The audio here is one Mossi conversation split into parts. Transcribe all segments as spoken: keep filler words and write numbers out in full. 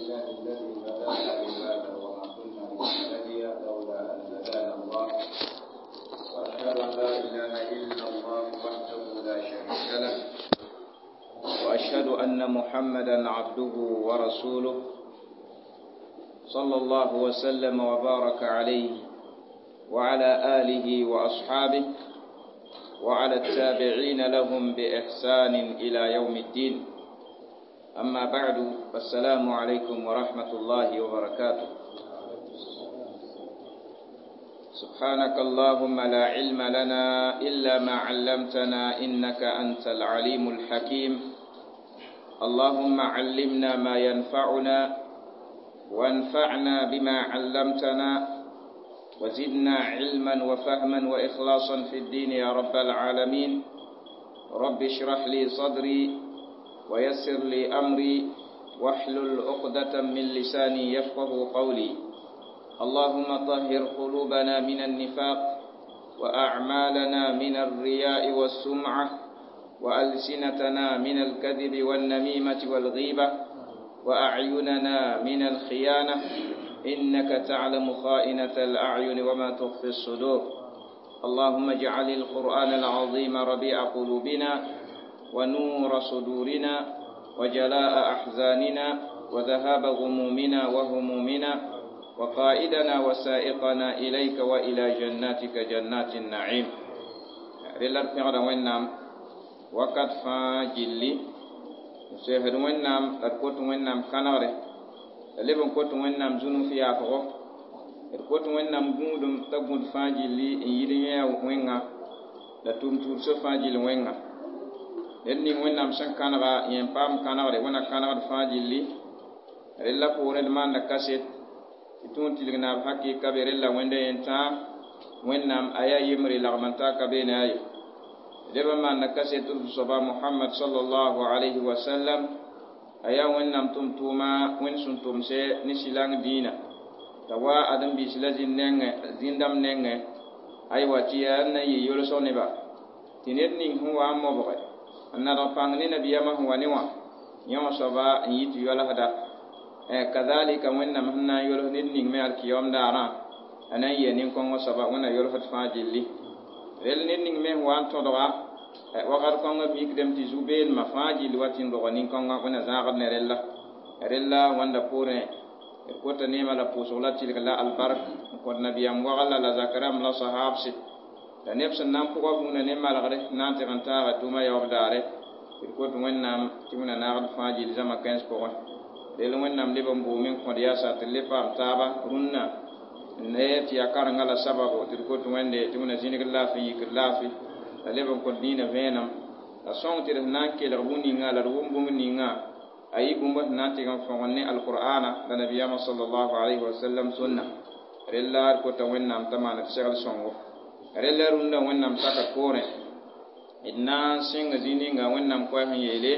لله الذي هدانا لهذا وما كنا لنهتدي لولا أن هدانا الله وأشهد أن لا إله إلا الله وحده لا شريك له وأشهد أن محمدا عبده ورسوله صلى الله وسلم وبارك عليه وعلى آله وأصحابه وعلى التابعين لهم بإحسان إلى يوم الدين أما بعد فالسلام عليكم ورحمة الله وبركاته سبحانك اللهم لا علم لنا إلا ما علمتنا إنك أنت العليم الحكيم اللهم علمنا ما ينفعنا وانفعنا بما علمتنا وزدنا علما وفهما وإخلاصا في الدين يا رب العالمين رب اشرح لي صدري ويسر لي أمري واحلل عقدة من لساني يفقه قولي اللهم طهر قلوبنا من النفاق وأعمالنا من الرياء والسمعة وألسنتنا من الكذب والنميمة والغيبة وأعيننا من الخيانة إنك تعلم خائنة الأعين وما تخفي الصدور اللهم اجعل القرآن العظيم ربيع قلوبنا ونور صدورنا وجلاء أحزاننا وذهاب غمومنا وهمومنا وقائدنا وسائقنا إليك وإلى جناتك جنات النعيم رلر pẽgda wẽnnaam wakat fãa gilli n sesd wẽnnaam la d kot wẽnnaam kãnegre la leb n kot wẽnnaam zũnuf yaafgo d kot wẽnnaam gũudum t'a gũud fãa gilli n yid yẽ wẽnga la tʋm-tuudsã fãa gill wẽnga ned ning wẽnnaam sẽn kãnega yẽ n paam kãnegre wẽna kãnegd fãa gilli rella poorẽ d maanda kaset tɩ tũ n tilg naab hakɩka be rella wẽnda yẽn tãa wẽnnaam a yaa yembre lagm n taa ka beene ayo leb n maanda kaset d soaba mohamad sallallahu alayhi wa sallam a yaa wẽnnaam tʋm-tʋʋma wẽnd sẽn tʋmse ne sɩlang dĩinã t'a wa ãdem-biis la zĩnd-nengẽ zĩn-dãmb nengẽ aywa tɩ yaa n na n yɩ yolsg neba tɩ ned ning sẽn wa n mobge n nadg pãng ne nabiyaamã sẽn wa ne wã yẽ wã soaba n yɩ tɩ yoalsda kadhalika wẽnnaam sẽn na n yols ned ning me alkiyom daarã a na n yɩa nin-kõngã soaba wẽnna yolsd fãa gilli rel ned ning me sẽn wa n tõdga wakat kõngã mikdame tɩ zu-beelmã fãa gilli wa tɩ n roga nin-kõngã wẽnna zãagd ne rella rella wãnda poorẽ d kota neemã la pʋʋsg la tɩlg la albark n kõt nabiyaam wagl la zakrãmb la sahabse la neb sẽn na n pʋga vũuna ne malgre n na n tɩg n taaga tʋʋma yaoob daare d kot wẽnnaam tɩ wẽnna naagd fãa gill zãma kãens pʋgẽ rel wẽnnaam leb n boome n kõd yaasa tɩ d le paam taaba rũnnã ne tɩ yaa karenga la sababo tɩ d kot wẽnde tɩ wẽnna zĩnigd laafɩ n yikd laafɩ la leb n kõt dĩinã vẽenem la sõng tɩ d sẽn na n kelg bũn-ninga la d wʋm bũmb ninga a yɩ bũmb sẽn na n tɩg n fõgen ne alqur'ana la nabiyaamã sallallahu alayhi wa sallam sunna rella d kota wẽnnaam t'a maan d segl sõngo rella rũndã wẽnnaam sakr poorẽ d na n sɩng zĩ ninga wẽnnaam koɛɛs n yeele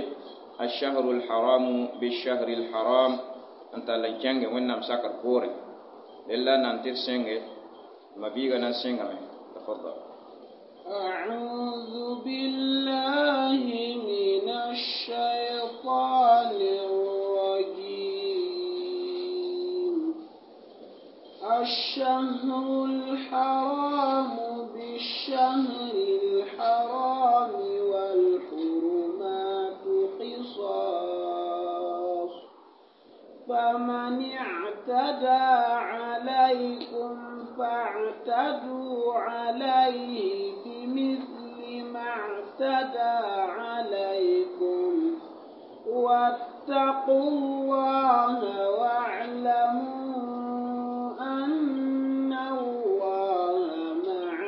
الشهر الحرام بالشهر الحرام n tall n kẽnge wẽnnaam sakr poorẽ rella nan tɩ d sẽnge ma-biigã na n sẽngame تفضل أعوذ بالله من الشيطان الرجيم الشهر الحرام بالشهر الحرام والحرمات قصاص فمن اعتدى عليكم فاعتدوا عليه بمثل ما اعتدى عليكم واتقوا الله واعلموا أن الله مع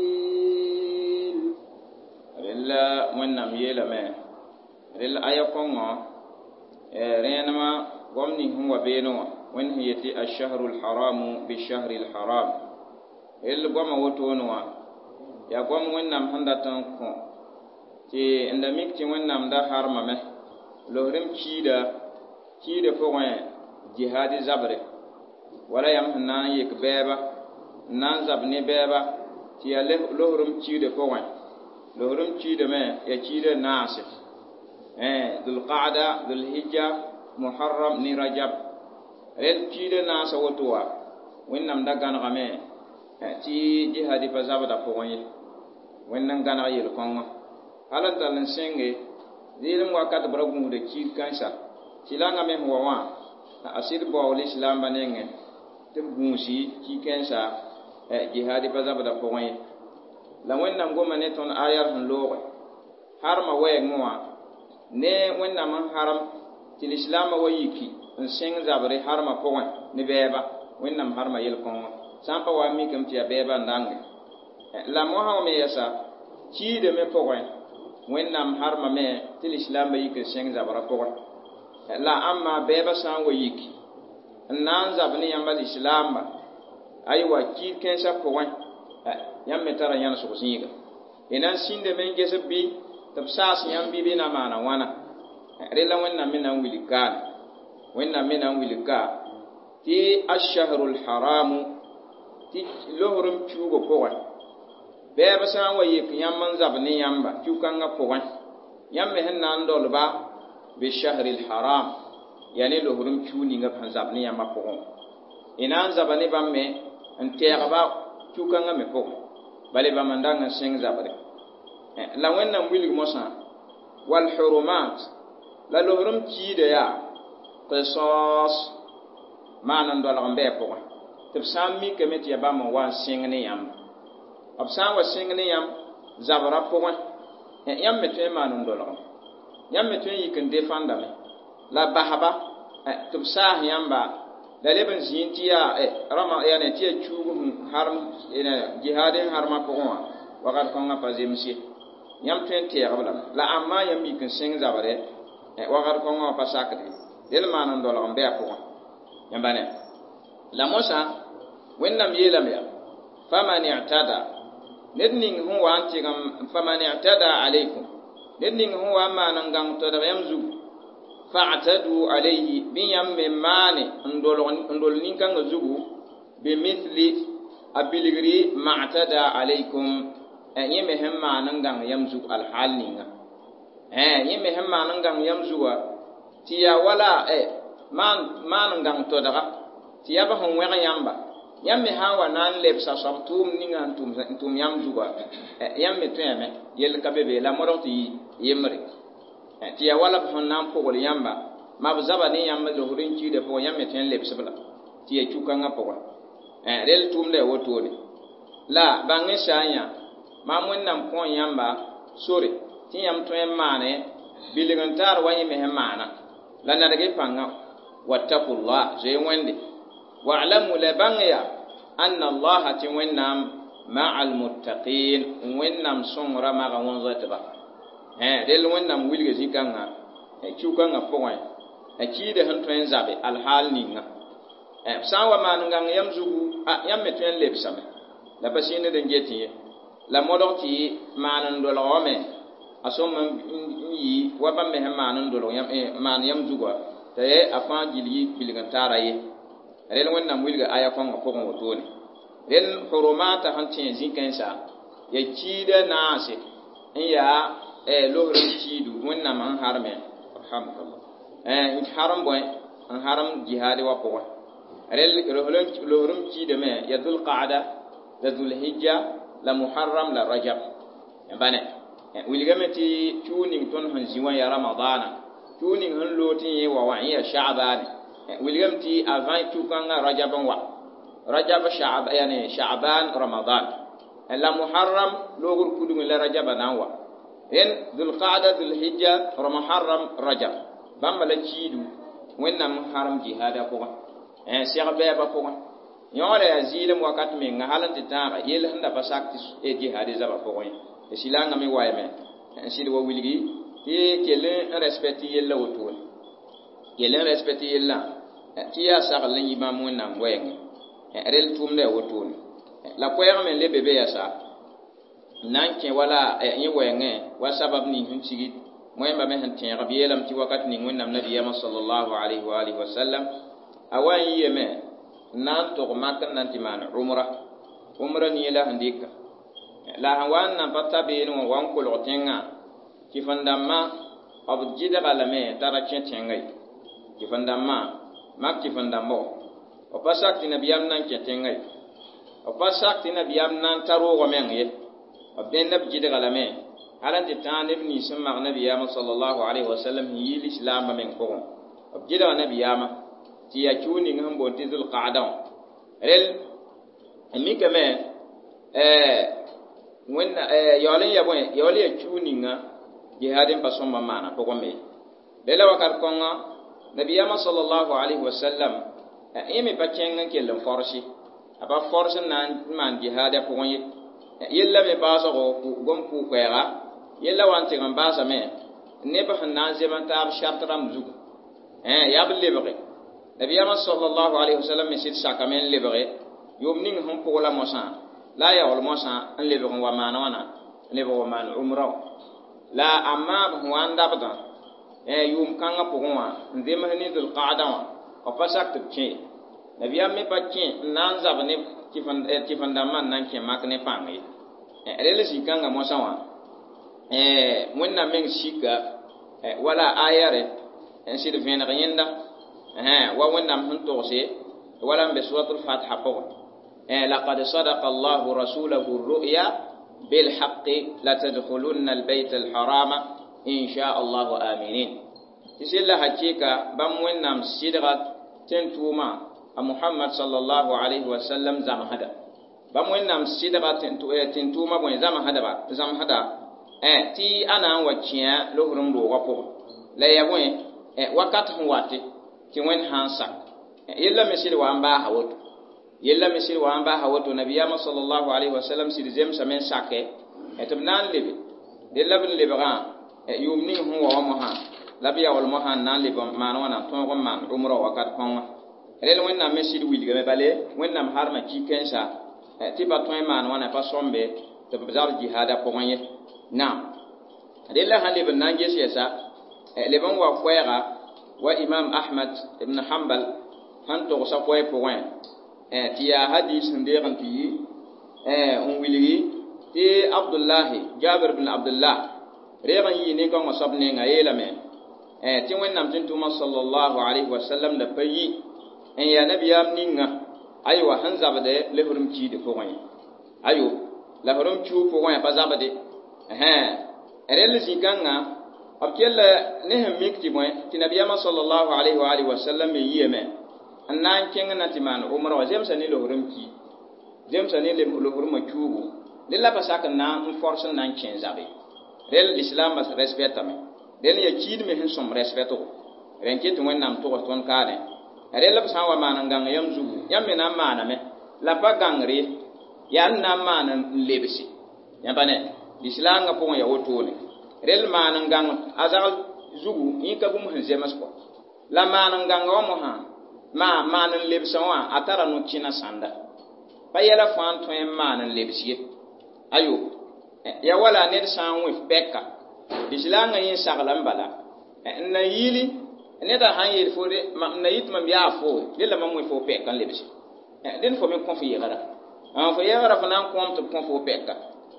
المتقين rella wẽnnaam yeelame rell aya kõngõ rẽenemã gom ning sẽn wa beene wã wẽnd sẽn yetɩ ashahru lharamu bishahri lharam rell goamã wotone wã yaa goam wẽnnaam sẽn dat n kõ tɩ n da mik tɩ wẽnnaam da harmame losrem kiida kiida pʋgẽ jihadi zabre wala yãmb sẽn na n yek bɛɛba n na n zab ne bɛɛba tɩ yaa losrem kiida pʋgẽ losrem kiidame yaa kiida naase dhulqaada dhulhijja Muharram ni Rajab rel kiida naasa woto wa Wẽnnaam da gãnegame tɩ jihadi pa zabda pʋgẽ ye Wẽnd n gãneg yel-kõngã hal n tall n sẽnge zɩɩlem wakat b ra gũusda kiir kãensa tɩlangã me sẽn wa wã a sɩd baool islaambã nengẽ tɩ b gũusi ki-kãensa jihadi pa zabda pʋgẽ ye la Wẽnnaam goma ne tõnd ayar sẽn looge harma wɛɛngẽ wã ne Wẽnnaam n harem tɩ lislaambã wa yiki n sẽng zabre harma pʋgẽ ne bɛɛba Wẽnnaam harma yel-kõngã sã n pa wa n mikame tɩ yaa bɛɛba n dãnge la mosã me yɛsa kiidame pʋgẽ Wẽnnaam harmame tɩ lislaambã yik n sẽng zabrã pʋgẽ la ãmba bɛɛba sã n wa yiki n na n zab ne yãmba lislaamba aywa kiid kãensã pʋgẽ yãmb me tara yãnesg zĩiga y na n sĩndame n ges b bɩ tɩ b saas yãmb bɩ bɩ na maana wãna rela Wẽnnaam me na n wilg kaane Wẽnnaam me na n wilg ka tɩ ashahrul haramu tɩ losrem kiuugã pʋgẽ bɛɛb sã n wa yek yãmb n zab ne yãmba kiu-kãngã pʋgẽ yãmb me sẽn na n dolba bishahri lharam yaa ne losrem kiu ninga b sẽn zab ne yãmbã pʋgẽ y na n zaba ne bãmb me n tɛɛgba kiu-kãngã me pʋgẽ bale bãmb n dang n sẽng zabre la Wẽnnaam wilg mosã walhurumat la losrem kiida yaa qisas maan n dolg n bɩ a pʋgẽ tɩ b sã n mikame tɩ yaa bãmb n wa n sẽng ne yãmb b sã n wa sẽng ne yãmb zabrã pʋgẽ yãmb me tõe n maan n dolgem yãmb me tõe n yik n defãndame la basba tɩ b saas yãmba la leb n zĩig tɩ yaa rama yani tɩ yaa kiuug sẽn harem jihaad n harmã pʋgẽ wã wakat kõngã pa zems ye yãmb tõe n tɛɛg-b lame la ãmba yãmb yik n sẽng zabre wakat kõngã wã pa sakde del maan n dolg n bɩ a pʋgẽ yãmba ne la mosã Wẽnnaam yeelame yaa faman i'tada ned ning sẽn wa n tɩgem faman i'tada alaykum ned ning sẽn wa n maan n gãng todg yãmb zugu fa'tadu alayhi bɩ yãmb me maane n dol nin-kãngã zugu bimithli a bilgri ma'tada alaykum yẽ me sẽn maan n gãng yãmb zugu alhaal ninga yẽ me sẽn maan n gãng yãmb zuga tɩ yaa wala maan n gãng todga tɩ yaa b sẽn wẽg yãmba yãmb me sã n wa na n lebsa soab tʋʋm ninga n tʋm yãmb zuga yãmb me tõeme yell ka be be la modg tɩ yembre tɩ yaa wala b sẽn na n pʋgl yãmba ma b zaba ne yãmb losr n kiidã pʋgẽ yãmb me tõe n lebs-b la tɩ yaa kiu-kãngã pʋgẽ rel tʋʋmda yaa wotone la bãng n sã n yã maam Wẽnnaam kõ yãmba sore tɩ yãmb tõe n maane bilg n taar wa yẽ me sẽn maana la nadg y pãnga wattaqullah zoe Wẽnde wa'lamu la bãng ya anna allaha tɩ Wẽnnaam ma'a almuttaqin Wẽnnaam sõngra maga wõn-zoetba rel Wẽnnaam wilga zĩ-kãngã kiu-kãngã pʋgẽ kiida sẽn tõe n zabe alhaal ninga b sã n wa maan n gãng yãmb zugu yãmb me tõe n lebsame la pa sĩnd n get ye la modg tɩ maan n dolg wame a sõm n yi wa bãmb me sẽn maan n dolg maan yãmb zugã t'a a fãa gill yi bilg n taara ye rel Wẽnnaam wilga aya kõngã pʋgẽ wotone rel hurumata sẽn tẽ zĩ-kãensa yaa kiida naase n yaa losr n kiidu Wẽnnaam n harme alhamdulillah n harem bõe n harem jihaad wã pʋgẽ rel losrem kiidame yaa dhulqaada la dhulhijja la muharram la rajab bane wilgame tɩ kiu ning tõnd sẽn zĩ wã yaa ramadaana kiu ning sẽn loog tɩ yẽ wa wã yẽ yaa sha'baane wilgame tɩ avant kiu-kãngã rajab n wa rajab sha'b yani sha'ban ramadan la muharram loogr kudg la rajaba na n wa ren dhulqaada dhulhijja muharram rajab bãmba la kiidu Wẽnnaam n harem jihaada pʋgẽ seg bɛɛbã pʋgẽ yõoda yaa zɩɩlem wakat menga hal n tɩ tãaga yell sẽn da pa sak tɩ jihaad zabã pʋgẽ ye silangã me waayame n sɩd wa wilgi tɩ kell n respecte yella wotone kell n respecte yellã tɩ yaa sagl n yɩ bãmb Wẽnnaam wɛɛngẽ rel tʋʋmda yaa wotone la koɛɛg me le be be yasa n na n kẽ wala yẽ wɛɛngẽ wa sabab ning sẽn tigit wẽmba me sẽn tẽeg b yeelame tɩ wakat ning Wẽnnaam nabiyaamã sallallahu alayhi wa alihi wa sallam a wa n yiyame n na n tog mak n na n tɩ maan umra umra nie la sẽn dɩka la sẽn wa n nan pa ta beene wã wa n kolg tẽngã kɩf-n-dãmbã b gɩdga lame t'a ra kẽ tẽngã ye Kɩf-n-dãmbã mak kɩf-n-dãmbɔ b pa sak tɩ nabiyaam na n kẽ tẽngã ye b pa sak tɩ nabiyaam na n ta roogã meng ye b dẽnd b gɩdga lame hal n tɩ tãag neb nins sẽn mag nabiyaamã sallallahu alaihi wasallam sẽn yi lislaambã meng pʋgẽ b gɩdga nabiyaamã tɩ yaa kiu ning sẽn boond tɩ zulqaada wã rel n mikame wẽnna yaool n ya bõe yaool ya kiu ninga jihaad n pa sõmba n maana pʋgẽ me rela wakat kõnga nabiyaamã sallallahu alaihi wasallam yẽ me pa kẽng n kell n forsi a pa fors n na n maan jihaada pʋgẽ ye yella me baasgo gom pʋʋ-koɛɛga yella wa n tɩg n baasame neb sẽn na n zem n taab shart rãmb zugu yaa b lebge nabiyaamã sallallahu alaihi wasallam me sɩd sakame n lebge yʋʋm ning sẽn pʋgla mosã la a yaool mosã n lebg n wa maan wãna n lebg wa maan umra la a maab sẽn wa n dabdã yʋʋm kãngã pʋgẽ wã n zems ne zulqaada wã b pa sak tɩ b kẽ nabiyaam me pa kẽ n na n zab ne tɩf-n-dãmbã n na n kẽ mak ne pãng ye rel zĩ-kãngã mosã wã wẽnnaam meng sika wala aya re n sɩd vẽneg yẽnda wa wẽnnaam sẽn togse wala n be suratul fatiha pʋgẽ لقد صدق الله رسوله الرؤيا بالحق لتدخلن البيت الحرام إن شاء الله آمنين تسل حقيقة بام وينام سيدغة تنتوما محمد صلى الله عليه وسلم زم هذا بام وينام سيدغة تنتوما بوين زم هذا با زم هذا تي أنا وكيا لهرم روغا لا يبوين وقت هواتي تي وين هانسا يلا مسير وان با هوتو yella me sɩd wa n baasa woto nabiyaamã sallallahu alaihi wasallam sɩd zemsame n sake tɩ b na n lebe dẽ la b n lebgã yʋʋm ning sẽn wa wã mosã la b yaool mosã n na n leb maan wãna tõog n maan umra wakat kõnga rel wẽnnaam me sɩd wilgame bale wẽnnaam harma ki-kẽnsa tɩ pa tõe n maan wãna pa sõmbe tɩ b zab jihaada pʋgẽ ye naam rella sãn leb n na n ges yɛsa leb n wa koɛɛga wa imam ahmad ibn hanbal sẽn togsa koɛɛ pʋgẽ tɩ yaa hadis sẽn deeg n tɩ yi n wilgi tɩ abdullahi jabir bin abdullah reeg n yii nin-kãngã soab nenga yeelame tɩ wẽnnaam tɩ tʋʋmã sallallahu alaihi wasallam da pa yi n yaa nabiyaam ninga aywa sẽn zabde lesrem kiide pʋgẽ ye ayo lasrem kiu pʋgẽ pa zabde rel zĩ-kãngã b kell ne sẽn mik tɩ bõe tɩ nabiyaamã sallallahu alaihi wa alihi wasallam me yiame n na n kẽng na tɩ maan umra wã zemsa ne losrem ki zemsa ne losremã kiuugu dẽ la pa sak n na n fors n na n kẽ zabe rel lislaambã respectame rel ya kiid me sẽn sõm respectgo rẽn ket wẽnnaam togs tõnd kaane rel b sã n wa maan n gãng yãmb zugu yãmb me na n maaname la pa gãngr ye yaa n na n maan n lebse yãmba ne lislaangã pʋgẽ ya wotone rel maan n gãng a zagl zugu yẽ ka bũmb sẽn zems kɔ la maan n gãnga wã mosã ma maan n lebsã wã a tara no-kẽna sãnda pa yɛla fãa n tõe n maan n lebs ye ayo ya wala ned sã n wẽ pɛka lislaangã yẽ sagla n bala n na yiili neda sãn yeel fo n na yit mam yaa fo dẽ la mam wẽ fo pɛka n lebse dẽnd fo me kõ f yɛgra fo yɛgra fo na n kõom tɩ b kõ fo pɛka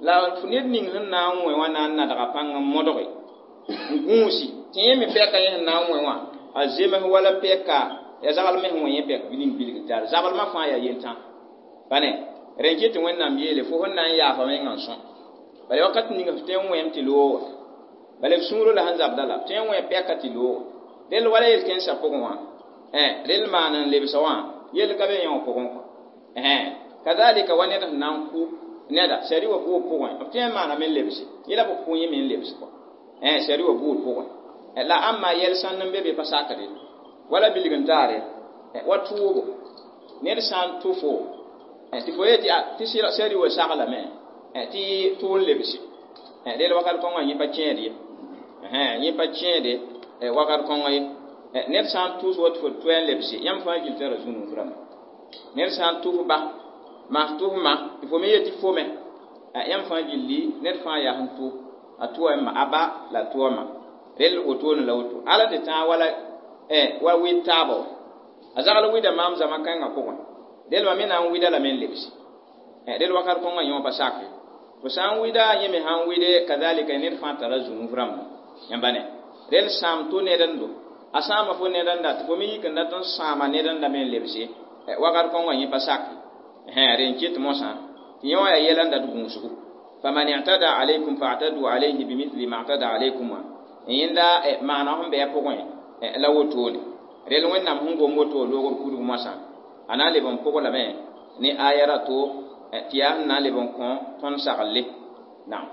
la ned ning sẽn na n wẽ wã na n nadga pãng n modge n gũusi tɩ yẽ me pɛka yẽ sẽn na n wẽ wã a zems wala pɛka ya zagl me sẽn wẽ yẽ pɛk ning bilg tar zaglmã fãa yaa yentã pa ne rẽn ket tɩ wẽnnaam yeele fo sẽn na n yaafa mengã n sõ bala wakat ning f tõe n wẽem tɩ looga bala f sũurã la sẽn zabda la tõe n wẽ pɛka tɩ looga rel wala yel-kẽnsã pʋgẽ wã rel maan n lebsa wã yell ka be yẽ wã pʋgẽ kɔ kazalika wa ned sẽn na n kʋ neda sari wa buud pʋgẽ b tõe n maaname n lebse yẽ la b kʋ yẽ me n lebs kɔ sari wa buud pʋgẽ la ãmma yɛl sãnd n be be pa sakde wala bilg n taare wa tʋʋbo ned sã n tʋ fo tɩ fo yetɩ tɩ sari wa saglame tɩ tʋ n lebse rel wakat kõngã yẽ pa kẽed ye yẽ pa kẽede wakat kõngã ye ned sã n tʋs wa tɩ fo tʋ n lebse yãmb fãa gil tara zũnug rãmba ned sã n tʋf ba maa tʋf ma tɩ fo me yetɩ fo me yãmb fãa gilli ned fãa yaa sẽn tʋ a tʋa ma a ba la a tʋa ma rel wotone la woto ala tɩ tãag wala wa wɩd taaba wa a zagl wɩda maam zãma kãngã pʋgẽ del ma me na n wɩda lame n lebse del wakat kõngã yẽ wã pa sake fo sã n wɩda yẽ me sã n wɩde kazalika ned fãa tara zũnuf rãmba yãmba ne rel sãam to ned n do A sãama fo ned n dat tɩ fo me yik n dat n sãama ned n da me n lebse wakat kõn wã yẽ pa sak rẽ n ket mosã tɩ yẽ wã yaa yɛla n dat gũusgu faman i'tada alaykum fa'tadu alayhi bimithli ma i'tada alaykum wã yẽnda maana sẽn bɩ a pʋgẽ la wotone rel wẽnnaam sẽn gom woto loogr kudg moasã a na n leb n pʋg lame ne aya rato tɩ yaa sẽn na n leb n kõ tõnd saglle naam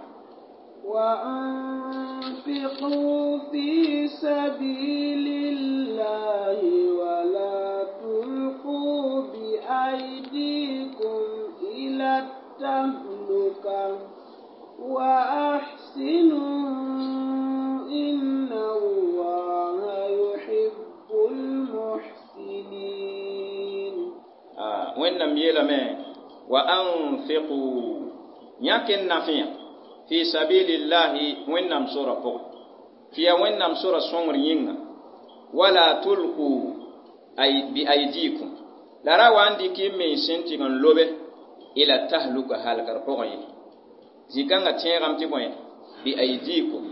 وأنفقوا في سبيل الله ولا تلقوا بأيديكم إلى التهلكة وأحسنوا إن الله يحب المحسنين آه وإنم يلمي وأنفقوا يكن نفيا في سبيل الله وإنم سورة فوق في وإنم سورة صنر ينغ ولا تلقوا أي بأيديكم لا روان دي كي من سنتي لوبه إلى التهلكة هلكر فوق zĩ-kãngã tẽegame tɩ bõe bi aidikum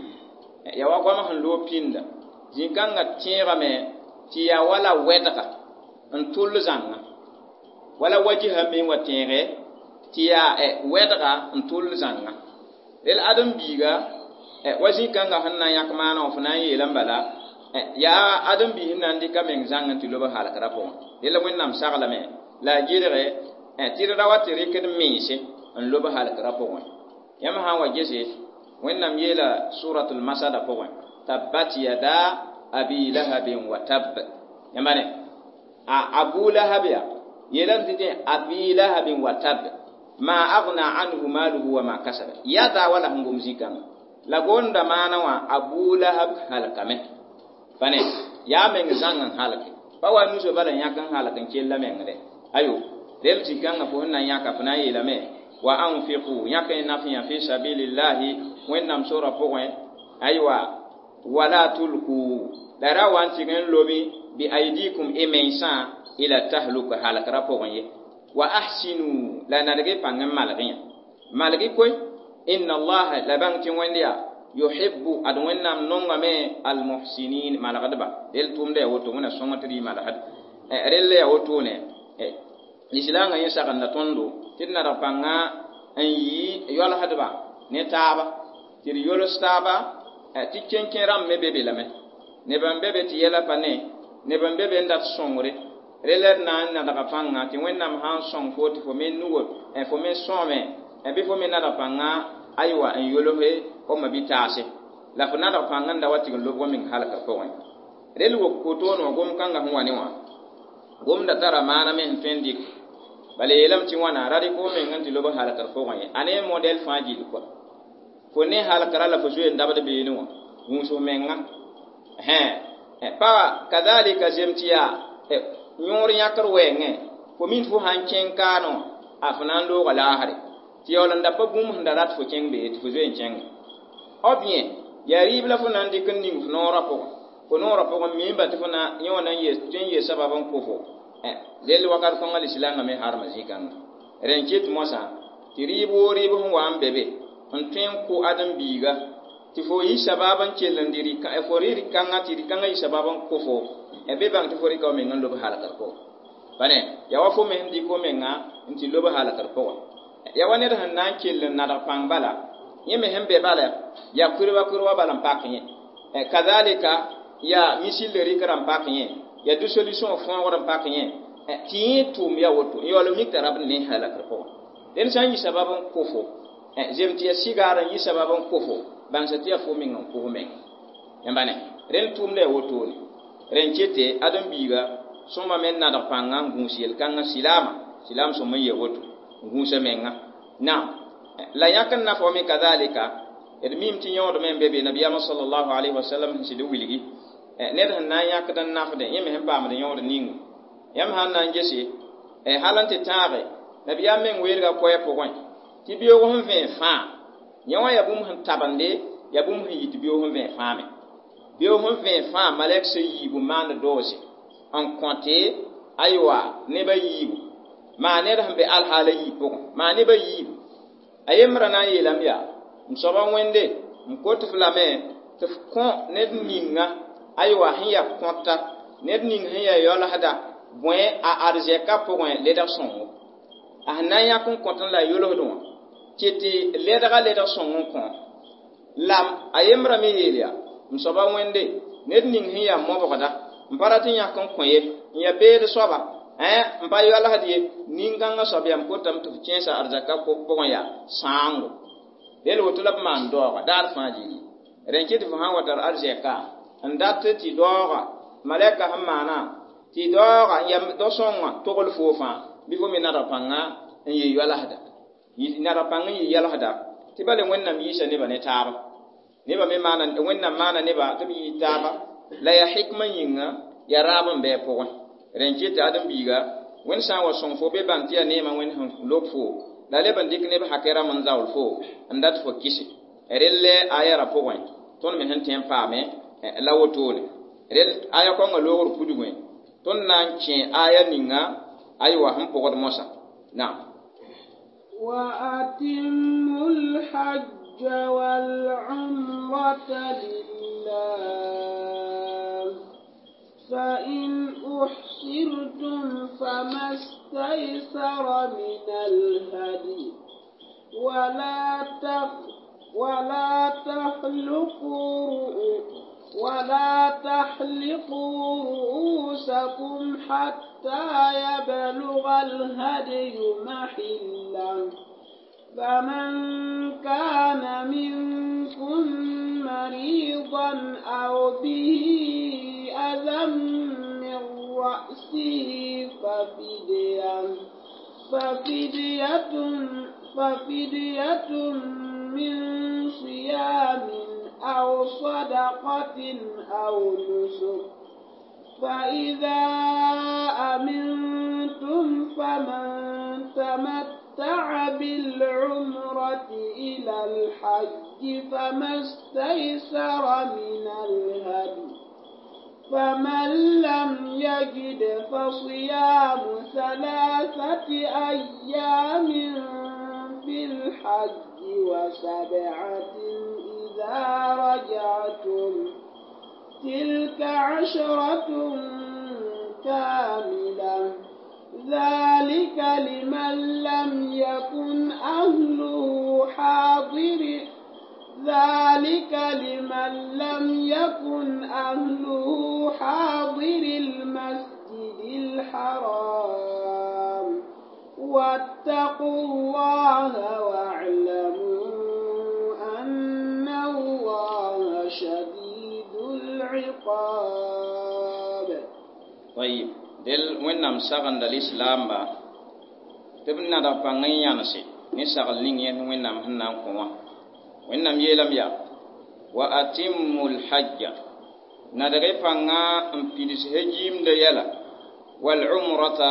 ya wa goam sẽn loog pĩnda zĩ-kãngã tẽegame tɩ yaa wala wɛdga n tʋll zãnga wala wajisã me wa tẽege tɩ yaa wɛdga n tʋll zãnga rel ãdem-biiga wa zĩ-kãngã sẽn na n yãk maana wã fo na n yeelame bala yaa ãdem-biis sẽn na n dɩka meng zãng n tɩ lob halkra pʋgẽ rel wẽnnaam saglame la a gɩdge tɩ d ra wa tɩ rɩkd mense n lob halkra pʋgẽ yãmb sã n wa gese wẽnnaam yeela suratul masada pʋgẽ tabbat yada abi lahabin wa tab yãmba ne a abu lahab ya yeelame tɩ tẽ abi lahabin wa tab ma agna anhu maluhu wa ma kasaba yada wala sẽn gom zĩ-kãngã la gonda maana wã abu lahab halkame pa ne yaa meng zãng n halke pa wa nuso bala yãk n halk n kella mengre ayo rel zĩ-kãngã fo sẽn na n yãka fo na n yeelame wa anfiqu yãk n nafyã fi sabilillahi wẽnnaam sora pʋgẽ aywa wala tulku la ra wa n tɩg n lobi bi aidikum y mensã ila tahluka halkra pʋgẽ ye wa ahsinu la nadg y pãng n malg yã malg koe inna allaha la bãng tɩ wẽnd yaa yuhibbu ad wẽnnaam nongame almuhsinin malgdba rel tʋʋmda yaa woto wẽna sõng tɩ d yɩ malgd rel la yaa wotone lislaangã yẽ sagenda tõndo tɩ d nadg pãnga n yɩ yoalsdba ne taaba tɩ d yols taaba tɩ kẽnkẽ rãmb me be be lame neb n be be tɩ yɛla pa ne neb n be be n dat sõngre rel d na n nadga pãnga tɩ wẽnnaam sã n sõng fo tɩ fo me nugo fo me sõome bɩ fo me nadg pãnga aywa n yolse fo ma bɩ-taase la fo nadg pãng n da wa tɩg n lobg meng halkr pʋgẽ rel wok kotoon wã gom-kãngã sẽn wa ne wã gomda tara maana me sẽn tõe n dɩk bala yeelame tɩ wãna ra rɩk fo meng n tɩ lob halkr pʋgẽ ye a ne modɛl fãa gill kɔa fo ne halkra la fo zoe n dabd beene wã gũus f menga pa kazalika zem tɩ yaa yõor yãkr wɛɛngẽ fo min fo sãn kẽng kaanẽ wã a fo na n looga laasre tɩ yaool n da pa bũmb sẽn da rat fo kẽng be tɩ fo zoe n kẽnge o bien yaa rɩɩb la fo na n dɩk n ning fo noorã pʋgẽ fo noorã pʋgẽ miimba tɩ fo na yẽ wã na n tõe n yee sabab n kʋ fo rel wakat kõngã lislaangã me harma zĩ-kãngã rẽ n ket moasã tɩ rɩɩb woo rɩɩb sẽn wa n be be n tõe n kʋ ãdem-biiga tɩ fo yi sabab n kell n dɩ fo rɩ rɩ-kãngã tɩ rɩ-kãngã yi sabab n kʋ fo be bãng tɩ fo rɩka f meng n lob halkr pʋgẽ pa ne yaa wa fo me sẽn dɩk fo menga n tɩ lob halkr pʋgẽ yaa wa ned sẽn na n kell n nadg pãng bala yẽ me sẽn be bala yaa kurba kurba bala n pak yẽ kazalika yaa misil rɩkra n pak yẽ yaa dissolution fõogr n pak yẽ tɩ yẽ tʋʋm yaa woto n yaool mik t'a rab ne halkr pʋgẽ dẽnd sã n yi sabab n kʋ fo zem tɩ yaa sigaar n yi sabab n kʋ fo bãngsa tɩ yaa fo meng n kʋ f meng yãmba ne rẽnd tʋʋmda yaa wotone rẽn kete ãdem-biiga sõma me nadg pãnga n gũus yel-kãngã silaama silaam sõm n yee woto n gũusa menga naam la yãk n na fo me kazalika d miim tɩ yõod me n be be nabiyaamã sallallahu alayhi wa sallam sẽn sɩd wilgi ned sẽn na n yãkd n nafdẽ yẽ me sẽn paamd yõod ninga yãmb sãn na n gese hal n tɩ tãage nabiyaam meng weelga koɛɛ pʋgẽ tɩ beoog sẽn vẽe fãa yẽ wã yaa bũmb sẽn tabende yaa bũmb sẽn yit beoog sẽn vẽe fãa me beoog sẽn vẽe fãa malɛk sẽn yiibu maand doose n kõte aywa neba yiibu maa ned sẽn be alhaala yii pʋgẽ maa neba yiibu a yembrã na n yeelame yaa m soaba wẽnde n kot f lame tɩ f kõ ned ninga Aywa sẽn yaa kõta ned ning sẽn yaa yaoolsda bõe a arzɛka pʋgẽ ledg sõngo a sẽn na n yãk n kõt n la yolsd wã tɩ tɩ ledga ledg sõng n kõ la a yembrã me yeel yaa m soaba wẽnde ned ning sẽn yaa mobgda n pa rat n yãk n kõ ye n yaa beed soaba n pa yaoolsd ye nin-kãngã soab yaa m kotame tɩ f kẽesa arzaka pʋgẽ yaa sãango rel woto la b maan daooga daar fãa gilli rẽn kɩ tɩ fo sã n wa tar arzɛka n dat tɩ daooga malɛka sẽn maana tɩ daooga n yaa dao-sõngã togl foo fãa bɩ fo me nadg pãnga n yɩ yoalsda nadg pãng n yɩ yɛlsda tɩ bale wẽnnaam yiisa nebã ne taaba nebã me maana wẽnnaam maana neba tɩ b yɩ taaba la yaa hikmã yĩnga yaa raab n bɩ a pʋgẽ rẽn kɩ tɩ ãdem-biiga wẽnd sã n wa sõng fo be bãng tɩ yaa neemã wẽnd sẽn lob fo la leb n dɩk neb hakɛ rãmb n zaool fo n dat fo kɩse relle aya ra pʋgẽ tõnd me sẽn tõe n paame la wotone rel aya kõnga loogr pudgẽ tõnd na n kẽ aya ninga aywa sẽn pʋgd mosã naam وأتموا الحج والعمرة لله فإن أحصرتم فما استيسر من الهدي ولا تخ ولا تحلقوا ولا تحلقوا رؤوسكم حتى يبلغ الهدي محله فمن كان منكم مريضا أو به أذى من رأسه ففدية ففدية ففدية من صيام أو صدقة أو نسك فإذا أمنتم فمن تمتع بالعمرة إلى الحج فما استيسر من الهدي فمن لم يجد فصيام ثلاثة أيام في الحج وسبعة إذا رجعتم تلك عشرة كاملة ذلك لمن لم يكن أهله حاضر ذلك لمن لم يكن أهله حاضر المسجد الحرام واتقوا الله واعلموا أن الله شديد العقاب. طيب del wẽnnaam sagenda lislaamba tɩ b nadg pãng n yãnse ne sagl ning yẽ wẽnnaam sẽn na n kõ wã wẽnnaam yeelame yaa wa atimmu lhajja nadg y pãnga n pids hejiimda yɛla walumrata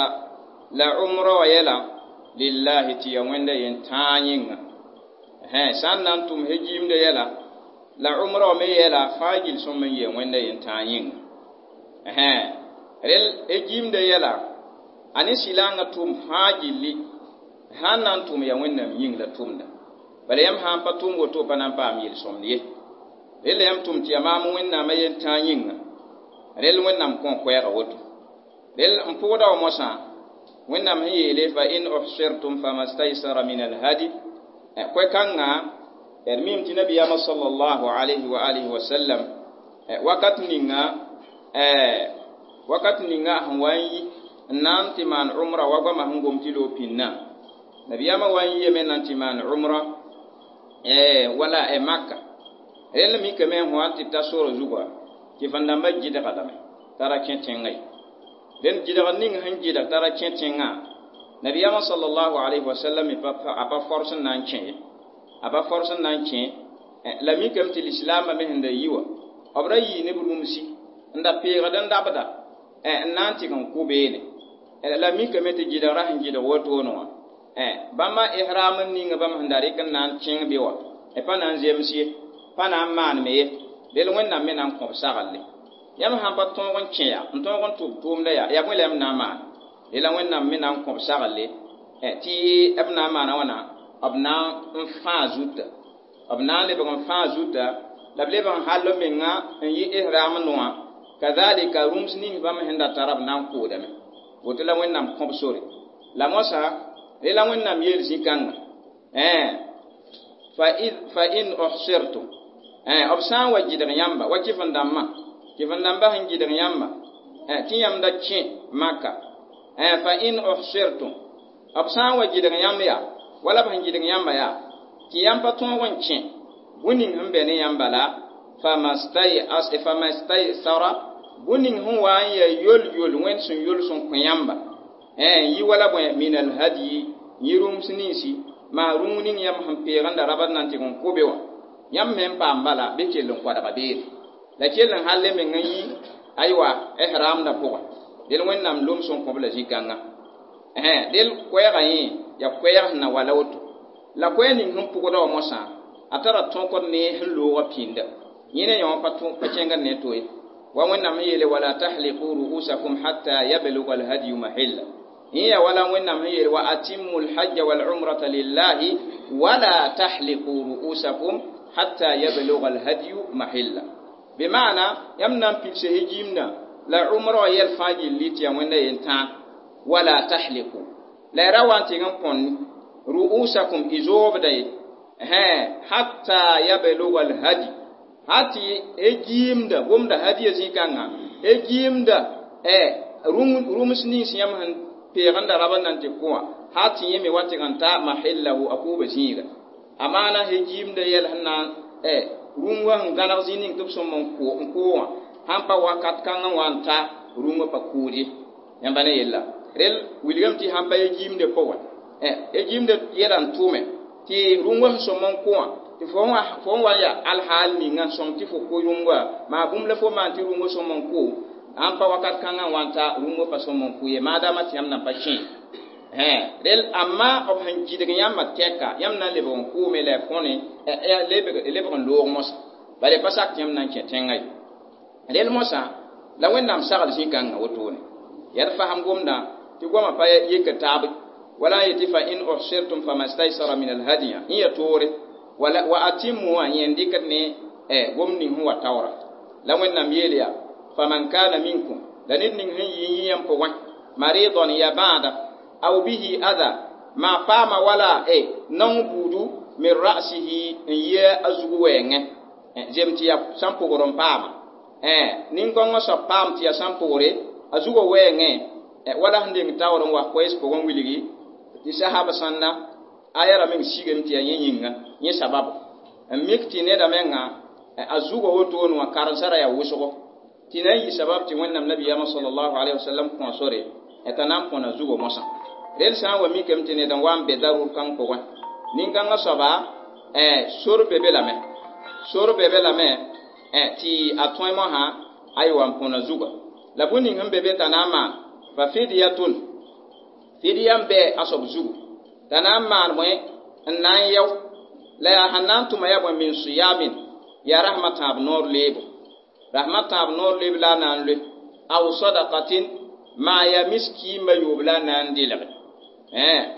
la umra wa yɛla lillahi tɩ ya wẽnda yen-tãa yĩnga sã n na n tʋm hejiimda yɛla la umra wa me yɛla fãa gil sõm n yee wẽnda yen-tãa yĩnga rel hejiimda yɛla a ne sɩlaangã tʋʋm fãa gilli sã n na n tʋm ya wẽnnaam yĩng la tʋmda bala yãmb sã n pa tʋʋm woto pa na n paam yel-sõmd ye rel la yãmb tʋm tɩ yaa maam wẽnnaamã yen-tãa yĩnga rel wẽnnaam kõ koɛɛga woto rel n pʋgda wa mosã wẽnnaam sẽn yeele fa in uhsirtum fama staysara min alhadi koɛ-kãngã d mim tɩ nabiyaamã sallallahu alayhi wa alihi wa sallam wakat ninga wakat ninga sẽn wa n yi n na n tɩ maan umra wa goamã sẽn gom tɩ loog pĩnnã nabiyaamã wa n yiyame na n tɩ maan umra wala Makka rẽnd mikame n wa n tɩ ta sora zugã tɩ vẽn-dãmbã gɩdga lame t'a ra kẽ tẽngã ye rẽnd gɩdg ning sẽn gɩdg t'a ra kẽ tẽngã nabiyaamã sallallahu alayhi wa sallam a pa fors n na n kẽ ye a pa fors n na n kẽ la mikame tɩ lislaambã me sẽn da yi wa b ra yii ne b rũmsi n da peegd n dabda n na n tɩg n kʋ beene la mikame tɩ gɩdgrã sẽn gɩdg wotone wã bãmba ihram n ninga bãmb sẽn da rɩk n na n kẽng be wa pa na n zems ye pa na n maanme ye rel wẽnnaam me na n kõb saglle yãmb sãn pa tõog n kẽ ya n tõog n tʋb tʋʋmda yaa yaa bõe la yãmb na n maan rela wẽnnaam me na n kõb saglle tɩ b na n maana wãna b na n fãa zuta b na n lebg n fãa zuta la b lebg n hall menga n yɩ ihram noã Kadhalika rũms ning bãmb sẽn da tara b na n koodame. Woto la Wẽnnaam kõb sore. La moasã re la Wẽnnaam yeel zĩ-kãnga. Fa in uhsirtum, b sã n wa gɩdg yãmba wa kɩf-n-dãmbã, kɩf-n-dãmbã sẽn gɩdg yãmba tɩ yãmb da kẽ Maka. Fa in uhsirtum, b sã n wa gɩdg yãmb yaa wala b sẽn gɩdg yãmba yaa tɩ yãmb pa tõog n kẽ bũn ning sẽn be ne yãmba la famastaysara, bũn ning sẽn wa n yaa yol-yol Wẽnd sẽn yol sẽn kõ yãmba yi wala bõe min alhadyi, yɩ rũms ninsi maa rũng ning yãmb sẽn peegenda rabad na n tɩg n kobe wã yãmb me n paam bala bɩ kell n koadga beere la kell n hal meng n yi aywa ihramdã pʋgẽ. Del Wẽnnaam lom sẽn kõb la zĩ-kãnga. Del koɛɛgã yẽ yaa koɛɛg sẽn na wala woto. La koɛɛg ning sẽn pʋgda wã moasã a tara tõkd ne sẽn loogã pĩnda. Yẽ ne yã wã pa kẽngd ne to ye. Wa Wẽnnaam sẽn yeele wala tahliqu ru'usakum hatta yablugha alhadyu mahilla. Yẽ yaa wala Wẽnnaam sẽn yeele wa atimmu alhajja walumrata lillahi wala tahliqu ru'usakum hatta yablugha alhadyu mahilla. Bɩ maana yãmb na n pilse hijimdã la umra wã yɛl fãa gilli tɩ yaa Wẽnda yen-tãag wala tahliqu. La ya ra wa n tɩg n kõn ru'usakum y zoobda ye hatta yablugha alhadi, hal tɩ giimda gomda hadiya zĩ-kãngã e giimda rũms nins yãmb sẽn peegenda rabd na n tɩ kõ wã hal tɩ yẽ me wa tɩg n ta mahillahu a kʋʋba zĩiga. A maana he giimda yɛl sẽn na n rũngã sẽn gãneg zĩ ning tɩ b sõm n kʋ wã sãn pa wakat kãngã wã n ta rũngã pa kʋʋd ye. Yãmba ne yella rel wilgame tɩ sãn pa ye giimdã pʋgẽ e giimdã yɛla n tʋʋme tɩ rũngã sẽn sõm n kʋ wã tɩ fo n wa n yaa alhaal ninga n sõm tɩ fo kʋ rũngã maa bũmb la fo maan tɩ rũngã sõm n kʋ sãn pa wakat kãngã wã n ta rũngã pa sõm n kʋ ye maadaama tɩ yãmb nan pa kẽ. Rel amma b sẽn gɩdg yãmbã tɛka yãmb na n lebg n kʋʋme la y kõne lebg n loog moasã bala y pa sak tɩ yãmb na n kẽ tẽngã ye. Rel moasã la Wẽnnaam sagl zĩ-kãngã wotone yaa d fasem gomdã tɩ goamã pa yek taab wala n yetɩ fa in uhsirtum famastaysara min alhadiya yẽ ya toore wala wa atimmu wã yẽ n dɩkd ne gom ning sẽn wa taoora. La Wẽnnaam yeel yaa faman kana minkum, la ned ning sẽn yɩ yĩ yãmb pʋgẽ maridan ya bãada aw bihi adha maa paama wala naong buudu min ra'sihi n yɩ a zug wɛɛngẽ zem tɩ yaa sãn pʋgr n paama nin-kõngã soab paam tɩ yaa sãn pʋgre a zugã wɛɛngẽ wala sẽn deng taoor n wa koɛɛs pʋgẽ wilgi tɩ sahab sãnna a yaa ra meng sigame tɩ yaa yẽ yĩnga yẽ sababu n mik tɩ neda menga a zugã wotone wã karen-sã ra yaa wʋsgo tɩ na n yɩ sabab tɩ Wẽnnaam nabiyaamã sallallahu alayhi wa sallam kõ sore t'a na n põna zugã mosã. Rel sã n wa mikame tɩ ned n wa n be darur kãng pʋgẽ nin-kãngã soaba sor be be lame sor be be lame tɩ a tõe mosã aywa n põna zugã. La bũmb ning sẽn be be t'a na n maan fa fidyatun, fidya n bɩ a soab zugu t'a na n maan bõe n na n yao la yaa sẽn na n tʋma yaa bõe min siyamin yaa rasmã tãab noor leebo rasmã tãab noor leeb la a na n loe aw sadaqatin maa yaa miskiimã yoob la a na n dɩlge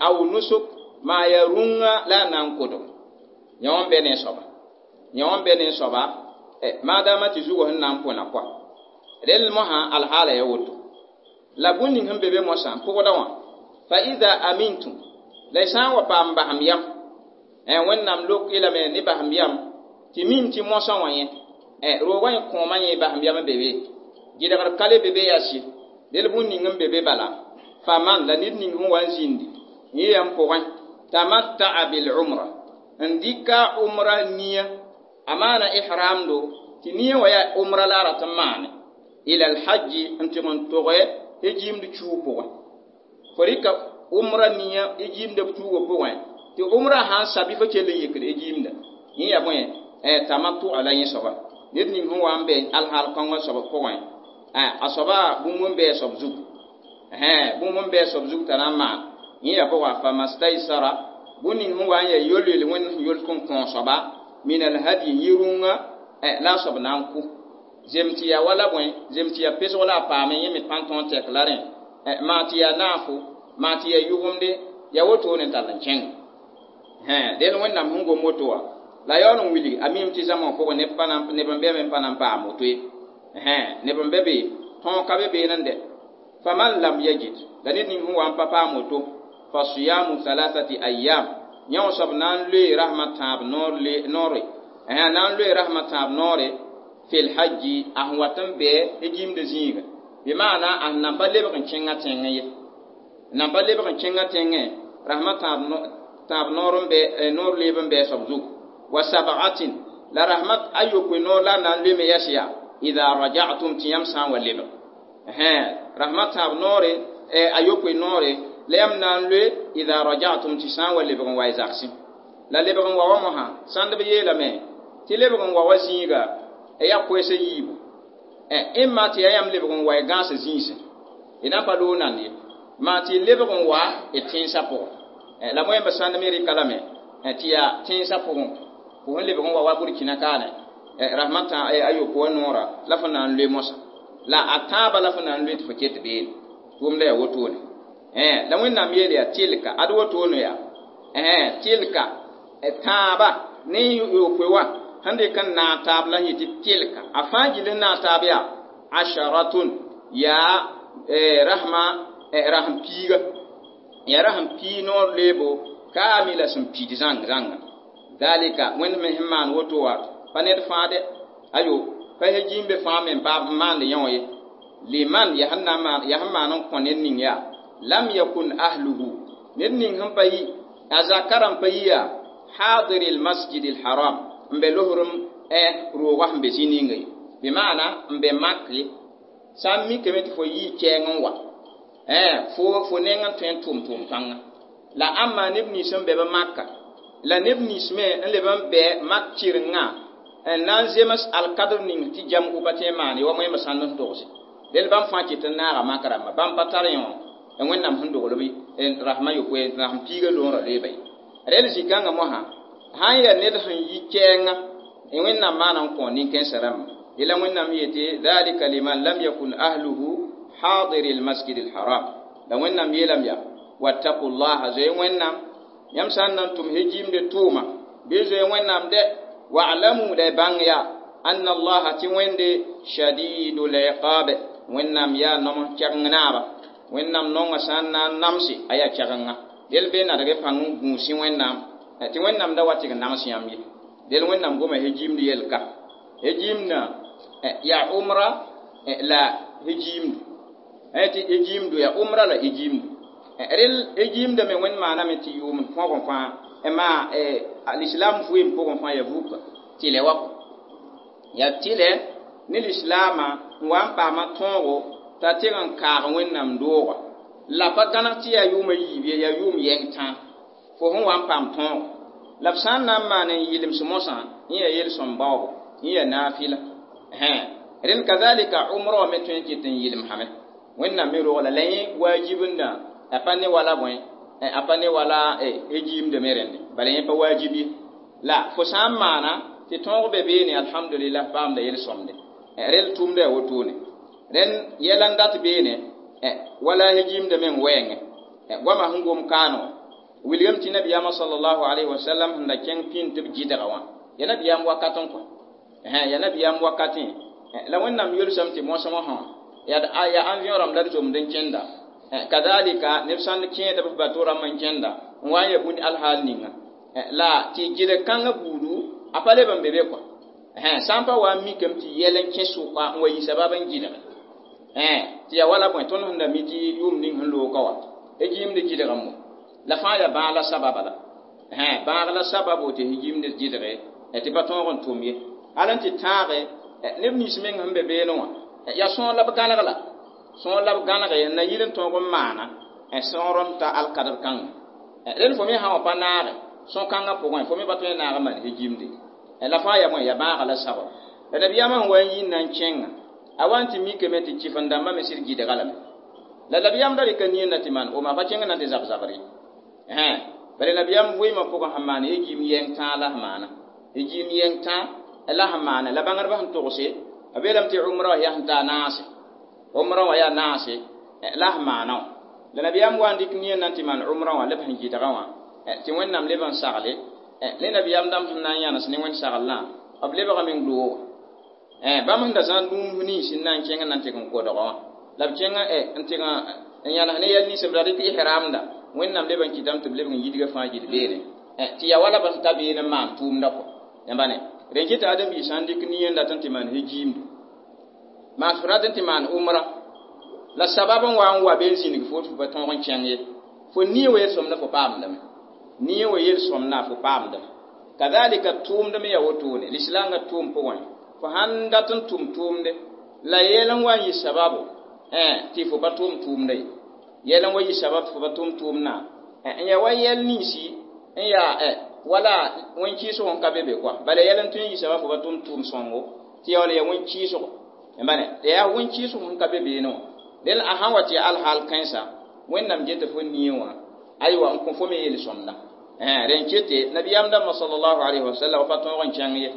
aw nusuk maa yaa rũngã la a na n kodg. Yã wã n bɛ ne soaba yã wã n bɛ ne soaba maadaama tɩ zugã sẽn na n põna kɔa rel mosã alhaala ya woto. La bũmb ning sẽn be be mosã n pʋgda wã fa ida amintum la y sã n wa paam basem yam Wẽnnaam lok y lame ne basem yam tɩ mim tɩ mosã wã yẽ roogã yẽ kõomã yẽ basem yam n be be gɩdgr ka le be be yaa sɩ del bũmb ning n be be bala faman la ned ning sẽn wa n zĩndi yẽ yam pʋgẽ tamatta'a bil umra n dɩka umra nia a maana ihramdo tɩ nia wã yaa umra la a rat n maane ila alhajji n tɩg n toge e giimd chuug pʋgẽ. Fo rɩka umra nia e giimda tuugã pʋgẽ tɩ umra sãn sa bɩ fo kell n yekd e giimda yẽ yaa bõe tamattu la yẽ soaba ned ning sẽn wa n be alhaal kãngã soab pʋgẽ a soaba bũmb n bɩ a soab zugu bũmb n bɩ a soab zug t'a na n maan yẽ yaa pʋga famastaysara bũmb ning sẽn wa n yaa yol-yol Wẽnd sẽn yol n kõ soaba min alhadi yɩ rũngã la a soab na n kʋ zem tɩ yaa wala bõe zem tɩ yaa pesg la a paame yẽ me pa n tõog tɛk la rẽ maa tɩ yaa naafo maa tɩ yaa yʋgemde yaa wotone n tall n kẽng. Del Wẽnnaam sẽn gom woto wã la yaool n wilg a mim tɩ zãma pʋgẽ neb n bɩame n pa na n paam woto ye. Neb n be be tõog ka be beene n dɛ faman lam yajid la ned ning sẽn wa n pa paam woto fa siyamu thalathati ayyam yã wã soab na n loe rasmã tãab noore na n loe rasmã tãab noore fil hajji a sẽn wat n bɛ jimd zĩiga bɩ maana a sẽn nan pa lebg n kẽngã tẽngẽ ye nan pa lebg n kẽngã tẽngẽ rasmã tãab noor n bɛ noor leeb n bɛ soab zugu wa sab'atin la rasmã ayopoe noor la na n loe me yɛs yaa idha raja'tum tɩ yãmb sã n wa lebg rasmã tãab noore ayopoe noore la yãmb na n loe idha raja'tum tɩ sã n wa lebg n wa y zagsẽ la lebg n wa wa mosã sãnd b yeelame tɩ lebg n wa wa zĩiga yaa koɛɛsã yiibu ẽmma tɩ yaa yãmb lebg n wa y gãasã zĩisẽ y na n pa loog nand ye maa tɩ y lebg n wa y tẽnsã pʋgẽ la moẽmb sãnd me rɩka lame tɩ yaa tẽnsã pʋgẽ fo sẽn lebg n wa wa Burkina kaane rasmã ayopoe wã noora la fo na n loe mosã la a tãabã la fo na n loe tɩ fo ket beene tʋʋmda yaa wotone la Wẽnnaam yeel yaa tilka ad wotone yaa tilka tãaba ne yopoe wã sẽn dɩk n naag taab la n yetɩ tilka a fãa gill n naag taab yaa asharatun yaa rasma rasem piiga yaa rasem pii noor leebo kaamila sẽn pid zãng zãnga dalika Wẽnd me sẽn maan woto wã pa ned fãa dɛ ayo pa jimbe fãa me n maand yã wã ye liman yaa sẽn maan n kõ ned ning yaa lam yakun ahluhu ned ning sẽn pa yi a zakara n pa yi yaa hadiri lmasjid lharam n be losrem roogã sẽn be zĩ ninga ye bɩ maana n be mak ye sã n mikame tɩ fo yii kɛɛng n wa fo fo neng n tõe n tʋm tʋʋm kãnga la ãmma neb nins n be b maka la neb nins me n leb n bɛ mak kɩrengã n na n zems alkadr ning tɩ jam pa tõe n maane wa moẽmb sãnd n togse del bãmb fãa ket n naaga mak rãmba bãmb pa tar yẽ wã Wẽnnaam sẽn dogl b rasmã yopoe rasem piigã loorã loeeba ye rel zĩ-kãngã mosã sã n yaa ned sẽn yi kɛɛngã Wẽnnaam maana n kõ nin-kãensã rãmba la Wẽnnaam yetɩ dhalika liman lam yakun ahluhu hadiri lmasjid lharam la Wẽnnaam yeelame yaa wattaqu llaha zoe Wẽnnaam yãmb sã n na n tʋm hejiimde tʋʋma bɩ zoe Wẽnnaam dɛ wa'lamu la y bãng yaa anna allaha tɩ Wẽnde shadidul iqab Wẽnnaam yaa nom kɛgeng naaba Wẽnnaam nongã sã n na n namse a yaa kɛgenga del bee nadg pãng n gũusẽ Wẽnnaam tɩ Wẽnnaam da wa tɩg nams yãmb ye del Wẽnnaam goma hejiimd yelka hejiimdã yaa umra la hejiimdu tɩ hejiimdu yaa umra la hejiimdu rel hejiimdã me Wẽnd maaname tɩ yʋʋmd pʋgẽ fãa maa alislam vɩɩm pʋgẽ fãa yaa vuka tɩlɛ wa kɔ yaa tɩlɛ ne lislaamã n wa n paama tõogo t'a teg n kaag Wẽnnaam dooga la pa gãneg tɩ yaa yʋʋmã yiib ye yaa yʋʋm yɛng tãa fo sẽn wa n paam tõogo la b sã n na n maan n yɩlems mosã yẽ yaa yel-sõm baoobo yẽ yaa naafɩla rẽnd kazalika umra wã me tõe n ket n yɩlem sãme Wẽnnaam me roog la la yẽ waajibndã a pa ne wala bõe a pa ne wala hejiimdã me rẽnde bala yẽ pa waajib ye la fo sã n maana tɩ tõog be beene alhamdulillah paamda yel-sõmde rel tʋʋmda yaa wotone rẽnd yɛla n dat beene wala hejiimdã meng wɛɛngẽ goamã sẽn gom kaano wilgame tɩ nabiyaamã sallallahu alayhi wa sallam sẽn da kẽng pĩnd tɩ b gɩdga wã ya nabiyaam wakat n kõ ya nabiyaam wakatẽ la Wẽnnaam yelsame tɩ mosmã sã yaa avion rãmb la d zomd n kẽnda kadalika neb sãn kẽed b bato rãmb n kẽnda n wa n ya bũnd alhaal ninga la tɩ gɩdg kãngã buudu a pa leb n be be kɔ sã n pa wa n mikame tɩ yɛl n kẽ sʋka n wa yi sabab n gɩdge tɩ yaa wala bõe tõnd sẽn da mi tɩ yʋʋm ning sẽn looka wa hejiimd gɩdgame mo la fãa yaa bãag la sababa la bãag la sababo tɩ hejiimd gɩdge tɩ pa tõog n tʋm ye hal n tɩ tãage neb nins meng sẽn be beene wã yaa sõor la b gãneg la sõor la b gãnege n na yɩl n tõog n maana sõor n ta alkadr kãngã rẽnd fo me sã wã pa naage sõn-kãngã pʋgẽ fo me pa tõe n naag n maan hejiimde la fãa yaa bõe yaa bãaga la sabab la nabiyaamã sẽn wa n yĩn na n kẽnga a wa n tɩ mikame tɩ kɩf-n-dãmbã me sɩd gɩdga lame la nabiyaam da rɩka nie na tɩ maan oma pa kẽng na tɩ zab zabr ye bala nabiyaam vɩɩmã pʋgẽ sẽn maan hejiim yɛng tãa la sẽn maana hejiim yɛng tãa la sẽn maana la bãngdbã sẽn togse a beelame tɩ umra wã yaa sẽn taa naase umra wã yaa naase la sẽn maana wã la nabiyaam wa n dɩk nie na n tɩ maan umra wã la b sẽn gɩdgã wã tɩ Wẽnnaam leb n sagle ne nabiyaam dãmb sẽn na n yãnes ne Wẽnd saglã b lebgame n looga Bãmb sẽn da zãad bũmb nins n na n kẽng n na n tɩg n kodgã wã la b kẽnga n tɩg n yãnes ne yɛl nins b ra dɩk ihramda Wẽnnaam leb n kɩtame tɩ b lebg n yidga fãa gill beene tɩ yaa wala b sẽn ta beene n maan tʋʋmda kɔ yãmba ne rẽn kɩ tɩ ãdem-biis sã n dɩk nin n dat n tɩ maan hejiimdu maan f rat n tɩ maan umra la sabab n wa n wa be n zĩnig fo tɩ fo pa tõog n kẽng ye fo nie wa yel-sõmda fo paamdame nie wa yel-sõmda fo paamdame kadhalika tʋʋmd me yaa wotone lislaangã tʋʋm pʋgẽ fo sãn dat n tʋm tʋʋmde la yɛl n wa n yɩ sababo tɩ fo pa tʋʋm tʋʋmda ye yɛl n wa yɩ sabab tɩ fo pa tʋm tʋʋmdã n yaa wa yɛl ninsi n yaa wala wẽn-kɩɩsg n ka be be kɔa bala yɛl n tõe n yɩ sabab fo pa tʋm tʋʋm sõngo tɩ yaa wala yaa wẽn-kɩɩsgo bane yaa wẽn-kɩɩsg sẽn ka be beene wã del a sãn wa tɩ ya alhaal kãensa Wẽnnaam geta fo nie wã aywa n kõ fo me yel-sõmda rẽn kete nabiyaam dãmbã sallallahu alayhi wa sallam pa tõog n kẽng ye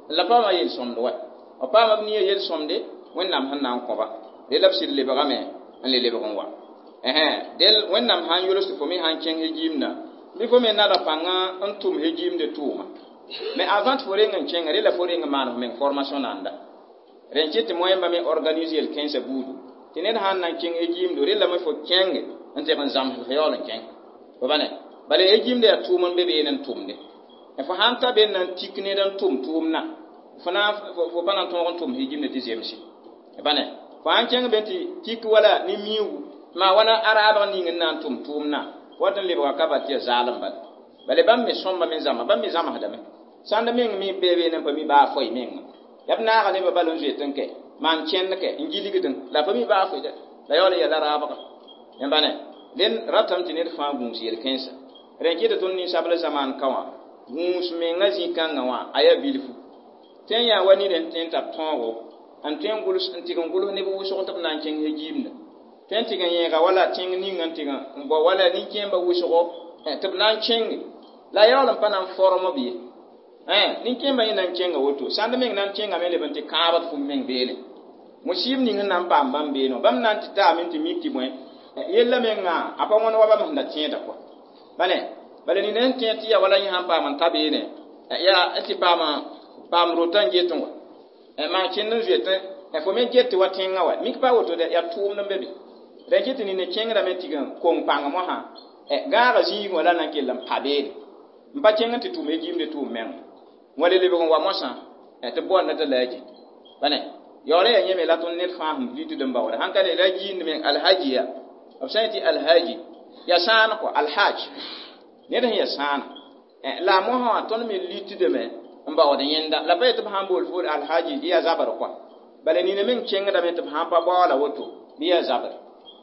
la paama yel-sõmd wa b paama b nie yel-sõmde Wẽnnaam sẽn na n kõba del la b sɩd lebgame n le lebg n wa del Wẽnnaam sãn yols tɩ fo me sãn kẽng hejiimdã bɩ fo me nada pãnga n tʋm hejiimde tʋʋma mais avant tɩ fo reng n kẽnga rela fo reng n maan f meng formation nanda rẽn kɩ tɩ moẽmba me organise yel-kẽnsã buudu tɩ ned sãn na n kẽng hejiimdo relame fo kẽnge n tɩg n zãms f yaool n kẽng fo ba ne bala hejiimda yaa tʋʋm n be beene n tʋmde fo sãn ta be n na n tik ned n tʋm tʋʋmdã fo na fo pa na n tõog n tʋm hejiimda tɩ zemse ba ne fo sãn kẽng be tɩ tik wala ne miugu maa wãna araabg ning n na n tʋm tʋʋmdã wat n lebga ka bal tɩ yaa zaalem bala bala bãmb me sõmba me zãma bãmb me zãmsdame sãnd meng me bee beene n pa mi baa foy menga yaa b naaga nebã bal n zoet n kɛ maan kẽnd kɛ n gilgdẽ la pa mi baa foy la yaool n yɛla raabga yãmba ne dẽn ratame tɩ ned fãa gũus yel-kẽnsã rẽn kɩ tɩ tõnd ninsabl zamaan ka wã gũus menga zĩ-kãngã wã a yaa bilfu tɩ n yaa wa ned n tõe n tar tõogo n tõe n gʋls n tɩg n gʋls neb wʋsg tɩ b na n kẽng hejiimda tõe n tɩg n yẽega wala tẽng ning n tɩg n bao wala nin-kẽembã wʋsgo tɩ b na n kẽnge la yaool n pa na n form b ye nin-kẽembã yẽ na n kẽnga woto sãnd meng na n kẽngame leb n tɩ kãabd fum meng beene musib ning sẽn na n paam bãmb beene wã bãmb na n tɩ taame n tɩ mik tɩ bõe yella mengã a pa wãn wa bãmb sẽn da tẽeda kɔa bale bala nina sẽn tẽed tɩ yaa wala yẽ sãn paam n ta beene yaa tɩ paam paam rotã n get n wa maan kẽnd n zoet fo me get tɩ wa tẽngã wa mik pa woto yaa tʋʋmd n be be rẽn kɩ tɩ nina kẽngdame tɩg n kong pãng mosã gãaga zĩigẽ wã la na n kell n pa beene n pa kẽng n tɩ tʋm hejiimde tʋʋm meng wã le lebg n wa mosã tɩ boanda t'a laaji bane yaool yaa yẽme la tõnd ned fãa sẽn vitd n baoode sãn ka ne la yiind meng alhaji ya b sã n tɩ alhaji yaa sãan kɔ alhaj ned sẽn yaa sãana la a mosã wã tõnd me litdame n baood yẽnda la pa yetɩ b sãn bool fo alhaji bɩ yaa zabr kɔa bala nina meng kẽngdame tɩ b sãn pa baoola woto bɩ yaa zabr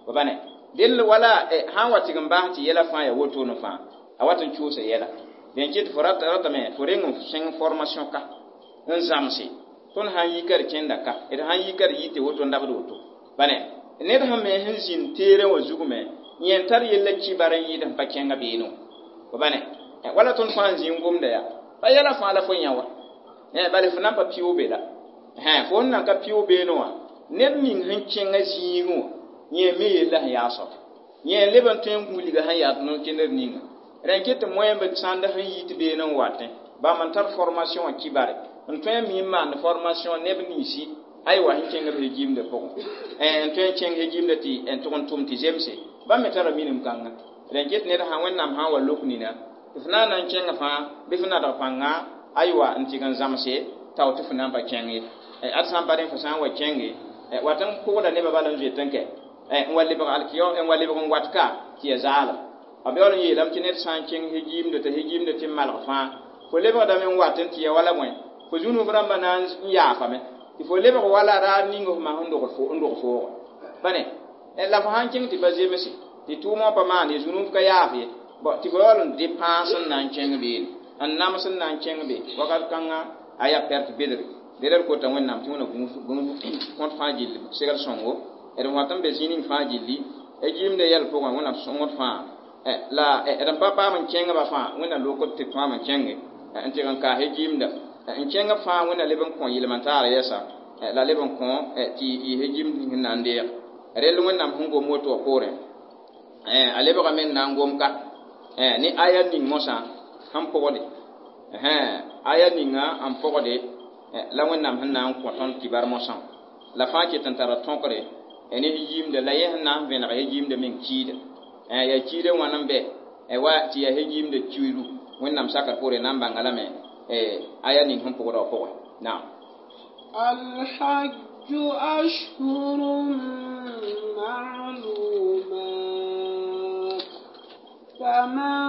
fo ba ne dell wala sãn wa tɩg n bas tɩ yɛla fãa yaa wotone fãa a wat n cuusa yɛla dẽn kɩ tɩ fo ratame fo reng n sẽng formation ka n zãmse tõnd sãn yika d kẽnda ka d sãn yika d yɩ tɩ woto n dabd woto bane ned sẽn me sẽn zĩnd teerẽ wã zug me yẽ n tar yella kibar n yɩɩd sẽn pa kẽnga beene wã fo bane wala tõnd fãa n zĩ n gomda yaa pa yɛla fãa la fo yã wa bala fo na n pa pɩʋ be la fo sẽn nan ka pɩʋ beene wã ned ning sẽn kẽngã zĩigẽ wã yẽ me yella sẽn yaa soab yẽ leb n tõe n gũulga sẽn yaa tõnd kẽndr ninga rẽn kɩ tɩ moẽmb sãnd sẽn yit beene n watẽ bãmb n tar formation wã kibare n tõe n mi n maand formation neb ninsi aywa sẽn kẽng b hejiimdã pʋgẽ n tõe n kẽng hejiimdã tɩ n tʋg n tʋm tɩ zemse bãmb me tara minim kãnga rẽn kɩ tɩ ned sã Wẽnnaam sã n wa lok nina tɩ f na n na n kẽng fãa bɩ f nadg pãnga aywa n tɩg n zãmse tao tɩ fo na n pa kẽng ye ad sã n pa rẽ fo sã n wa kẽnge wat n pʋgda nebã bala n zoet n kɛ n wa lebg alkiyo n wa lebg n wat ka tɩ ya zaalem b yaool n yeelame tɩ ned sã n kẽng hejiimdã t'a hejiimdã tɩ n malg fãa fo lebgdame n wat n tɩ ya wala bõe fo zũnub rãmbã na n yaafame tɩ fo lebg wala raar ning f ma sẽn dog foogo bane la fo sãn kẽng tɩ pa zemse tɩ tʋʋmã pa maan ye zũnub ka yaaf ye tɩ fo yaool n depãs n na n kẽng beene n nams n na n kẽng be wakat kãngã a yaa pɛrt bedre dẽla d kota Wẽnnaam tɩ wẽna kõt fãa gilli segl sõngo d wat n be zĩ ning fãa gilli jiimda yɛl pʋgẽ Wẽnnaam sõngd fãa la d n pa paam n kẽngba fãa Wẽnnaam lokd tɩ tõam n kẽnge n tɩg n kaas jiimda n kẽng fãa Wẽnna leb n kõ yɩlm-n-taar yɛsa la leb n kõ tɩ yɩ hejiimd ning n na n deeg rell Wẽnnaam sẽn gom woto wã poorẽ a lebgame n na n gom ka ne aya ning mosã sẽn pʋgde aya ninga n pʋgde La Wẽnnaam sẽn na n kõ tõnd kibar mosã la fãa ket n tara tõkre ne yiimda la yẽ sẽn na n vẽneg yiimda meng kiida yaa kiida wãn n bɛ wa tɩ yaa yiimda kiidu Wẽnnaam sakr poore na n bãnga lame aya ning sẽn pʋgda wã pʋgẽ naam. الحج أشهر معلومات فمن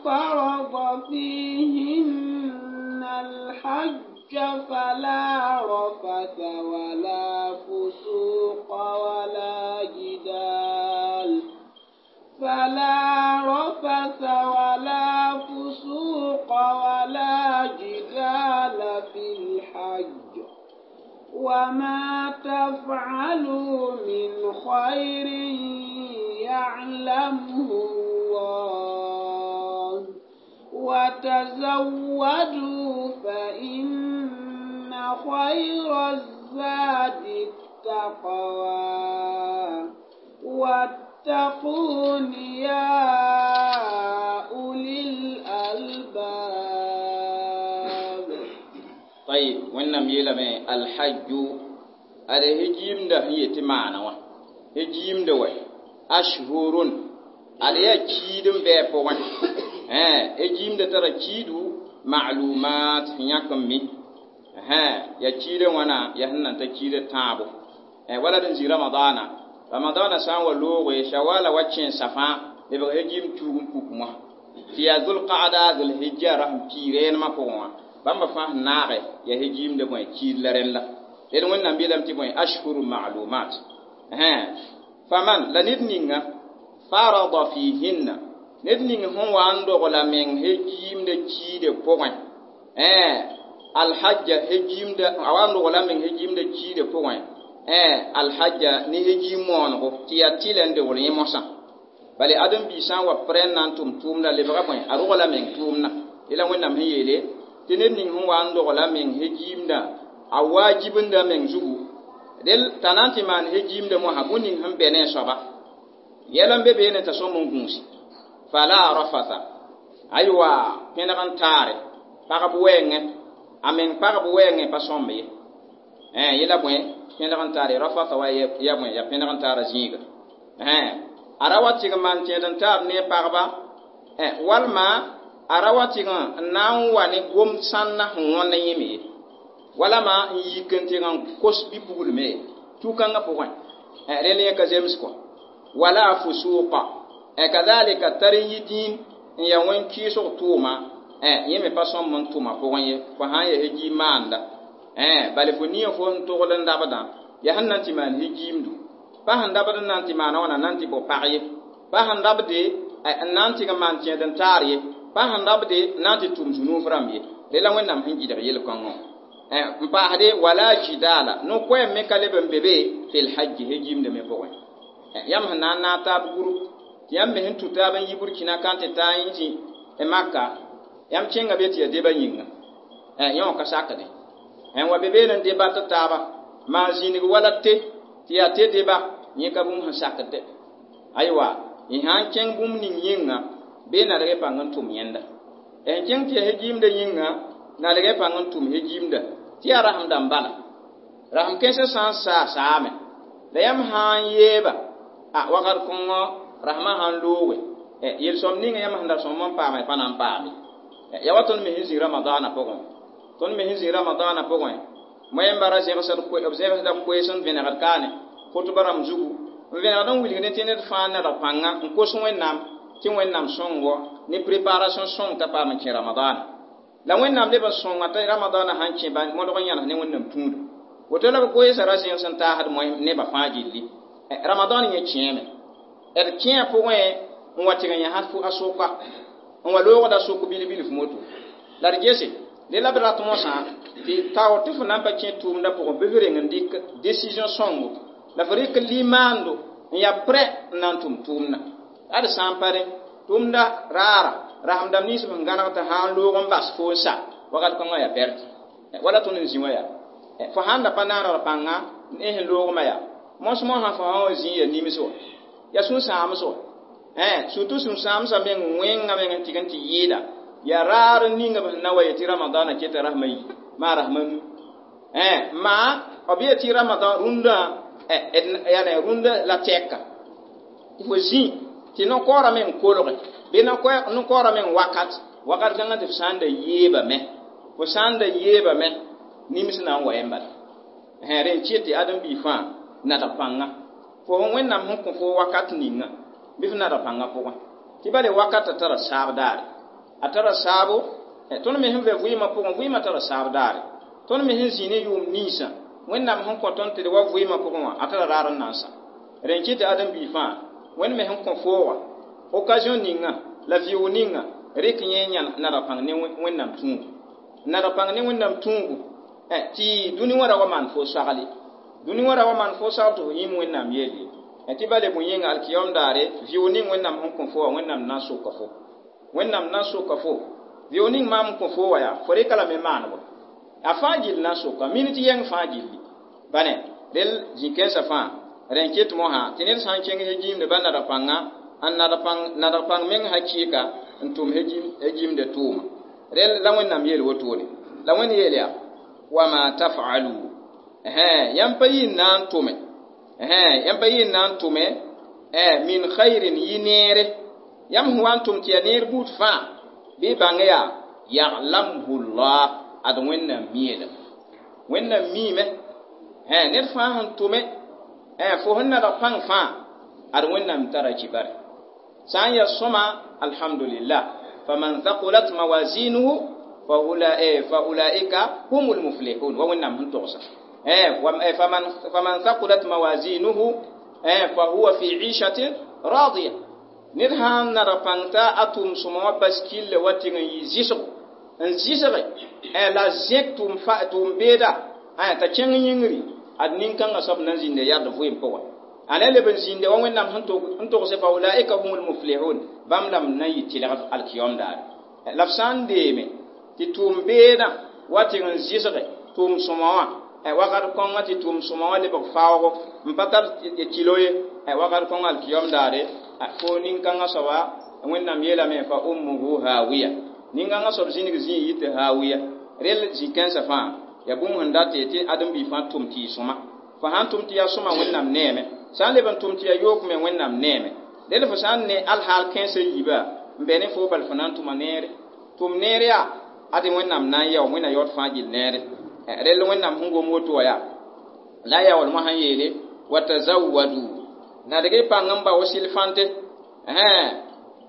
فرض فيهن الحج فلا رفث ولا فسوق ولا جدال فلا رفث ولا فسوق ولا جدال في الحج وما تفعلوا من خير يعلمه الله وتزودوا فإن خير الزاد التقوى واتقون يا أولي الألباب. طيب wẽnnaam yeelame alhajju ad hejiimda sẽn yetɩ maana wã hejiimda wa ashhurun ad yaa kiid n bɩ a pʋgẽ hejiimda tara kiidu ma'lumat sẽn yãk n mi yaa kiida wãna yaa sẽn nan ta kiida tãabo wala d n zĩ ramadaana ramadaana sã n wa looge shawala wa kẽensã fãa lebg hejiim tuug n puk mosã tɩ yaa zulqaada zulhijja rasẽn pii rẽenemã pʋgẽ wã bãmba fãa sẽn naage yaa hejiimda bõe kiid la rẽnd la d Wẽnnaam yeelame tɩ bõe ashhuru ma'lumat faman la ned ninga farada fihinna ned ning sẽn wa n dogla meng hejiimda kiide pʋgẽ alhajja hejiimda a wa n dogla meng hejiimda kiide pʋgẽ alhajja ne hejiim moonego tɩ yaa tɩlɛ n dogl yẽ mosã bale ãdem-biig sã n wa prɛ n na n tʋm tʋʋmda lebga bõe a rogla meng tʋʋmdã la Wẽnnaam sẽn yeele tɩ ned ning sẽn wa n dogla meng hejiimda a waajibinda meng zugu del t'a na n tɩ maan hejiimda mosã bũn ning sẽn bɛ ne a soaba yɛl n be beene t'a sõm n gũusi fala rafasa aywa pẽneg n taare pagb wɛɛngẽ a meng pagb wɛɛngẽ pa sõmb ye yẽla bõe pẽneg n taare rafasa wa ya bõe ya pẽneg n taara zĩiga a ra wa tɩg n maan tẽed n taar ne pagba walma a ra wa tɩg n na n wa ne gom sãnna sẽn wõnd yẽme ye walama n yik n tɩg n kos bi-puglme tu-kãngã pʋgẽ rẽnd yẽ ka zems kɔ wala fusuqa kadhalika tar n yi dĩin n yaa wẽn kɩɩsg tʋʋma yẽ me pa sõmb n tʋma pʋgẽ ye fo sã n yaa hejiim maanda bale fo nia fo sẽn togl n dabdã yaa sẽn na n tɩ maan hejiimdu pa sẽn dabd n na n tɩ maana wãna na n tɩ bao pag ye pa sẽn rabde n na n tɩg n maan tẽed n taar ye pa sẽn rabde n na n tɩ tʋm zũnuuf rãmb ye re la Wẽnnaam sẽn gɩdg yel-kãngã n paasde wala jidala no-koɛɛm me ka leb n be be fil hajji hejiimdã me pʋgẽ yãmb sẽn na n naag taab guru tɩ yãmb me sẽn tũ taab n yi Burkina ka n tɩ taa n zĩ Maka yãmb kẽnga be tɩ yaa deba yĩnga yẽ wã ka sakde n wa be beene n debat taaba maan zĩnig wala te tɩ yaa te deba yẽ ka bũmb sẽn sakd aywa y sã n kẽng bũmb ning yĩnga bee nadg pãng n tʋm yẽnda n kẽng tɩ yaa hejiimda yĩnga nadg pãng n tʋm hejiimda tɩ yaa rasem dãmb bala rasem kãensã sã n saa saame la yãmb sã n yeeba a wakat kõngõ rasmã sã n looge yel-sõm ninga yãmb sẽn da sõm n paama pa na n paame ya wa tõnd me sẽn zĩ ramadaana pʋgẽ tõnd me sẽn zĩ ramadaana pʋgẽ moẽmba ra zẽgsd b zẽgsda koees n vẽnegd kaane khutba rãmb zugu n vẽnegd n wilg ne tɩ ned fãa nadg pãnga n kos Wẽnnaam tɩ Wẽnnaam sõngo ne préparation sõng t'a paam n kẽ ramadaana la Wẽnnaam leb n sõnga t'a ramadaana sãn kẽ modg n yãnes ne Wẽnnaam tũuda woto la b koeesã ra zẽgs n taasd nebã fãa gilli ramadan yẽ kẽeme d kẽa pʋgẽ n wa tɩg n yãs a soka n wa loogda sok bil-bilf moto la d gese de la b rat mosã tɩ tao tɩ fo na n pa kẽ tʋʋmdã pʋgẽ bɩ f reng n dɩk décision sõngo la fo rɩk limaando n yaa prêt n na n tʋm tʋʋmdã ad sã n pa rẽ tʋʋmda raara rasem dãmb nins b sẽn gãneg tɩ sã n loog n bas fo n sa wakat kãngã yaa perte wala tõnd n zĩ wã yaa fo sãn da pa naanegd pãnga ne sẽn loogmã yaa mos mosã fo sã wa zĩ ya nims wã yaa sũ-sãams wã surtout sũ-sãamsã meng wẽnga meng n tɩg n tɩ yɩɩda yaa raar n ninga b sẽn na wa yetɩ ramadaana keta rasmã yi Ma rahmanu eh ma obieti ramadan runda eh yani runda la teka ti fo zĩ tɩ no-koorã meng kolge bɩ no-koorã meng wakat wakat kãngã tɩ f sã n da yeebame fo sã n da yeebame nims na n wa yẽ bala rẽ n kɩt tɩ ãdem-biig fãa nadg pãnga fo Wẽnnaam sẽn kõ fo wakat ninga bɩ f nadg pãngã pʋgẽ tɩ bale wakatã tara saab daare a tara saabo tõnd me sẽn vɛ vɩɩmã pʋgẽ vɩɩmã tara saab daare tõnd me sẽn zĩ ne yʋʋm ninsã Wẽnnaam sẽn kõ tõnd tɩ d wa vɩɩmã pʋgẽ wã a tara raar n na n sa rẽ n kɩt tɩ ãdem-biig fãa Wẽnd me sẽn kõ fooga occasion ninga la vɩʋʋg ninga rɩk yẽ nadg pãng ne Wẽnnaam tũubu nadg pãng ne Wẽnnaam tũubu tɩ dũni wã ra wa maan fo sagle dũni wã ra wa maan fo sagl tɩ fo yĩm Wẽnnaam yelle tɩ bale bõe-yĩnga alkiyom daare vɩʋʋg ning Wẽnnaam sẽn kõ fo wã Wẽnnaam na n soka fo Wẽnnaam na n soka fo vɩʋʋg ning maam n kõ fo wã yaa fo rɩka lame maanebo a fãa gill na n soka minit yɛng fãa gilli bane rel zĩ-kãensã fãa rẽ n ket mosã tɩ ned sã n kẽng he-gimde ba nadg pãnga n nadg pãng meng hakɩɩka n tʋm he-gimde tʋʋma rel la Wẽnnaam yeel wotone la Wẽnd yeel yaa wama taf'alu yãmb pa yɩ n na n tʋme yãmb pa yɩ n na n tʋme min khairin yɩ neere yãmb sẽn wa n tʋm tɩ yaa neer buud fãa bɩ bãng yaa ya'lamhu llah ad Wẽnnaam mielem Wẽnnaam miime ned fãa sẽn tʋme fo sẽn nadg pãng fãa ad Wẽnnaam tara kibare sã n yaa sõma alhamdulillah faman thaqulat mawazinuhu fa ulaika humul muflihun wa Wẽnnaam sẽn togsa faman faman thaqulat mawazinuhu fa huwa fi 'ishatin radiya ned sãn nadg pãng t'a a tʋʋm sõma wã bas kille wa tɩng n yɩ zɩsgo n zɩsge la zẽk tʋʋm beeda t'a kẽng yĩngri ad nin-kãngã soab na n zĩnda yard vɩɩm pʋgẽ a na leb n zĩnda wa Wẽnnaam sẽn togse fa ulaika humul muflihun bãmb lame na n yɩ tɩlgd alkiyom daare la f sã n deeme tɩ tʋʋm beedã wa tɩng n zɩsge tʋʋm sõma wã wakat kõngã tɩ tʋʋm sõma wã lebg faoogo n pa tar kilo ye wakat kõngã alkiyom daare fo nin-kãngã soaba Wẽnnaam yeelame fa ummuhu hawiya nin-kãngã soab zĩnig zĩig yɩ tɩ hawiya rel zĩ-kãensã fãa yaa bũmb sẽn dat tɩ ãdem-biig fãa tʋm tɩ yɩ sõma fo sã n tʋm tɩ yaa sõma Wẽnnaam neeme sã n leb n tʋm tɩ yaa yook me Wẽnnaam neeme rel fo sã n ne alhaal kãensã yiiba n bɛ ne fo bal fo na n tʋma neere tʋm neer yaa ade Wẽnnaam na n yao Wẽnna yaood fãa gill neere rel Wẽnnaam sẽn gom woto wã yaa la a yaool mosã n yeele wa tazawwadu nadg y pãng n bao sɩl-fãnte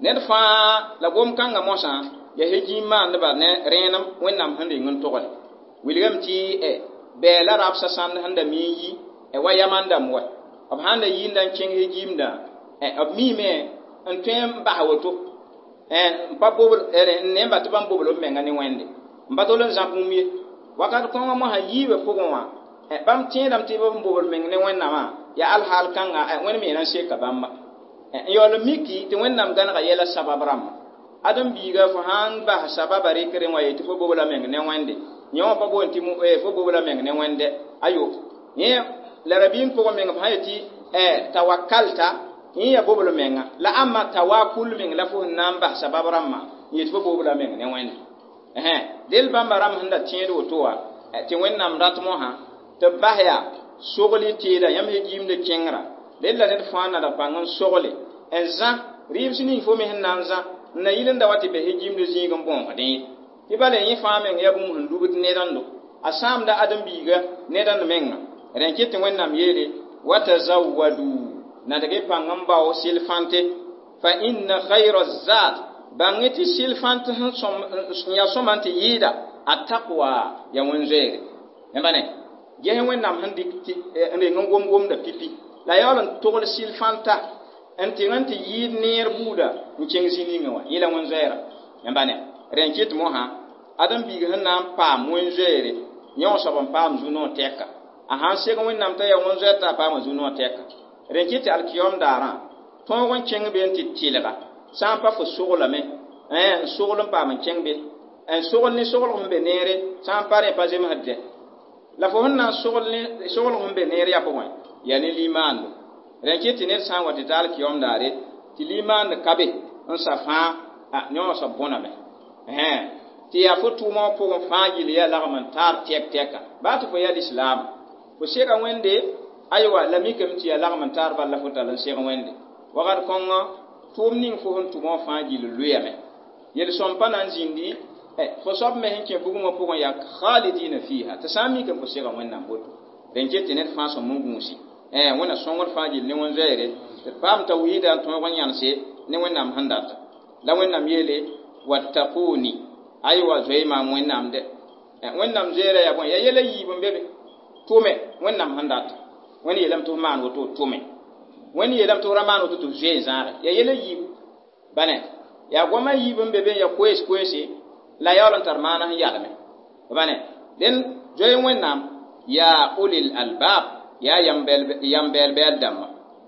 ned fãa la gom-kãngã mosã yaa he-gĩim maandba ne rẽenem Wẽnnaam sẽn reng n togre wilgame tɩ bɛɛ la rabsã sãnd sẽn da mi n yi wa yaman dãmb wa b sãn da yɩɩnda n kẽng he-gĩimdã b miime n tõe n bas woto n pa bobl n ne n ba tɩ bãmb bobl b menga ne Wẽnde n pa tol n zãb bũmb ye wakat kõngã mosã yiibã pʋgẽ wã bãmb tẽedame tɩ b bobl meng ne Wẽnnaamã yaa alhaal kãnga Wẽnd me na n seka bãmba n yaool n miki tɩ Wẽnnaam gãnega yɛla sabab rãmba ãdem-biiga fo sã n bas sababa rɩkrẽ wã yetɩ fo bobla meng ne Wẽnde yẽ wã pa boond tɩ fo bobla meng ne Wẽnde ayo yẽ la rabiim pʋgẽ meng b sã yetɩ tawakkalta yẽ yaa bobl menga la ãmba tawakul meng la fo sẽn na n bas sabab rãmbã n yetɩ fo bobla meng ne Wẽnde del bãmba rãmb sẽn da tẽed woto wã tɩ Wẽnnaam rat mosã tɩ b bas yaa sogl y teeda yãmb he-gĩimd kẽngra rel la ned fãa nadg pãng n sogle n zã rɩɩbs ning fo me sẽn na n zã n na yɩl n da wa tɩ be he-gĩimd zĩig n bõosdẽ ye tɩ bala yẽ fãa meng yaa bũmb sẽn lubd nedãndo a sãamda ãdem-biiga nedãnd menga rẽ n kɩt tɩ Wẽnnaam yeele wa tazawwadu nadg y pãng n bao sɩl-fãnte fa inna khayra zat bãng tɩ sɩl-fãnt sẽn yaa sõma n tɩ yɩɩda a taqwa yaa wẽn-zoeere yãmba ne ges Wẽnnaam sẽn dɩk n reng n gom gomda pipi la yaool n togl sɩl-fãnta n tɩng n tɩ yɩɩd neer buuda n kẽng zĩ ninga wã yẽ la wẽn-zoeera yãmba ne rẽ n kɩt mosã ãdem-biig sẽn na n paam wẽn-zoeere yẽ wã soab n paam zu-noog tɛka a sãn seg Wẽnnaam t'a yaa wẽn-zoeer t'a paama zu-noog tɛka rẽ n kɩt tɩ alkiyom daarã tõog n kẽng be n tɩ tɩlga sã n pa fo soglame n sogl n paam n kẽng be n sogl ne soglg sẽn be neere sã n pa rẽ pa zemsd dɛ la fo sẽn na n sogl sẽn be neer yaa pʋgẽ yaa ne limaando rẽ n kɩt tɩ ned sã n wa tɩ ta alkiyom daare tɩ limaand ka be n sa fãa yẽ wã soab bõname Tɩ yaa fo tʋʋmã wã pʋgẽ fãa gill yaa lagm n taar tɛk tɛka baa tɩ fo yaa lislaama fo sega Wẽnde aywa la mikame tɩ yaa lagm n taar bal la fo tall n seg Wẽnde wakat kõngã tʋʋm ning fo sẽn tʋm wã fãa gill loeame yel-sõm pa na n zĩndi fo soab me sẽn kẽ bugmã pʋgẽ yaa khalidina fiha tɩ sã n mikame fo sega Wẽnnaam woto rẽn ket tɩ ned fãa sõm n gũusi Wẽnna sõngd fãa gill ne wẽn-zoeere tɩ d paam tawhiida n tõog n yãnse ne Wẽnnaam sẽn data la Wẽnnaam yeele wattaquni aywa zoe maam Wẽnnaam dɛ Wẽnnaam zoeera yaa bõe yaa yɛla yiib n be be tʋme Wẽnnaam sẽn data Wẽnd yeelame tɩ f maan woto tʋme Wẽnd yeelame tɩ f ra maan woto tɩ f zoe n zãage yaa yɛla yiibu bane yaa goamã yiib n be be n yaa koees koeese la yaool n tar maana sẽn yalme bane dẽn zoe Wẽnnaam yaa ulil albab yaa yam bɛɛl-bɛɛl dãmba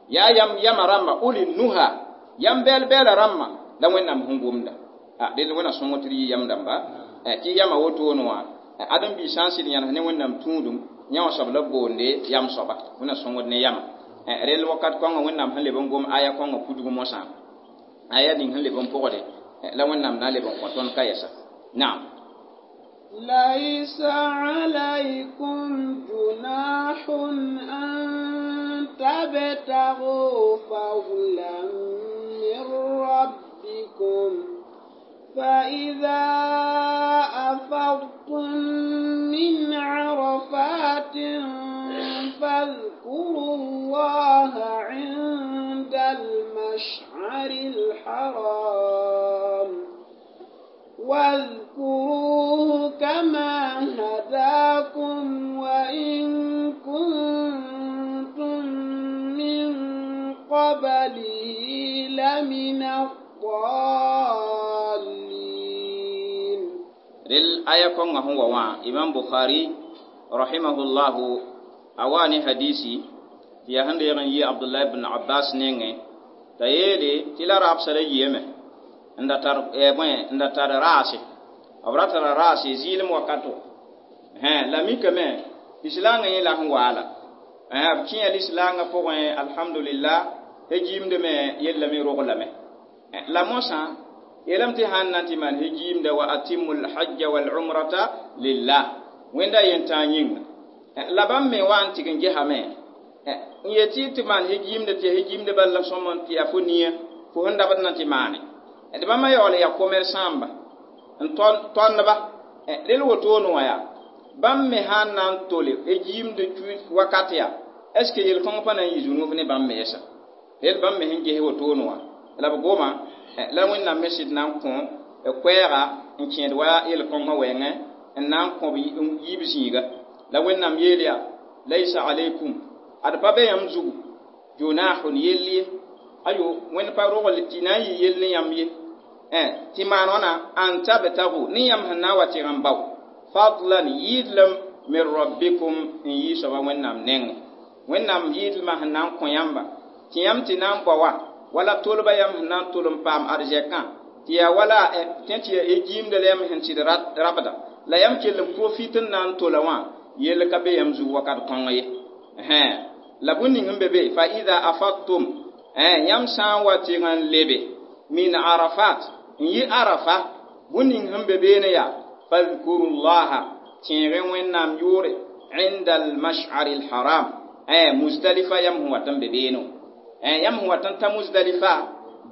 yaa yam yama rãmba ulil nuha yam bɛɛl-bɛɛla rãmba la Wẽnnaam sẽn gomda dẽnd Wẽnna sõng tɩ d yɩ yam dãmba tɩ yama wotone wã ãdem-biis sã n sɩd yãnes ne Wẽnnaam tũudum yã wã soab la b boonde yam soaba Wẽnna sõngd ne yama rel wakat kõngã Wẽnnaam sẽn leb n gom aya kõngã pudg mosã aya ning sẽn leb n pʋgde la Wẽnnaam na n leb n kõ tõnd ka yɛsa naam ليس عليكم جناح أن تبتغوا فضلا من ربكم فإذا أفضتم من عرفات فاذكروا الله عند المشعر الحرام واذكروه كما هداكم وإن كنتم من قبله لمن الضالين. رل آية كونغ هو وا إمام بخاري رحمه الله أواني حديثي في هند يغن عبد الله بن عباس نينغ تايلي تلا راب سري n da tar bõe n da tar raase b ra tara raase zɩɩlem wakato la mikame lislaangã yẽ la sẽn waala b kẽa lislaangã pʋgẽ alhamdulillah hejiimdame yellame roglame la mosã yeelame tɩ sãn na n tɩ maan hejiimda wa atimu lhajja walumrata lillah wẽnda yentãag yĩnga la bãmb me wa n tɩg n gesame n yetɩ tɩ maan hejiimda tɩ ya hejiimda bal la sõm tɩ yaa fo nia fo sẽn dabd na tɩ maane d bãmba yaool yaa commerçant-ba n tõndba rel wotone wã yaa bãmb me sã n na n tole jiimd wakat yaa est ce que yel-kõng pa na n yɩ zũnuf ne bãmb me yɛsa rel bãmb me sẽn ges wotone wã la b goma la Wẽnnaam me sɩd na n kõ koɛɛga n kẽed wa yel-kõngã wɛɛngẽ n na n kõ b yiib zĩiga la Wẽnnaam yeel yaa laysa alaykum ad pa be yãmb zugu junahun yell ye ayo Wẽnd pa rogl tɩ na n yɩ yell ne yãmb ye tɩ maan wãna an tabtagu ne yãmb sẽn na n wa tɩg n bao fadlan yɩɩdlem min rabbikum n yɩ soaba Wẽnnaam nengẽ Wẽnnaam yɩɩdlmã sẽn na n kõ yãmba tɩ yãmb tɩ na n bao wã wala tolba yãmb sẽn na n tol n paam arzɛkã tɩ yaa wala tẽ tɩ yaa jiimda la yãmb sẽn tɩd rabda la yãmb kell n profit n na n tola wã yell ka be yãmb zug wakat kõng ye la bũn ning n be be fa ida afadtum yãmb sã n wa tɩg n lebe min arafat n yɩ arafa bũn ning sẽn be beene yaa fadhkurullaha tẽege Wẽnnaam yʋʋre inda almash'ari alharam Muzdalifa yãmb sẽn wat n be beene yãmb sẽn wat n ta Muzdalifa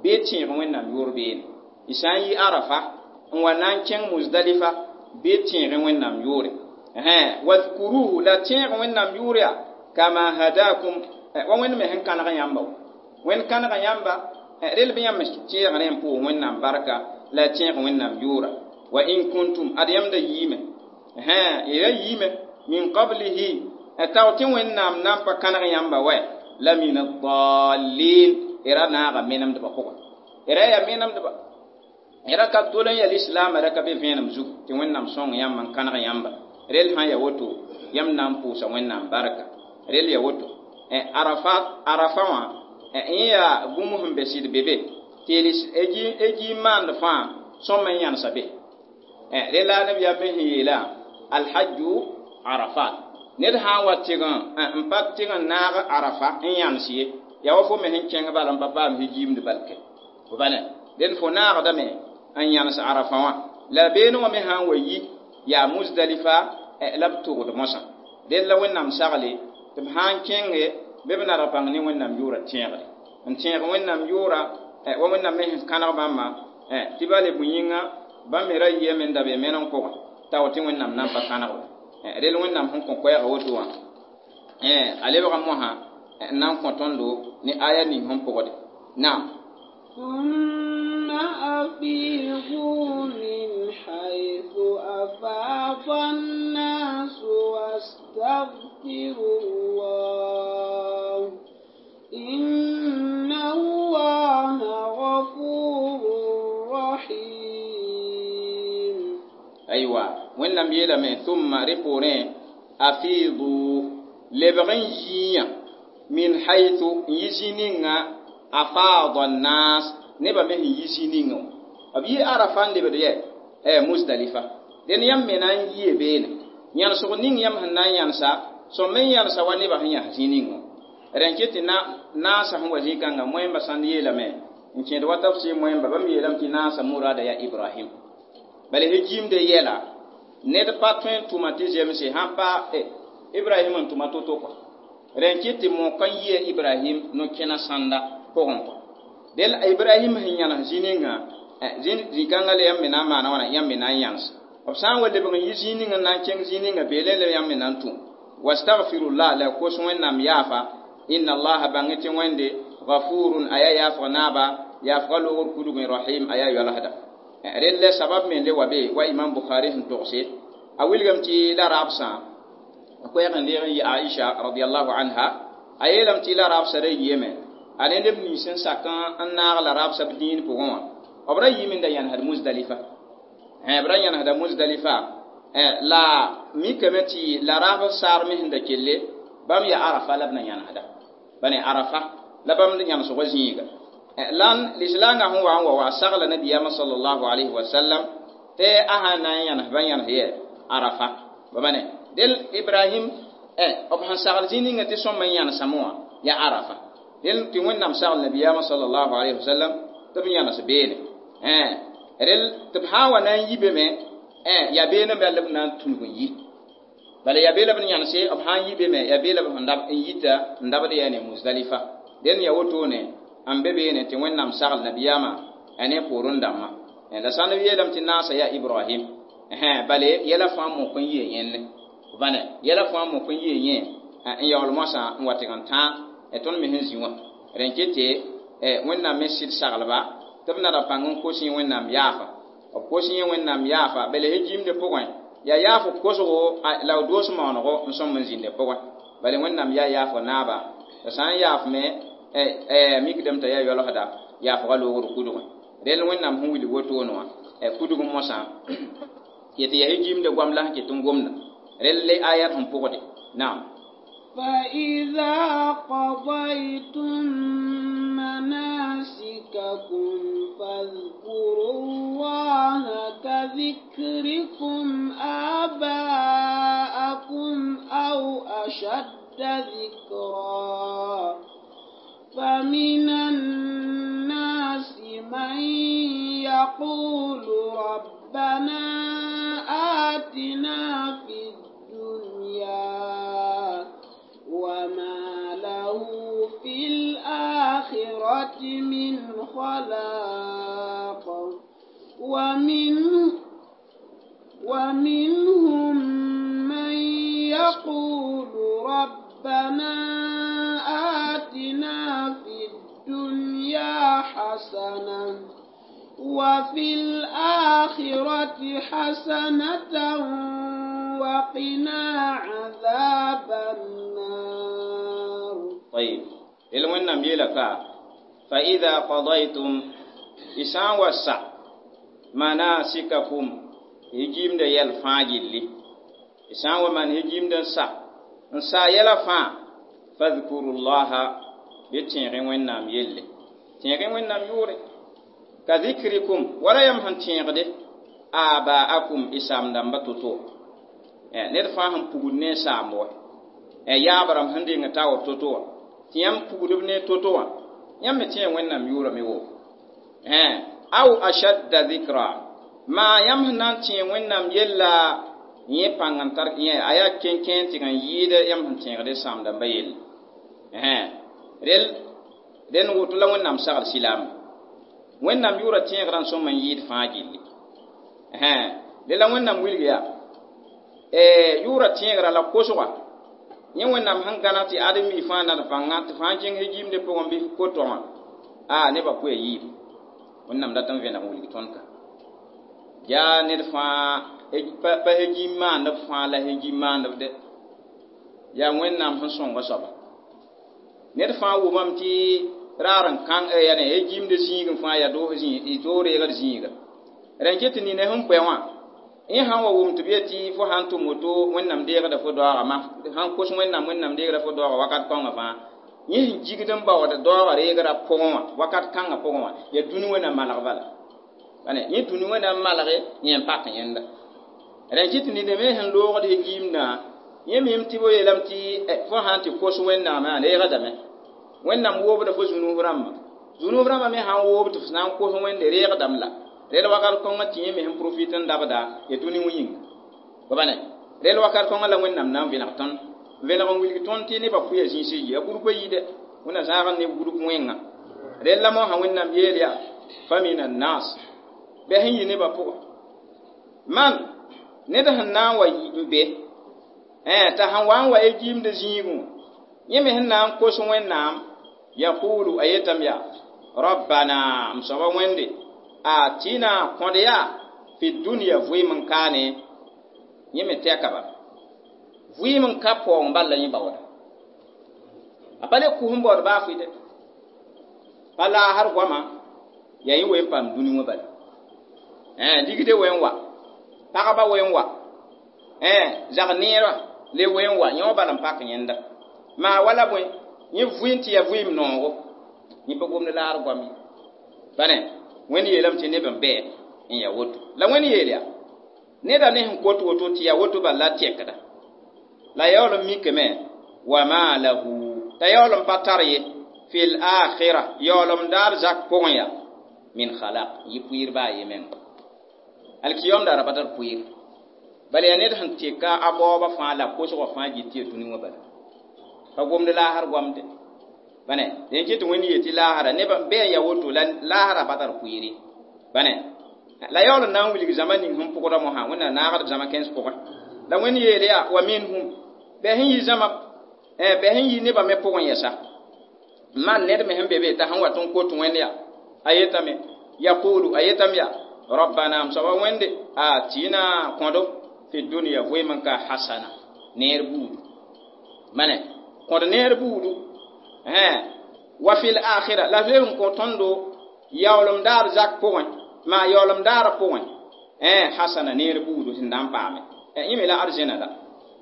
bee tẽeg Wẽnnaam yʋʋr beene y sã n yɩ arafa n wa na n kẽng Muzdalifa bee tẽege Wẽnnaam yʋʋre wadhkuruhu la tẽeg Wẽnnaam yʋʋr yaa kama hadakum wa Wẽnd me sẽn kãneg yãmba Wẽnd kãnega yãmba rel bɩ yãmb tẽegre n pʋʋs Wẽnnaam barka la tẽeg Wẽnnaam yʋʋra wa in kuntum ad yãmb da yiime y ra yiime min qablihi tao tɩ Wẽnnaam na n pa kãneg yãmba wɛ la min addallin y ra naaga menemdbã pʋgẽ y ra yaa menemdba y ra ka tol n yaa lislaamã ra ka be vẽenem zug tɩ Wẽnnaam sõng yãmb n kãneg yãmba rel sã n yaa woto yãmb na n pʋʋsa Wẽnnaam barka rel yaa woto arafa arafa wã yẽ yaa bũmb sẽn be sɩd be be tɩ e maand fãa sõm n yãnsa be rela la nabiyaam me sẽn yeela alhajju arafat ned sã n wa tɩg n pa tɩg n naag arafa n yãns ye yaa wa fo me sẽn kẽng bala n pa paam hijiimd balke bane dẽnd fo naagdame n yãns arafa wã La beene wã me sã n wa yi yaa Muzdalifa la b togd mosã dẽn la Wẽnnaam sagle tɩ b sã n kẽnge bɩ b nadg pãng ne Wẽnnaam yʋʋra tẽegre n tẽeg Wẽnnaam yʋʋra wa Wẽnnaam me sẽn kãneg bãmba tɩ bale bõe yĩnga bãmb me ra yiame n da be meneng pʋgẽ tao tɩ Wẽnnaam na n pa kãneg ba rel Wẽnnaam sẽn kõ koɛɛga woto wã a lebga mosã n na n kõ tõndo ne aya ning sẽn pʋgde naam. ثم أفيضوا من حيث أفاض الناس واستغفروا الله إن الله غفور رحيم. أيوة وإنم يلم ثم رفورين أفيضوا لبغن جيا من حيث يجينينا أفاض الناس نبا من يجينينا أبي عرفان لبدي eh Muzdalifa den yam me nan yie beene yãnsg ning yãmb sẽn na n yãnsa sõm me n yãnsa wa nebã sẽn yãs zĩ ninga rẽn ket tɩ naasã sẽn wa zĩ-kãngã moẽmbã sãnd yeelame n kẽed wa tafsir moẽmba bãmb yeelame tɩ naasã murada yaa Ibrahim bala hejimde yɛla ned pa tõe n tʋma tɩ zemse sãn pa Ibrahim n tʋma to-to kɔ rẽn ket tɩ mok n yia Ibrahim no-kẽna sãnda pʋgẽ kɔ del Ibrahim sẽn yãnes zĩ ninga zĩ-kãngã la yãmb me na n maana wãna yãmb me na n yãns b sã n wa lebg n yi zĩ ning n na n kẽng zĩ ninga beelẽ la yãmb me na n tũ wastagfirullah la kos Wẽnnaam yaafa inna allaha bãng tɩ Wẽnde gafurun a yaa yaafg naaba yaafga loogr kudgẽ rahim a yaa yoalsda rel la sabab me le wa be wa Imam Bukhari sẽn togse a wilgame tɩ la raabsã koɛɛg n leeg n yɩ Aisha radiallahu anha a yeelame tɩ la raabsã ra yiame a ne neb nins n sak n naag la raabsã b dĩin pʋgẽ wã b ra yɩɩm n da yãnesd Muzdalifa b ra yãnesda Muzdalifa la mikame tɩ la raab saar me sẽn da kelle bãmb yaa Arafa la b na yãnesda bane Arafa la bãmb yãnesgã zĩiga lan lislaangã sẽn wa n wa wa sagla nabiyaamã sallallahu alayhi wa sallam tɩ a sã n na n yãnes bã yãnes yɛ Arafa ba bane del Ibrahim b sẽn sagl zĩ ninga tɩ sõm n yãnesame wã yaa Arafa del tɩ Wẽnnaam sagl nabiyaamã sallallahu alayhi wa sallam tɩ b yãnes beene rel tɩ b sã n wa na n yi be me yaa beene me la b na n tũnug n yi bala yaa bee la b yãnese b sã n yi be me yaa bee la b n yita n dabd yaa ne Muzdalifa den yaa wotone n be beene tɩ Wẽnnaam sagl nabiyaamã a ne poorẽ dãmbã la sãn b yeelame tɩ naasa yaa Ibrahim bale yɛla fãa mok n yee yẽnne bãne yɛla fãa mok n yee yẽ n yaool moasã n wa tɩg n tãag tõnd me sẽn zĩ wã rẽn ket tɩ Wẽnnaam me sɩd saglba tɩ b nada pãng n kos yẽ Wẽnnaam yaafa b kos yẽ Wẽnnaam yaafa bala hejimde pʋgẽ yaa yaaf kosgo la b doos maanego n sõm n zĩnde pʋgẽ bala Wẽnnaam yaa yaafg naaba la sã n yaafme mikdame t'a yaa yoalsda yaafga loogr kudgẽ rel Wẽnnaam sẽn wilg wotone wã kudg mosã ket yaa hejimde goam la sẽn ket n gomda rel le ayat sẽn pʋgde naam. فإذا قضيتم مناسككم فاذكروا الله كذكركم آباءكم أو أشد ذكرا فمن الناس من يقول ربنا آتنا في الدنيا وما له في الآخرة من خلاق ومن ومنهم من يقول ربنا آتنا في الدنيا حسنة وفي الآخرة حسنة وقنا عذاب النار. طيب الوين يلك فإذا قضيتم إسان وسع مناسككم هجيم ده يلفاجلي إسان ومن هجيم ده سا نسا يلفا فاذكروا الله بتين وين نام يلي تين وين نام يوري كذكركم ولا يمهن تين آباءكم إسام دم بتوتو ned fãa sẽn pugd ne saam wa yaabram sẽn deng ta wa to-to wã tɩ yãmb pugdb ne to-to wã yãmb me tẽe Wẽnnaam yʋʋrame wo aw ashadda dhikra Ma yãmb sẽn na n tẽeg Wẽnnaam yella yẽ pãng n tar yẽ a yaa kẽnkẽ tɩg n yɩɩd yãmb sẽn tẽegd y sãam dãmbã yelle. Rel dẽn woto la Wẽnnaam sagl silaam. Wẽnnaam yʋʋra tẽegrã n sõm n yɩɩd fãa gilli. Dẽ la Wẽnnaam wilg yaa yʋʋra tẽegrã la kosga yẽ Wẽnnaam sẽn gãneg tɩ ãdem-bi fãa na d bãnga tɩ fãa kẽng gimdẽ pʋgẽ bɩ ko-tɔngã a nebã pʋa yiib Wẽnnaam dat n vẽneg n wilg tõnd ka yaa ned fãa pa gim maandb fãa la gim maandb de yaa Wẽnnaam sẽn sõnga soaba ned fãa wʋmame tɩ raar n kãng yane gimd zĩigẽ fãa yaa doos doog reegd zĩiga rẽn ket tɩ nina sẽn pʋɛ wã yẽ sãn wa wʋm tɩ b yetɩ fo sãn tʋm woto Wẽnnaam deegda fo daooga ma sãn kos Wẽnnaam Wẽnnaam deegda fo daooga wakat kõnga fãa yẽ sẽn gigd n baood daooga reegrã pʋgẽ wã wakat kãngã pʋgẽ wã yaa dũni wã na malg bala bane yẽ dũni wã na n malge yẽ n pak yẽnda rẽn kɩ tɩ nina me sẽn loogd gimdã yẽ mim tɩ b yeelame tɩ fo sãn tɩ kos Wẽnnaamã a reegdame Wẽnnaam woobda fo zũnub rãmbã zũnub rãmbã me sãn woob tɩ f na n kos Wẽnde reegdame la rel wakat kõnga tɩ yẽ me sẽn profit n dabda ya dũni wã yĩnga bane rel wakat kõnga la Wẽnnaam na n vẽneg tõnd vẽneg n wilg tõnd tɩ nebã pʋya zĩis yi a groupe yi dɛ Wẽnnaam zãag n ne group wẽnga rel la mosã Wẽnnaam yeel yaa fa min annas bɩ sẽn yɩ nebã pʋga man ned sẽn na n wa n be t'a sẽn wa n wa gimd zĩigẽ yẽ me sẽn na n kos Wẽnnaam yaqulu a yetame yaa rabbana m soaba Wẽnde atina kõd yaa fi dunya vɩɩm n kaane yẽ me tɛka ba vɩɩm n ka paoong bal la yẽ baooda a pa le kus n baood baa fɩ dɛ pa laasr goama yaa yẽ wen paam dũni wã bala ligde wen wa pagba wen wa zag neerã le wen wa yẽ wã bala n pak yẽnda maa wala bõe yẽ vɩɩm tɩ yaa vɩɩm noogo yẽ pa gomd laar goam ye bane Wẽnd yeelame tɩ neb n bɩ n yaa woto la Wẽnd yeel yaa neda ne sẽn kot woto tɩ yaa woto bal la tɛkda la yaool n mikame wa ma lahu t'a yaool n pa tar ye fil akhira yaoolem daar zak pʋgẽ yaa min khalaq yɩ pʋɩɩr baa ye menga alkiyom daara pa tar pʋɩɩr bala yaa ned sẽn teka a baooba fãa la kosgã fãa gɩ tɩ yaa dũni wã bala pa gomd laasr goamde bane dẽn kɩ tɩ Wẽnd yeel tɩ laasra neb n bɩ n yaa woto la laasra pa tar pʋɩɩr ye bane la yaool n na n wilg zãma ning sẽn pʋgda mosã Wẽnnaam naagd zãma kẽns pʋgẽ la Wẽnd yeel yaa wa minhum bɩ sẽn yɩ zãma bɩ sẽn yɩ nebã me pʋgẽ yɛsa man ned me sẽn be be t'a sẽn wat n kot Wẽnd yaa a yetame yaqulu a yetame yaa rabbana m soaba Wẽnde atina kõdo fi dunya vɩɩm n ka hasana neer buudu mane kõd neer buudu wa fil akhira la leb n kõ tõndo yaoolem daar zak pʋgẽ maa yaoolem daara pʋgẽ hasana neer buudu sẽn na n paame yẽ me la arzẽna la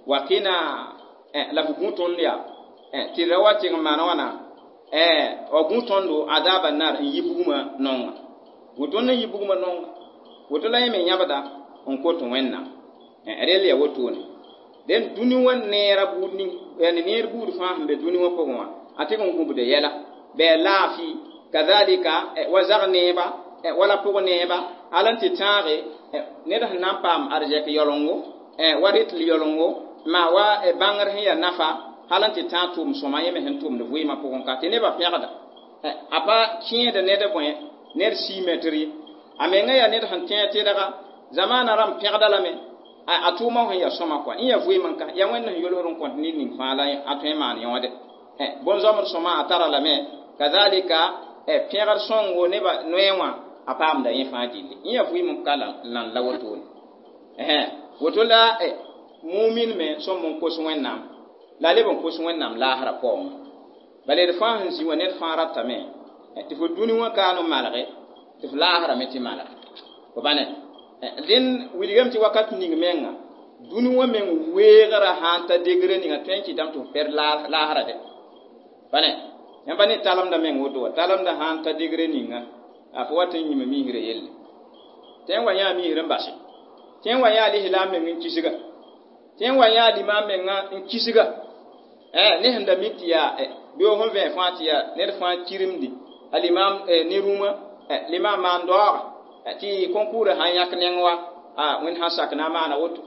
wa qina la f gũ tõnd yaa tɩ ra wa tɩg n maan wãna wa gũ tõndo adaba nar n yi bugmã nonga gũ tõnd n yi bugmã nonga woto la yẽ me yãbda n kot Wẽnnaam rel yaa wotone dẽn dũni wã neera buud ning neer buud fãa sẽn be dũni wã pʋgẽ wã a tɩg n gũbda yɛla bɩ a laafɩ kazalika wa zag neeba wala pʋg neeba hal n tɩ tãage ned sẽn na n paam arzɛk yaolengo wa rɩtl yaolengo maa wa bãngr sẽn yaa nafa hal n tɩ tãag tʋʋm sõma yẽ me sẽn tʋmd vɩɩmã pʋgẽ ka tɩ nebã pẽgda a pa kẽed ned bõe ned sii mɛtr ye a menga yaa ned sẽn tẽeg tɩdga zamaana rãmb pẽgda lame a tʋʋmã sẽn yaa sõma kɔa yẽ yaa vɩɩm n ka yaa Wẽnd sẽn yolsd n kõt ned ning fãa la a tõe n maan yõode bõn-zoamd sõma a tara lame kazalika pẽgd sõngo nebã noee wã a paamda yẽ fãa gilli yẽ yaa vɩɩm n ka lan la wotone woto la mumin me sõm n kos Wẽnnaam la leb n kos Wẽnnaam laasrã paoongã bala d fãa sẽn zĩ wã ned fãa ratame tɩ fo dũni wã kaan n malge tɩ f laasrã me tɩ malg fo bãne dẽn wilgame tɩ wakat ning menga dũni wã meng weegrã sã n ta degre ninga tõe n kɩtame tɩ f pɛd laasrã dɛ bãne yãmb pa ne talemda meng woto wa talemda sã n ta degre ninga a fo wat n yĩma misrã yelle tɩ n wa yãa misr n base tɩ n wa yãa lislaam meng n kisga tɩ n wa yãa limaam menga n kisga ne sẽn da mik tɩ yaa beoog sẽn vẽ fãa tɩ yaa ned fãa kiremdi a limaam ne rũmã limaam maan daooga Tɩ konkuurã sã n yãk neng wa a wẽnd sã n sak na n maana woto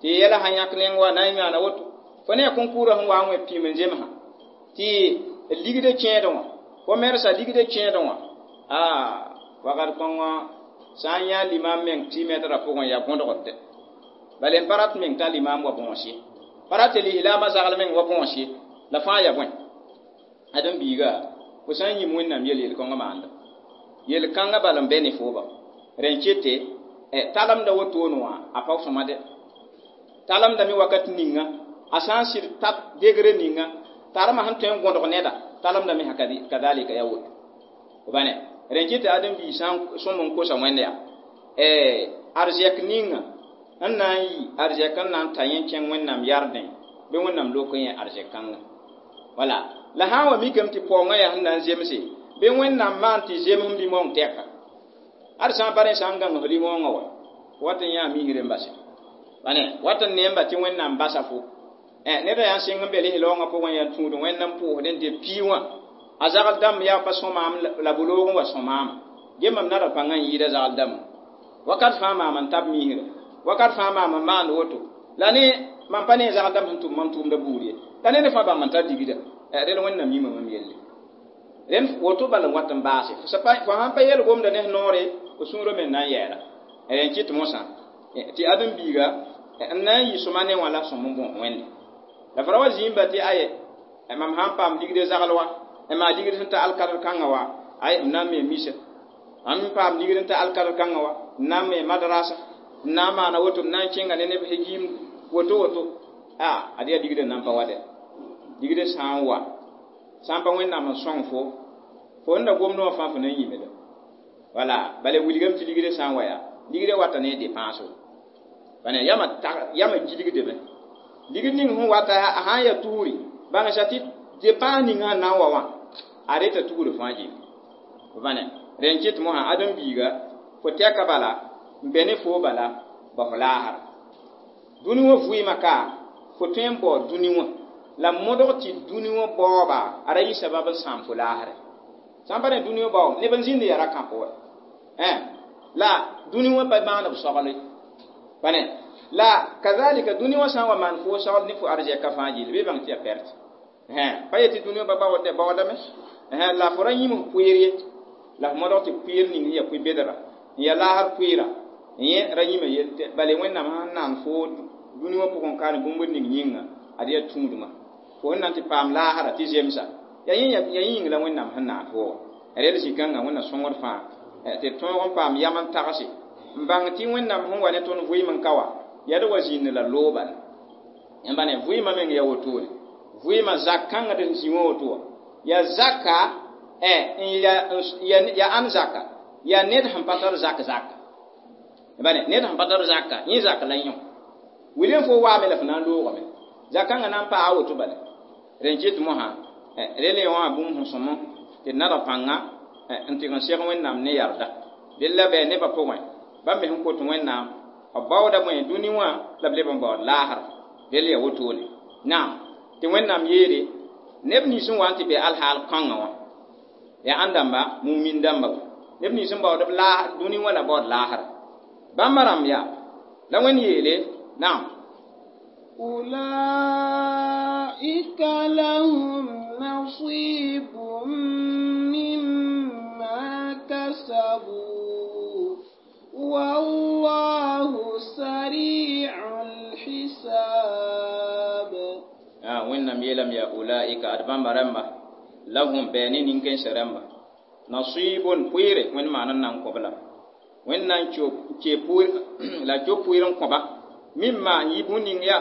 tɩ yɛla sã n yãk neng wa na n maana woto fo ne a konkuurã sẽn wa n wẽ pĩim n zemsã tɩ ligdã kẽedẽ wã fo mersã ligdã kẽedẽ wã a wakat kõngõ sã n yã limam meng tɩ mɛtrã pʋgẽ yaa gõdgd bala n pa rat meng t'a limam wa bõos ye pa rat tɩ lislaamã zagl meng wa bõos ye la fãa ya bõe ãdem biiga fo sã n yĩm wẽnnaam yel yel-kãngã maanda yel-kãngã bal n bɛ ne fooba rẽn kete talemda wotone wã a pa sõma dɛ talemda me wakat ninga a sã n sɩd ta degre ninga tarmã sẽn tõe n gõdg neda talemda me kadalika ya woto bane rẽn kɩ tɩ ãdem-biig sã n sõm n kosa wẽnd yaa arzɛk ninga n na n yi arzɛk n na n ta yẽ kẽng wẽnnaam yardẽ bɩ wẽnnaam lok n yẽ arzɛk kãnga wala la sã n wa mikame tɩ paoongã yaa sẽn na n zemse bɩ wẽnnaam maan tɩ zemsem limong tɛka ad sã n pa rẽ sã n gãng f limongã wa wat n yã misr n base bane wat n neemba tɩ wẽnnaam basa fo neda yaa n sɩng n be lislaoongã pʋgẽ yaa tũud wẽnd n pʋʋsd n dɩ pii wã a zagl dãmb yaa pa sõmaam la bu-loog n wa sõmaama ge mam nada pãngã n yɩɩda zagl dãmb wakat fãa maam n tab misra wakat fãa maam n maand woto la ne mam pa ne zagl dãmb sẽn tʋm mam tʋʋmda buud ye la ned fãa bãmb n tar digda rel wẽnnaam yĩma mam yelle rẽnd woto bal n wat n baase fo sãn pa yel gomda ne f noore fo sũurã me n na n yɛɛla rẽn kɩt mosã tɩ ãdem-biiga n na n yɩ sõma ne wã la sõm n bõos wẽnde la fo ra wa zĩimba tɩ aye mam sã n paam ligd zagl wa n maa ligd sẽn ta alkadr kãngã wa ay m na n me misa mam n paam ligd n ta alkadr kãngã wa n na n me madrasa n na n maana woto m na n kẽnga ne neb yim woto woto a ad yaa ligd n na n pa wa dɛ ligd sã n wa sã n pa wẽnnaam n sõng fo fo n da gomdẽ wã fãa fo na n yĩmda wala bala wilgame tɩ ligd sã n wa yaa ligd wata ne dépense bane yãmã yãmã gilgdame ligd ning sẽn wata a sã n yaa tugri bãngsa tɩ dépense ning sẽn na n wa wã a reta tugr fãa gilli bane rẽn kɩt mosã ãdem-biiga fo tɛka bala n bɛ ne foo bala ba fo laasra dũni wã vɩɩmã ka fo tõe n bao dũni wã la modg tɩ dũni wã baooba a ra yɩ sabab n sãam fo laasrɛ sã n pa ne dũni wã bao neb n zĩnd yaa ra kãpo wa la dũni wã pa maand b sogle bane la kazalika dũni wã sã n wa maan fo sogl ne fo arzɛka fãa gilli bɩ bãng tɩ yaa perte pa yetɩ dũni wã pa baoodame la fo ra yĩm f pʋɩɩr ye la f modg tɩ pʋɩɩr ning sẽn yaa pʋɩ-bedra n yaa laasr pʋɩɩra yẽ ra yĩma yel bale wẽnnaam sẽn naan fo dũni wã pʋgẽ ka ne bũmb ning yĩnga ad yaa tũudmã fo sẽn na n tɩ paam laasra tɩ zemsa yaa yĩng la wẽnnaam sẽn naan fo wa rel zĩ-kãngã wẽnna sõngd fãa tɩ tõog n paam yam n tagse n bãng tɩ wẽnnaam sẽn wa ne tõnd vɩɩm n ka wa yaa d wa zĩnd la loobal yãmba ne vɩɩmã meng yaa wotone vɩɩmã zak kãngã d zĩ wã woto wa yaa zaka yaa ãn zaka yaa ned sẽn pa tar zak zaka bane ned sẽn pa tar zaka yẽ zak la yõ wilem fo waame la fo na n loogame zak-kãngã na n paa woto bala rẽn kɩt mosã rel wã bũmb sẽn sõm tɩ d nadg pãnga n tɩg n seg wẽnnaam ne yarda del la bɩ nebã pʋgẽ bãmb me sẽn kot wẽnnaam b baooda bõe dũni wã la b leb n baood laasra rel yaa wotone naam tɩ wẽnnaam yeele neb nins n wa n tɩ be alhaal kãngã wã yaa ãn dãmba mumin dãmba wa neb nins n baood b dũni wã la baood laasra bãmba rãmb yaa la wẽnd yeele naam أولئك لهم نصيب مما كسبوا والله سريع الحساب آه وإنم يلم يا أولئك أدبان برمى لهم بيني نينكن سرمى نصيب بوير وين ما نان قبلا وين نان كي بوير لا جو بوير قبا مما يبون يا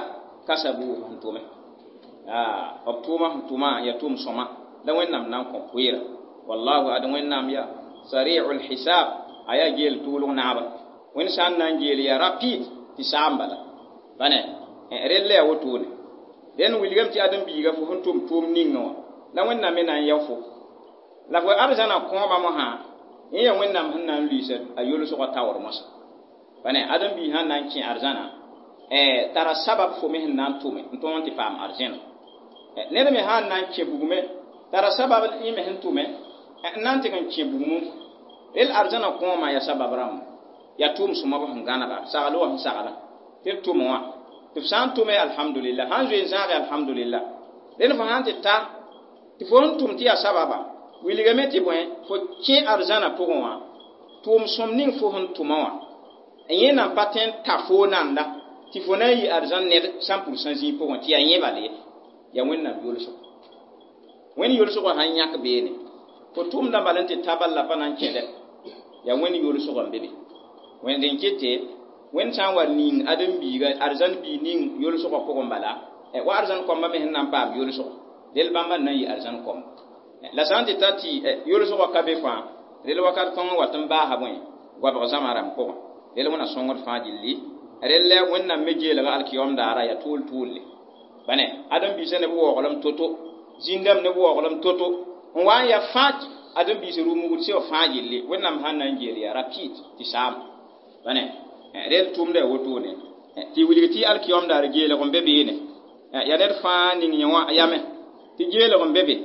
كسبوا هنتومه آه أبتوما هنتوما يتوم سما لا وين نام نان قبوير والله أد وين نام يا سريع الحساب aya gel tuulg naaba wẽnd sã n na n geel yaa rapide tɩ saam bala bane rel la yaa wotone dẽn wilgame tɩ ãdem-biiga fo sẽn tʋm tʋʋm ninga wã la wẽnnaam me na n yao fo la fo arzãna kõobã mosã yẽ yaa wẽnnaam sẽn na n luiisa a yolsgã taoor mosã bane ãdem-biig sã n na n kẽ arzãna tara sabab fo me sẽn na n tʋme n tõog n tɩ paam arzẽna ned me sã n na n kẽ bugme tara sabab yẽ me sẽn tʋme n na n tɩg n kẽ bugmu rel arzãna kõoma yaa sabab rãmba Yaa tʋʋm sõma b sẽn gãnega sagl wa sẽn sagla tɩ d tʋm wã tɩ f sã n tʋme alhamdulillah sãn zoe n zãage alhamdulillah rẽnd fo sã n tɩ ta tɩ fo sẽn tʋm tɩ yaa sababa wilgame tɩ bõe fo kẽ arzãna pʋgẽ wã tʋʋm sõm ning fo sẽn tʋma wã yẽ nan pa tõe n ta foo nanda tɩ fo na n yɩ arzãn ned sã pʋrsã zĩig pʋgẽ tɩ yaa yẽ bal ye yaa wẽnnaam yolsgo wẽnd yolsgã sãn yãk beene fo tʋʋmdã bal n tɩ ta bal la pa na n kẽdɛ yaa wẽnd yolsgã n be be wẽnd n kete wẽnd sã n wa ning ãdem-biiga arzãn biig ning yolsgã pʋgẽ bala wa arzãn kõmba me sẽn na n paam yolsgo del bãmba n na n yɩ arzãn kõmba la sã n tɩ ta tɩ yolsgã ka be fãa rel wakat kõng wat n baasa bõe goabg zãma rãmb pʋgẽ rel wẽna sõngd fãa gilli rel la wẽnnaam me geelga alkiyom daara yaa tʋʋl tʋʋlle bane ãdem-biisã neb waooglem to-to zĩndame neb waooglem to-to n wa n yaa fãa ãdem-biis rʋ-mugd sẽn wa fãa gilli wẽnnaam sãn na n geel yaa rapide tɩ saam bane rel tʋʋmda yaa wotone tɩ wilg tɩ alkiyom daar geelg n be beene yaa ned fãa ning yẽ wã yame tɩ geelg n be be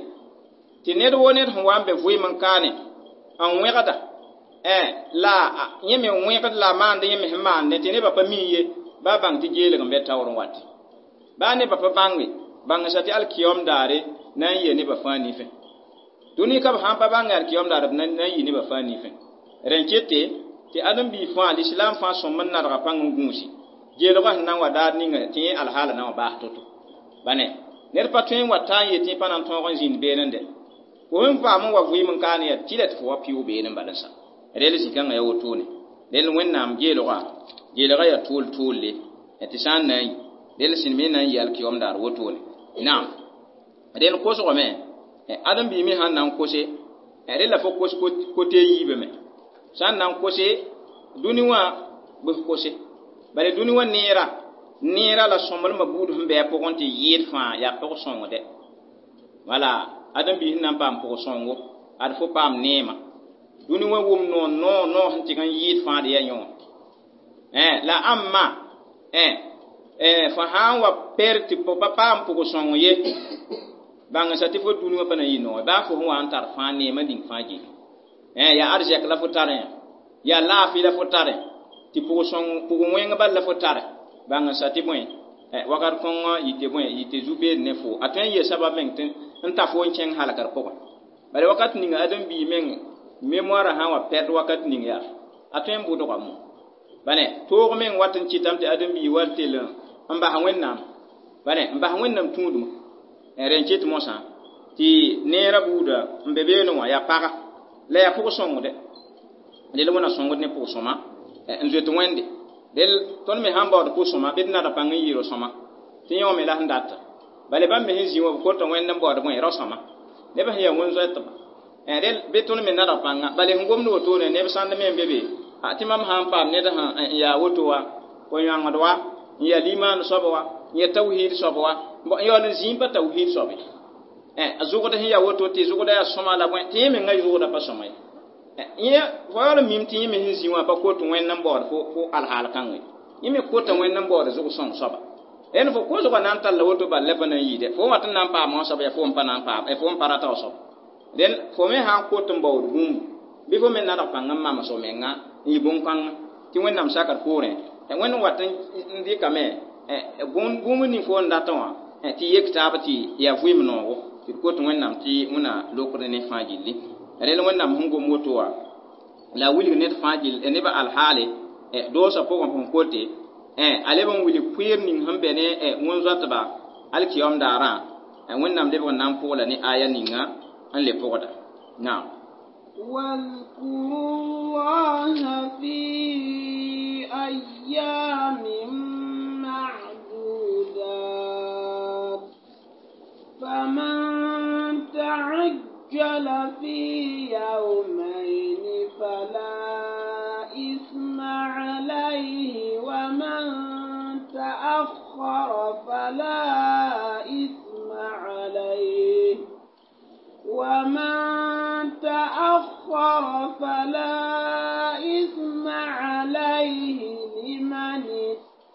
tɩ ned wo ned sẽn wa n be vɩɩm n kaane n wẽgda la yẽ me wẽgd la a maand yẽ me sẽn maandẽ tɩ nebã pa mi ye baa bãng tɩ geelg n be taoor n wate baa nebã pa bãnge bãngsa tɩ alkiyom daare na n yɩa nebã fãa nifẽ dũni ka b sãn pa bãnge alkiyom daar b na n yɩ nebã fãa nifẽ rẽn kete tɩ ãdem-biig fãa lislaam fãa sõm n nadga pãng n gũusi geelgã sẽn na n wa daar ninga tɩ yẽ alhaala na n wa baas to-to bane ned pa tõe n wa ta n yet tɩ pa na n tõog n zĩnd beene dɛ fo sẽn paam n wa vɩɩm n kaane yaa tɩla tɩ fo wa pɩʋ beene bala sa rel zĩ-kãngã yaa wotone rel wẽnnaam geelgã geelgã yaa tʋʋl tʋʋlle tɩ sã n na n yi rel sẽn me na n yɩ alkiyom daar wotone naam rel kosgame ãdem-biig me sãn na n kose rel la fo kos kote yiibame sã n na n kose dũni wã bɩ f kose bala dũni wã neera neera la sõmblmã buud sẽn bɩ a pʋgẽ tɩ yɩɩd fãa yaa pʋg-sõngde wala ãdem-biis sẽn na n paam pʋg-sõngo ad fo paam neema dũni wã wʋm noor noor noor sẽn tɩg n yɩɩd fãa d yaa yõ la ãmma fo sã n wa per tɩ pa paam pʋg-sõng ye bãngsa tɩ fo dũni wã pa na n yɩ noor baa fo sẽn wa n tar fãa neemã ning fãa gilli yaa arzɛk la fo tarẽ yaa laafɩ la fo tare tɩ pʋg-sõng pʋg-wẽng bal la fo tare bãngsa tɩ bõe wakat kõngã yɩ tɩ bõe yɩ tɩ zu-beed ne fo a tõe n yee sabab meng tɩ n ta fo n kẽng halkr pʋgẽ bala wakat ninga ãdem-biig meng mémoire sã n wa pɛd wakat ning yaa a tõe n bʋdga mo bane toog meng wat n kɩtame tɩ ãdem-biig wa tell n bas wẽnnaam bane n bas wẽnnaam tũudmã rẽn ket mosã tɩ neerã buuda n be beene wã yaa paga la yaa pʋg-sõngde rel wẽna sõngd ne pʋg-sõma n zoet wẽnde rel tõnd me sãn baood pʋg-sõma bɩ d nada pãng n yɩ ro-sõma tɩ yẽ wã me la sẽn data bala bãmb me sẽn zĩ wã b kota wẽnd n baood bõe rao-sõma neb sẽn yaa wẽn-zoɛtba rel bɩ tõnd me nadg pãnga bala sẽn gomd wotone neb sãnd me n be be tɩ mam sã n paam ned sẽn yaa woto wa fo yãngd wa n yaa limaan soab wa n yaa tawhiid soab wa n yaool n zĩig pa tawhiid soabe a zʋgd sẽn yaa woto tɩ zʋgda yaa sõma la bõe tɩ yẽ menga zʋgda pa sõma ye yẽ fo yaool n mim tɩ yẽ me sẽn zĩ wã pa kot wẽnd n baood fo fo alhaal kãngã yẽ me kota wẽnd n baood zʋg-sõng soaba rẽnd fo kosgã na n talla woto bal la pa na n yɩɩdɛ fo wã tɩ n na n paam wã soaba yaa fo n pa na n paam fo n pa rata wa soab rẽnd fo me sã n kot n baood bũmbu bɩ fo me nadg pãng n mams f menga n yɩ bõn-kãngã tɩ wẽnnaam sakr poorẽ wẽnd n wat n dɩkame bũmb ning fo n datẽ wã tɩ yek taab tɩ yaa vɩɩm noogo tɩ d kot wẽnnaam tɩ wẽna lokd ne fãa gilli rel wẽnnaam sẽn gom woto wã la a wilg ned fãa gill nebã alhaale doosã pʋgẽ sẽn kote a leb n wilg pʋɩɩr ning sẽn be ne wẽn-zoatba alkiyom daarã wẽnnaam lebg n na n pʋgla ne aya ninga n le pʋgda naam واذكروا الله في أيام معدودات فمن تعجل في يومين فلا إثم عليه ومن تأخر فلا إثم عليه ومن تأخر فلا إثم عليه لمن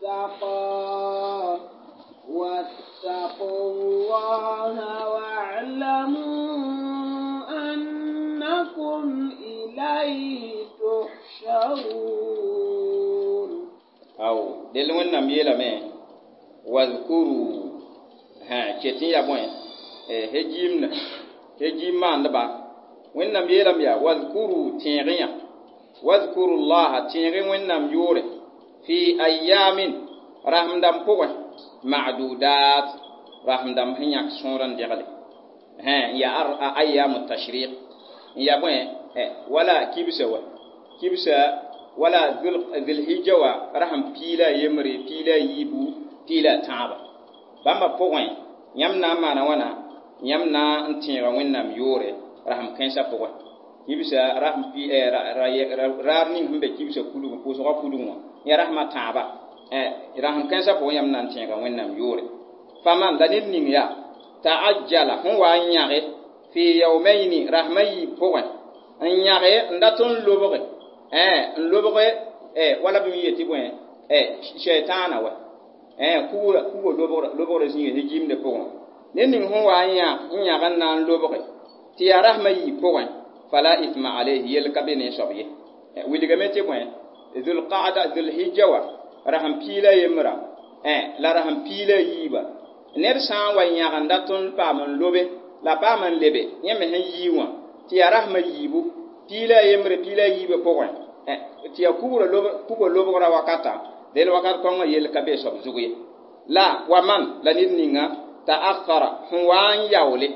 اتقى واتقوا الله واعلموا أنكم إليه تحشرون. Del Wẽnnaam yeelame wazkuru ket n ya bõe hejiimna hejiim maandba. Wẽnnaam yeelame yaa wazkuru tẽeg yã wazkuru llaha tẽeg Wẽnnaam yʋʋre fi ayamin rasem dãmb pʋgẽ ma'dudat rasem dãmb sẽn yãk sõor n degle n yaa ayamu tashriq n ya bõe wala kibsa wa kibsa wala dhulhijja wa rasem piila yembre piila yiibu piila tãaba bãmba pʋgẽ yãmb na n maana wãna yãmb na n tẽega Wẽnnaam yʋʋre rasem kãensã pʋgẽ kibsa rasem raar ning sẽn be kibsa pulgẽ pʋʋsgã pulgẽ wã ya rasmã tãaba rasem kãensã pʋgẽ yãmb na n tẽega Wẽnnaam yʋʋre faman la ned ning yaa ta'ajjala sẽn wa n yãge fi yawmayni rasmã yiib pʋgẽ n yãge n dat n lobge n lobge wala b me yetɩ bõe shaitaana wa kugra kuga lobgrã zĩiga hejiimdã pʋgẽ ned ning sẽn wa n yãg n na n lobge tɩ yaa rasmã yiib pʋgẽ fala ithma alayhi yell ka be ne soab ye wilgame tɩ bõe dhulqaada dhulhijja wa rasem piila yembra la rasem piila yiiba ned sã n wa yãg n dat n paam n lobe la paam n lebe yẽ me sẽn yii wã tɩ yaa rasmã yiibu piila yembre piila yiibã pʋgẽ tɩ yaa kuga lobgrã wakata del wakat kõngã yell ka be soab zug ye la wa man la ned ninga ta'akhara sẽn wa n yaoole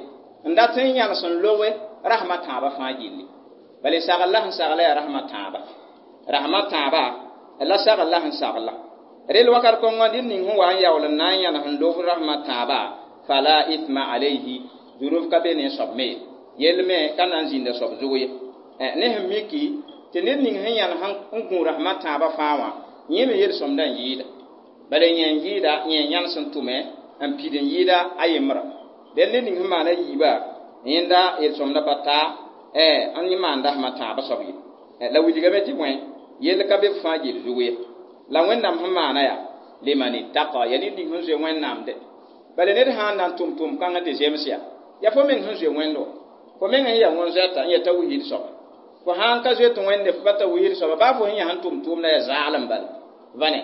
n dat n yãnes n lobe rasmã tãabã fãa gilli bala sagl la sẽn sagla yaa rasmã tãaba rasmã tãaba la sagl la sẽn sagla rel wakat kõngã ned ning sẽn wa n yaool n na n yãnes n lob rasmã tãaba fala ithma alayhi zunub ka be ne soab me yell me ka na n zĩnda soab zug ye ne sẽn miki tɩ ned ning sẽn yãnes n gũ rasmã tãabã fãa wã yẽ me yel-sõmdã n yɩɩda bala yẽ n yɩɩda yẽ yãnes n tʋme n pid n yɩɩda a yembra del ned ning sẽn maana yiiba yẽnda yel-sõmdã pa taa n yẽ maan rasmã tãabã soab ye la wilgame tɩ bõe yell ka be b fãa gill zug ye la Wẽnnaam sẽn maana yaa liman ittaqa ya ned ning sẽn zoe Wẽnnaam de bala ned sã n na n tʋm tʋm kãngã tɩ zems yaa yaa fo meng sẽn zoe Wẽnd wa fo meng sẽn yaa wẽn-zoɛta n yaa tawhiid soaba fo sã n ka zoet Wẽnde fo pa tawhiid soaba baa fo sẽn yaa sẽn tʋm tʋʋmda yaa zaalem bala vane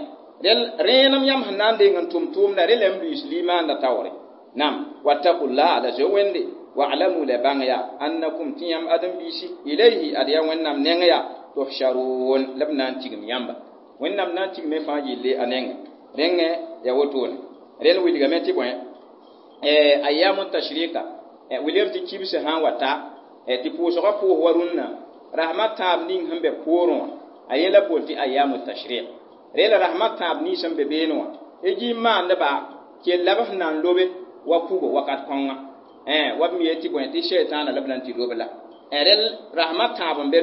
rẽenem yãmb sẽn na n deng n tʋm tʋʋmda rẽ la n luiis limaanda taoore nam wattaqullah la zoe Wẽnde wa'lamu la bãng ya annakum tɩ yãmb ãdem-biisi ilayhi ad yaa Wẽnnaam neng ya tuhsharun la b na n tigim yãmba Wẽnnaam na n tigme fãa yelle a nengẽ rẽngẽ yaa wotone rẽnd wilgame tɩ bõe ayamu tashrika wilgame tɩ kibsã sã n wa ta tɩ pʋʋsgã pʋʋs wa rũnnã rasmã tãab ning sẽn be poorẽ wã a yẽ la bool tɩ ayamu tashriq rẽ la rasmã tãab nins sẽn be beene wã hejiim maandba kell la b sẽn na n lobe wa kugo wakat kõnga wa b me yetɩ bõe tɩ shaitaana la b na n tɩ lob la rẽl rasmã tãab n be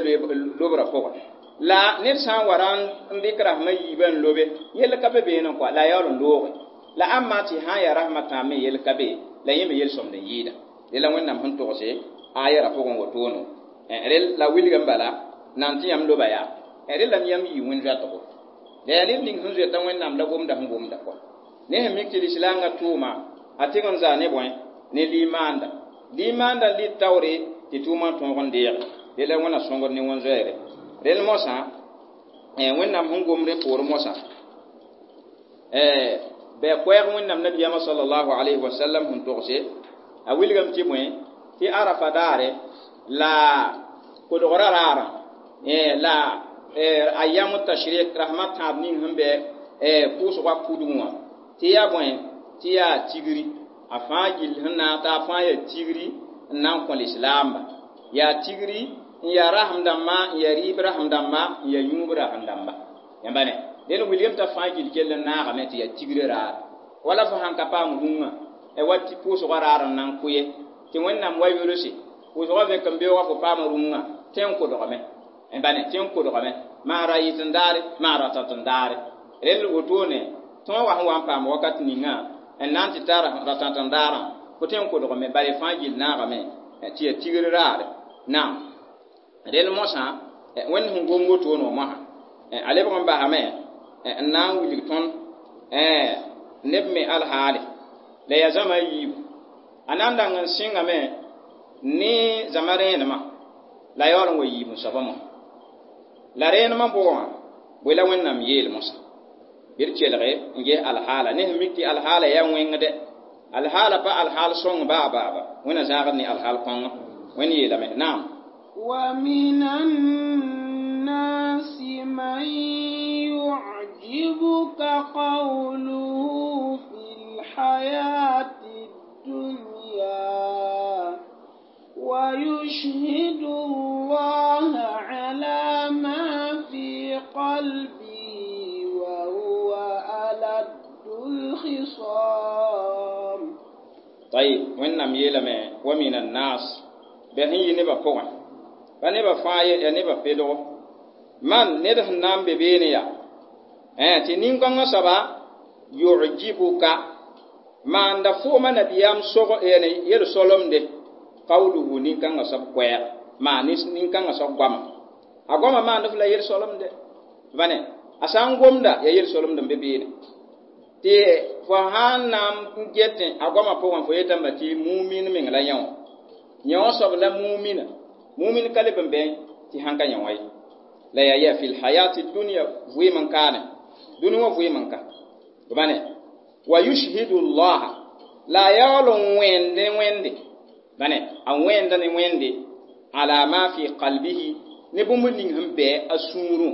lobrã pʋgẽ la ned sã n wa ra n dɩk rasmã yiibã n lobe yell ka be beene kɔa la a yaool n looge la ãmba tɩ sã n yaa rasmã tãab me yell ka be la yẽ me yel-sõmd n yɩɩda rẽ la Wẽnnaam sẽn togse ayara pʋgẽ wotoono rel la wilgame bala na n tɩ yãmb loba yaa rẽ la yãmb yɩ wẽn-zoɛtgo la yaa ned ning sẽn zoeta Wẽnnaam la gomda sẽn gomda kɔa ne sẽn mik tɩ lislaangã tʋʋma a tɩg n zaa ne bõe ne limaanda limaanda n lɩt taoore tɩ tʋʋmã tõog n deege de la Wẽnna sõngd ne wẽn-zoeere rel mosã Wẽnnaam sẽn gom rẽ poor mosã bɩ koɛɛg Wẽnnaam nabiyaamã sallallahu alayhi wa sallam sẽn togse a wilgame tɩ bõe tɩ arafa daare la kodgrã raarã la ayamu tashriq rasmã tãab ning sẽn be pʋʋsgã pudgẽ wã tɩ yaa bõe tɩ yaa tigri a fãa gill sẽn na n ta a fãa yaa tigri n na n kõ lislaamba yaa tigri n yaa rasem dãmba n yaa rɩɩb rasem dãmba n yaa yũub rasem dãmba yãmba ne dẽn wilgame t'a fãa gill kell n naagame tɩ yaa tigre raar wala fo sãn ka paam rũngã wa tɩ pʋʋsgã raar n na n kʋ ye tɩ Wẽnnaam wa yolse pʋʋsgã vẽk n beoogã fo paam rũngã tẽ n kodgame bane tẽ n kodgame maa ra yɩt n daare maa ra tat n daare rel wotone tõog wa sẽn wa n paam wakat ninga n na n tɩ tar ra tãt n daarã fo tẽ n kodgame bala fãa gill naagame tɩ yaa tigr raare naam rel mosã Wẽnd sẽn gom wotone wã mosã a lebg n basame n na n wilg tõnd neb me alhaale la yaa zãma a yiibu a na n dang n sɩngame ne zãma rẽenemã la a yaool n wa yiib n soabã mosã la rẽenemã pʋgẽ wã bõe la Wẽnnaam yeel mosã bɩ d kelge n ges alhaala ne sẽn mik tɩ alhaala yaa wẽngde alhaala pa alhaal sõng baa baaba wẽnna zãagd ne alhaal kõngo wẽnd yeelame naam ومن الناس من يعجبك قوله في الحياة الدنيا ويشهد الله على ما في قلبه وهو ألد الخصام طيب wẽnnaam yeelame wa min annas bɩ sẽn yi nebã pʋgẽ pa nebã fãa ye ya nebã pedgo man ned sẽn na n be beene yaa tɩ nin-kãngã soaba yujibuka maanda fooma nabiyaam sog yel-solemde qawluhu nin-kãngã soab koɛɛg maa nin-kãngã soab goama a goama maand f la yel-solemde bane a sã n gomda ya yel-solemd n be beene tɩ fo sãn na n getẽ a goamã pʋgẽ fo yetame tɩ mumin meng la yẽ wã yẽ wã soab la mumina mumin ka leb n bẽ tɩ sãn ka yẽ wã ye la yaa ya fi lhayati dunya vɩɩm n kaane dũni wã vɩɩm n ka bane wa yushhidu llaha la a yaool n wẽnd ne wẽnde bane a wẽnda ne wẽnde ala ma fi qalbihi ne bũmb ning sẽn bɛ a sũurẽ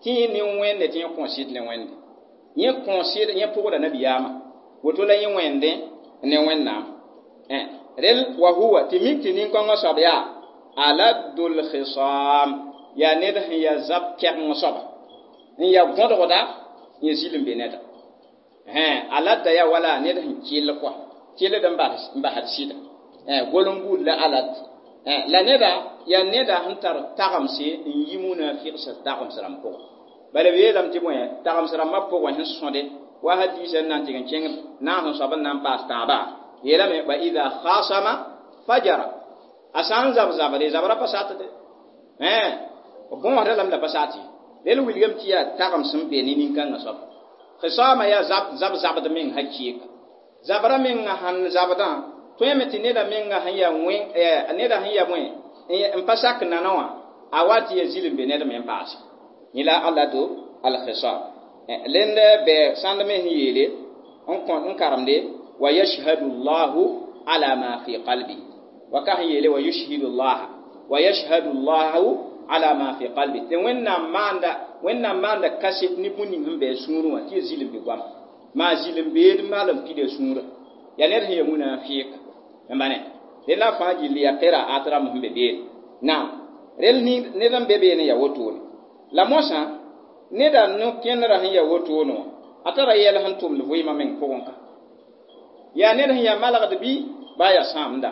tɩ yẽ ne wẽnde tɩ yẽ kõsɩd ne wẽnde yẽ kõsɩd yẽ pʋgda nabiyaamã woto la yẽ wẽndẽ ne wẽnnaam rel wa huwa tɩ mik tɩ nin-kãngã soab yaa aladul khisam yaa ned sẽn yaa zab kɛgeng soaba n yaa gõdgda yẽ zil n be neda aladda yaa wala ned sẽn kell kɔa kelld n basd sɩda gol n buud la alad la neda yaa neda sẽn tar tagemse n yi munafigsã tagems rãmb pʋgẽ bala b yeelame tɩ bõe tagems rãmbã pʋgẽ sẽn sõde wa hadiisã n na n tɩg n kẽng naas n soab n na n paas tãabã yeelame wa ida khasama fajara a sã n zab zabre zabra pa satde bõosda lame la pa sat ye rel wilgame tɩ yaa tagems n be ne nin-kãngã soaba khisama yaa zab zab zabd meng ha kɩɩka zabra menga sãn zabdã tõeme tɩ neda menga sẽn yaa wẽ neda sẽn yaa bõe n pa sak nana wã a wa tɩ yaa zil n be ned me n paase yẽ la alado alkhisam lend bɛ sãnd me sẽn yeele n kõ n karemde wa yashhadu llahu ala ma fi qalbi wa ka sẽn yeele wa yushhidu llaha wa yashhadu llahu ala ma fi qalbi tɩ wẽnnaam maanda wẽnnaam maanda kaset ne bũmb ning sẽn bɛ a sũurẽ wã tɩ ya zil n be goama maa zil n beed mal n pida sũurã yaa ned sẽn ya munafiika n bane rel la fãa gilli yaa qiraat rãmb sẽn be beene naam rel ned n be beene yaa wotone la mosã neda no-kẽnerã sẽn yaa wotone wã a tara yɛl sẽn tʋmd vɩɩmã meng pʋgẽ ka yaa ned sẽn yaa malgd bɩ baa yaa sãamda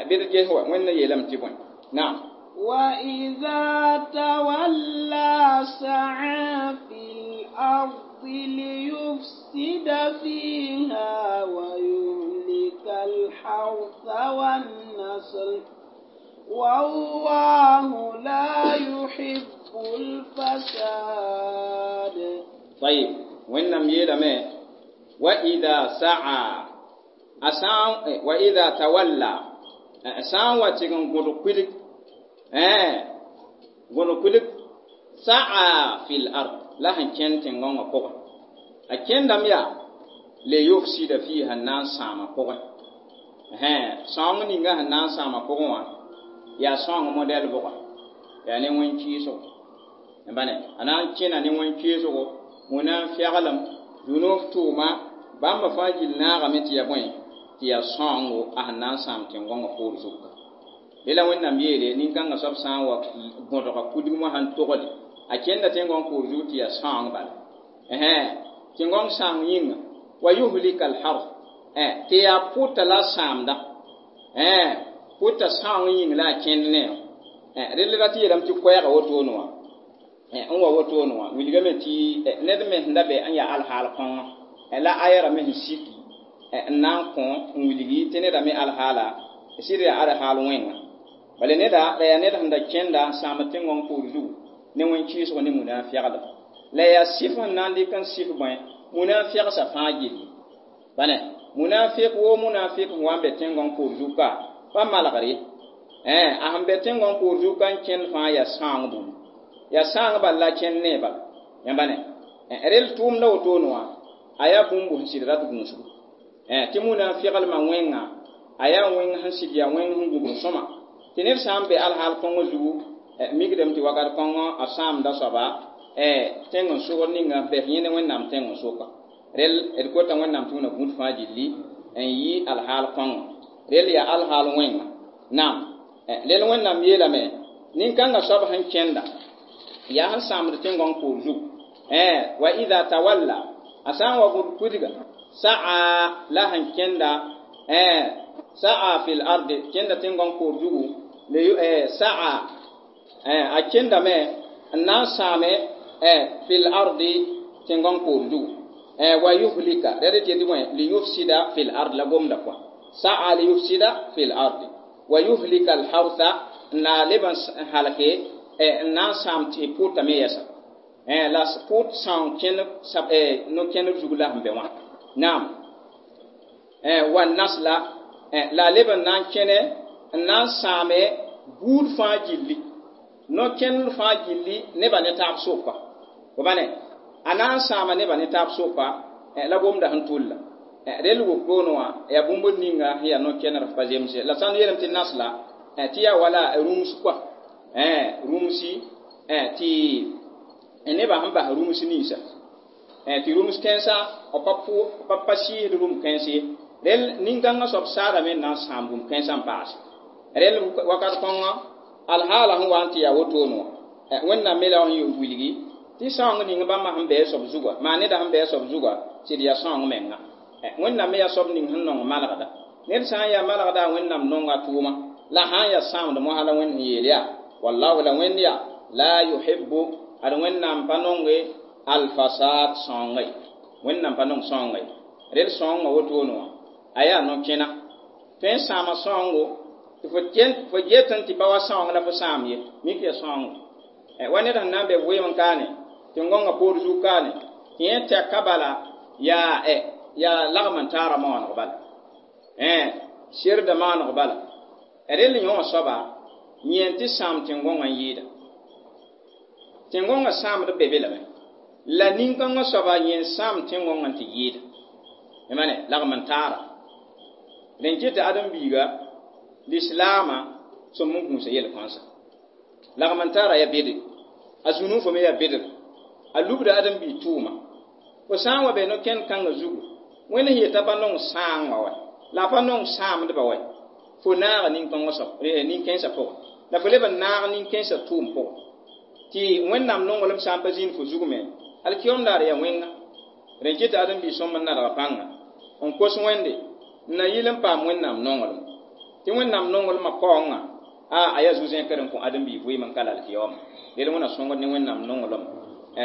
bɩ d ges wa wẽnd yeelame tɩ bõe naam وإذا تولى سعى في الأرض ليفسد فيها ويهلك الحرث والنسل والله لا يحب الفساد طيب wẽnnaam yeelame wa ida saa a sã wa ida tawalla sã n wa tɩg n gõdg kuilg gõdg kuilg saa fi l ard la sẽn kẽnd tẽn-gõngã pʋgẽ a kẽndame yaa le yufsida fiha n na n sãama pʋgẽ sãoong ninga sẽn na n sãama pʋgẽ wã yaa sãoong modɛl bʋga yaa ne wẽn-kɩɩsgo bane a na n kẽna ne wẽn-kɩɩsgo wẽna n fɛglem dũnoof tʋʋma bãmba fãa gill naagame tɩ ya bõe tɩ yaa sãoongo a sẽn na n sãam tẽn-gõngã poor zuka la wẽnnaam yeele nin-kãngã soab sã n wa gõdga kudgmã sãn togle a kẽnda tẽn-gõng poor zug tɩ yaa sãoong bala tẽn-gõng sãang yĩnga wa yuhlika alharf tɩ yaa pʋta la sãamda pʋta sãoong yĩng la a kẽnd ne rel ra tɩ yeelame tɩ koɛɛga wotone wã n wa wotone wã wilgame tɩ ned me sẽn da bɛ n yaa alhaal kõngo la ayara me sẽn siki n na n kõ n wilgi tɩ neda me alhaala sɩd yaa alhaal wẽnga bala neda la yaa ned sẽn da kẽnda n sãam tẽn-gõng poor zugu ne wẽn-kɩɩsg ne munaafɛglem la yaa sɩf sẽn na n dɩk n sɩf bõe munaafɛgsã fãa gilli bane munafik wo munafik sẽn wa n be tẽn-gõng poor zug ka pa malgr ye a sẽn be tẽn-gõng poor zug ka n kẽnd fãa yaa sãong bũmb yaa sãang bal la kẽnd ne bal yãmba ne Rel tʋʋmda wotone wã a yaa bũmb sẽn sɩd rat gũusgu. Tɩ muna n feglmã wẽnga a yaa wẽng sẽn sɩd yaa wẽng sẽn gũbg sõma. Tɩ ned sã n be alhaal kõngã zugu mikdame tɩ wakat kõngã a sãamda soaba tẽng n sogr ninga n bɛs yẽne Wẽnnaam tẽng n soka. Rel d kota Wẽnnaam tɩ wẽna gũud fãa gilli n yɩ alhaal kõngã. Rel yaa alhaal wẽnga. Naam. Rel Wẽnnaam yeelame nin-kãngã soab sẽn kẽnda yaa sẽn sãamd tẽn-gõng poor zugu. Wa idha tawalla a sã n wa gũd pudga sa'a la sẽn kẽnda sa'a fil ardi kẽnda tẽn-gõng poor zugu sa'a a kẽndame n na n sãame fil ardi tẽn-gõng poor zugu wa yuhlika rɛd tɩ yetɩ bõe liyufsida fil ard la gomda pʋa sa'a liyufsida fil ardi wa yuhlika alhartha n na leb n halke n na n sãam tɩ pʋʋtame yɛsa la pʋʋt sãoong kẽnd no-kẽndb zug la sẽn be wã. Naam. Wa nasla la a leb n na n kẽne n na n sãame buud fãa gilli no-kẽnd fãa gilli nebã ne taab soka. Fo ne a na n sãama nebã ne taab soka la gomda sẽn tʋlla. Rel wokroone wã yaa bũmb ninga sẽn yaa no-kẽndr pa zemse. La sã n yeelame tɩ nasla tɩ yaa wala rũms kɔa rũmsi tɩ nebã sẽn bas rũms ninsa tɩ rũms kãensã b pa sɩɩsd rũm kãens ye. Rel nin-kãngã soab saadame n na n sãam rũm kãensã n paase. Rel wakat kõngã alhaala sẽn wa n tɩ yaa wotone wã Wẽnnaam me la sẽn yʋ wilgi tɩ sãoong ning bãmba sẽn bɩ a soab zuga maa neda sẽn bɩ a soab zuga sɩd yaa sãoong menga. Wẽnnaam me yaa soab ning sẽn nong malgda. Ned sã n yaa malgda Wẽnnaam nonga tʋʋma la sã n yaa sãamd mosã la Wẽnd sẽn yeel yaa wallahu la Wẽnd yaa la yuhibbu ad Wẽnnaam pa nonge alfasad sãoonga ye. Wẽnnaam pa nong sãoonga ye. Rel sãoongã wotone wã a yaa no-kẽna tõe n sãama sãoongo tɩ fo getẽ tɩ pa wa sãoong la fo sãam ye mik yaa sãoongo. Wa ned sẽn na n be vɩɩm n kaane tẽn-gõngã poor zug kaane tɩ yẽ tɛka bala yaa yaa lagm n taara maooneg bala serda maaneg bala. Rel yõ soaba yẽ tɩ sãam tẽn-gõngã n yɩɩda. Tẽn-gõngã sãamd be be lame la nin-kãngã soaba yẽ n sãam tẽn-gõngã tɩ yɩɩda. Mane lagm n taara. Rẽn ket tɩ ãdem-biiga lislaamã sõm n gũusa yel-kãnsa. Lagm n taara yaa bede a zũnu fo me yaa bedr a lubda ãdem-biig tʋʋma. Fo sã n wa be no-kẽnd kãngã zugu Wẽnd sẽn yeta pa nong sãangã wa la a pa nong sãamdbã wa fo naaga nin-kãngã soab nin-kãensã pʋgẽ la fo leb n naag nin-kãensã tʋʋm pʋgẽ tɩ Wẽnnaam nonglem sã n pa zĩnd fo zug me alkiyom daar yaa wẽnga. Rẽn ket tɩ ãdem-biig sõm n nadga pãnga n kos Wẽnde n na yɩl n paam Wẽnnaam nonglem tɩ Wẽnnaam nonglmã kaoongã a a yaa zu-zẽkr n kõ ãdem-biig vɩɩm n ka la alkiyoma. Rel wẽna sõngd ne Wẽnnaam nonglem.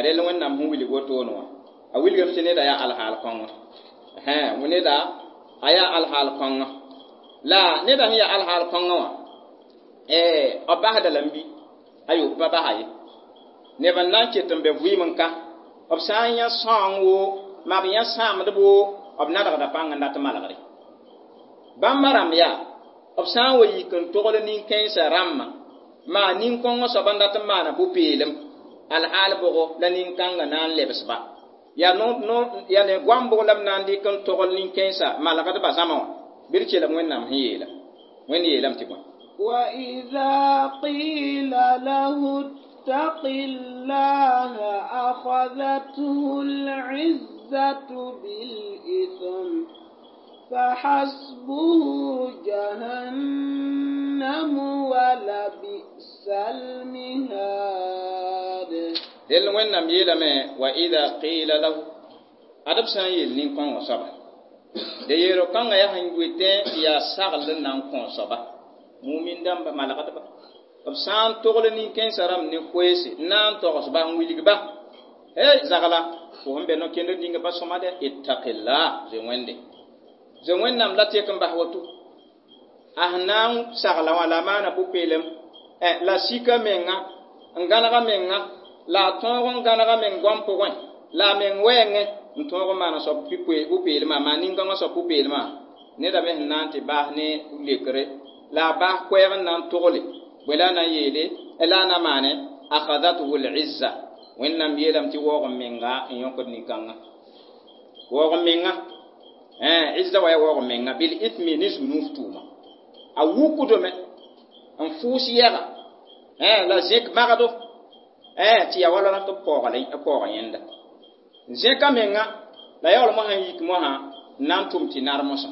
Rel Wẽnnaam sẽn wilg wotone wã a wilgame tɩ neda yaa alhaal kõngã. Neda a yaa alhaal kõngã la neda sẽn yaa alhaal kõngã wã b basda lame bɩ ayo b pa basa ye. Neb n na n ket n be vɩɩm n ka b sã n yã sãoong wo maa b yã sãamdb wo b nadgda pãng n dat malgre. Bãmba rãmb yaa b sã n wa yik n togl nin-kãensã rãmbã maa nin-kõngã soab n dat n maana pʋ-peelem alhaal bʋgo la nin-kãngã na n lebsba. Yaa yaa ne goam bʋg la b na n dɩk n togl nin-kãensã malgdbã zãma wã bɩ d kelg Wẽnnaam sẽn yeela. Wẽnd yeelame tɩ bõe وإذا قيل له اتق الله أخذته العزة بالإثم فحسبه جهنم ولبئس المهاد. Rel Wẽnnaam yeelame wa ida qila lahu adb sã n yeel nin-kõngã soaba de yeelo kãngã yaa sẽn wetẽ tɩ yaa sagl n na n kõ soaba mumin dãmba malgdba b sã n togl nin-kẽensã rãmb ne koeese n na n togsba n wilgba hey zagla fo sẽn be no-kẽndr ninga pa sõma dɛ ittaqillah zoe Wẽnde zoe Wẽnnaam la tek n bas woto a sẽn na n sagla wã la a maana pʋ-peelem la sika menga n gãnega menga la a tõog n gãnega meng goam pʋgẽ la a meng wɛɛngẽ n tõog n maana soab pʋ-peelmã maa nin-kãngã soab pʋ-peelmã neda me sẽn na n tɩ baas ne lekre la a baas koɛɛg n na n togle bõe la a na n yeele la a na maane akhadathu lizza Wẽnnaam yeelame tɩ waoog n menga n yõkd nin-kãngã waoog n menga izza wa yaa waoog n menga bil ithmi ne zu-nuuf tʋʋma a wukdame n fʋʋs yɛga la zẽk magdo tɩ yaa wala tɩ b paooga yẽnda zẽka menga la yaool mosã n yik mosã n na n tʋm tɩ nar mosã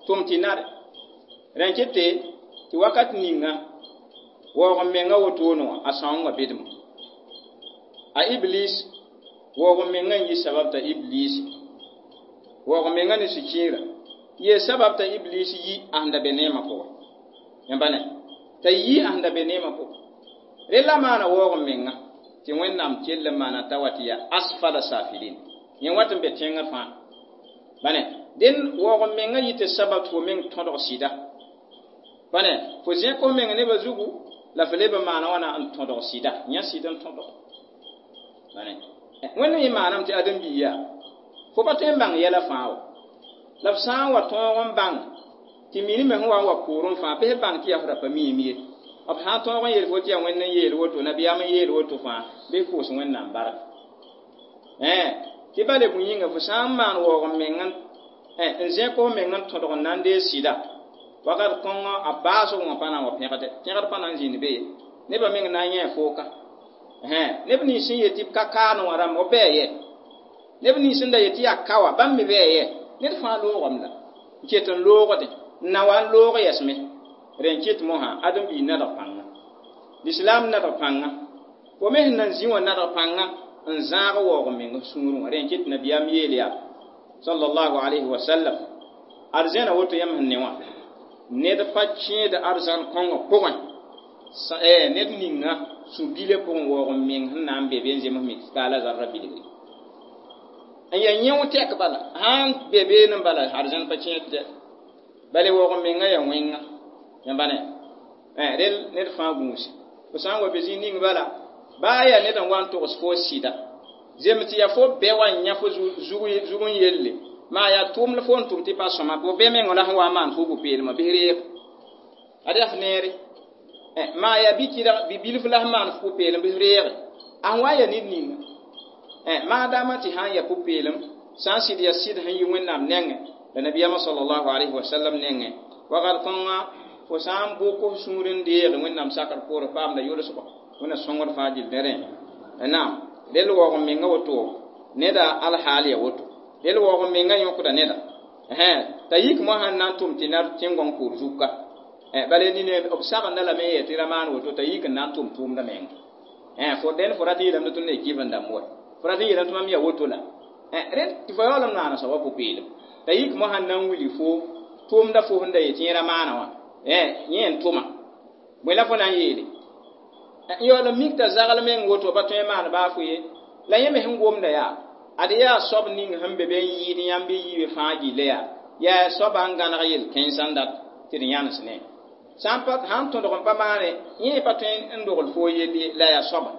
tʋm tɩ nare rẽn kɩte tɩ wakat ninga waoog n menga wotone wã a sãoongã bedme a iblis waoog n menga n yi sabab t'a iblis waoog n menga ne sũ-kiirã yee sabab t'a iblis yi a sẽn da be neemã pʋgẽ yãmba ne t'a yi a sẽn da be neemã pʋgẽ rella maana waoog n menga tɩ Wẽnnaam kell n maana t'a wa tɩ yaa asfala safilin yẽ wat n be tẽngr fãa bane dẽn waoog n menga yɩ tɩ sabab tɩ fo meng tõdg sɩda bane fo zẽk f meng nebã zugu la fo leb n maana wãna n tõdg sɩda yã sɩd n tõdg bane Wẽnnaam yẽ maaname tɩ ãdem-biig yaa fo pa tõe n bãng yɛla fãa wa la f sã n wa tõog n bãng tɩ minime sẽn wa n wa poorẽ fãa bɩ f bãng tɩ yaa f ra pa miime ye b sã n tõog n yeel fo tɩ yaa Wẽnd n yeel woto nabiyaam n yeel woto fãa bɩ f pʋʋs Wẽnnaam bark tɩ bale bũi yĩnga fo sã n maan waoog n meng n zẽk f meng n tõdg n na n deeg sɩda wakat kõngã a baasg wã pa na n wa pẽgde pẽgd pa na n zĩnd be ye nebã meng na n yẽ fooka neb nins sẽn yet tɩ b ka kaane wã rãmb b bɩa yɛ neb nins sẽn da yet tɩ yaa ka wã bãmb me bɩa yɛ ned fãa loogame la n ket n loogde n na wa n loog yɛsme rẽn kɩt mosã ãdem-biig nadg pãnga lislaam nadg pãnga fo me sẽn nan zĩ wã nadg pãnga n zãag waoog n meng f sũurẽ wã rẽn kɩt nabiyaam yeel yaa sallallahu alayhi wa sallam arzẽna woto yãmb sẽn ne wã ned pa kẽed arzãn kõngã pʋgẽ ned ninga sũ-bilã pʋgẽ waoog n meng sẽn na n be be n zems miskaala zarra bilgre n yaa yẽo tɛk bala sãn be beene bala arzãn pa kẽed dɛ bale waoog n menga yaa wẽnga yãmba ne rel ned fãa gũuse fo sã n wa be zĩig ning bala baa yaa ned n wa n togs fo sɩda zems tɩ yaa fo bɛ wa n yã fo zug n yelle maa yaa tʋʋmd fo n tʋm tɩ pa sõma fo bɛ mengã la sẽn wa n maan fo pʋ-peelmã bɩ reeg ad yaa f neere maa yaa bi-bilf la sẽn maan fo pʋ-peelem bɩ f reege a sẽn wa n yaa ned ninga maadaamã tɩ sã n yaa pʋ-peelem sã n sɩd yaa sɩd sẽn yi Wẽnnaam nengẽ la nabiyaamã sallallahu alayhi wa sallam nengẽ wakat kõnga fo sã n bʋk f sũur n deege Wẽnnaam sakr poorẽ paamda yʋlsgɔ Wẽnna sõngd fãa gill ne rẽ naam rel waoog n menga woto neda alhaal ya woto rel waoog n menga yõkda neda t'a yik mosã n na n tʋm tɩ nar tẽn-gõng poor zuka bala nine b sagenda lame n yɛ tɩ ra maan woto t'a yik n na n tʋm tʋʋmda menga fo dẽn fo rat n yeelame tɩ tõnd ne kɩf n dãmb wa fo rat n yeelame tɩ mam yaa woto la rẽnd tɩ fo yaool n maana soaba pʋ-peelem t'a yik mosã n na n wilg fo tʋʋmda fo sẽn da yet yẽ ra maana wã yẽ n tʋma bõe la fo na n yeele n yaool n mik t'a zagl meng woto pa tõe n maan baa fo ye la yẽ me sẽn gomda yaa ad yaa soab ning sẽn be be n yɩɩd yãmb bɩ yiibe fãa gilla yaa yaa soaba n gãneg yel-kẽnsã n dat tɩ d yãnes ne sã n pa sãn tõdg n pa maane yẽ pa tõe n dogl fo yell ye la yaa soaba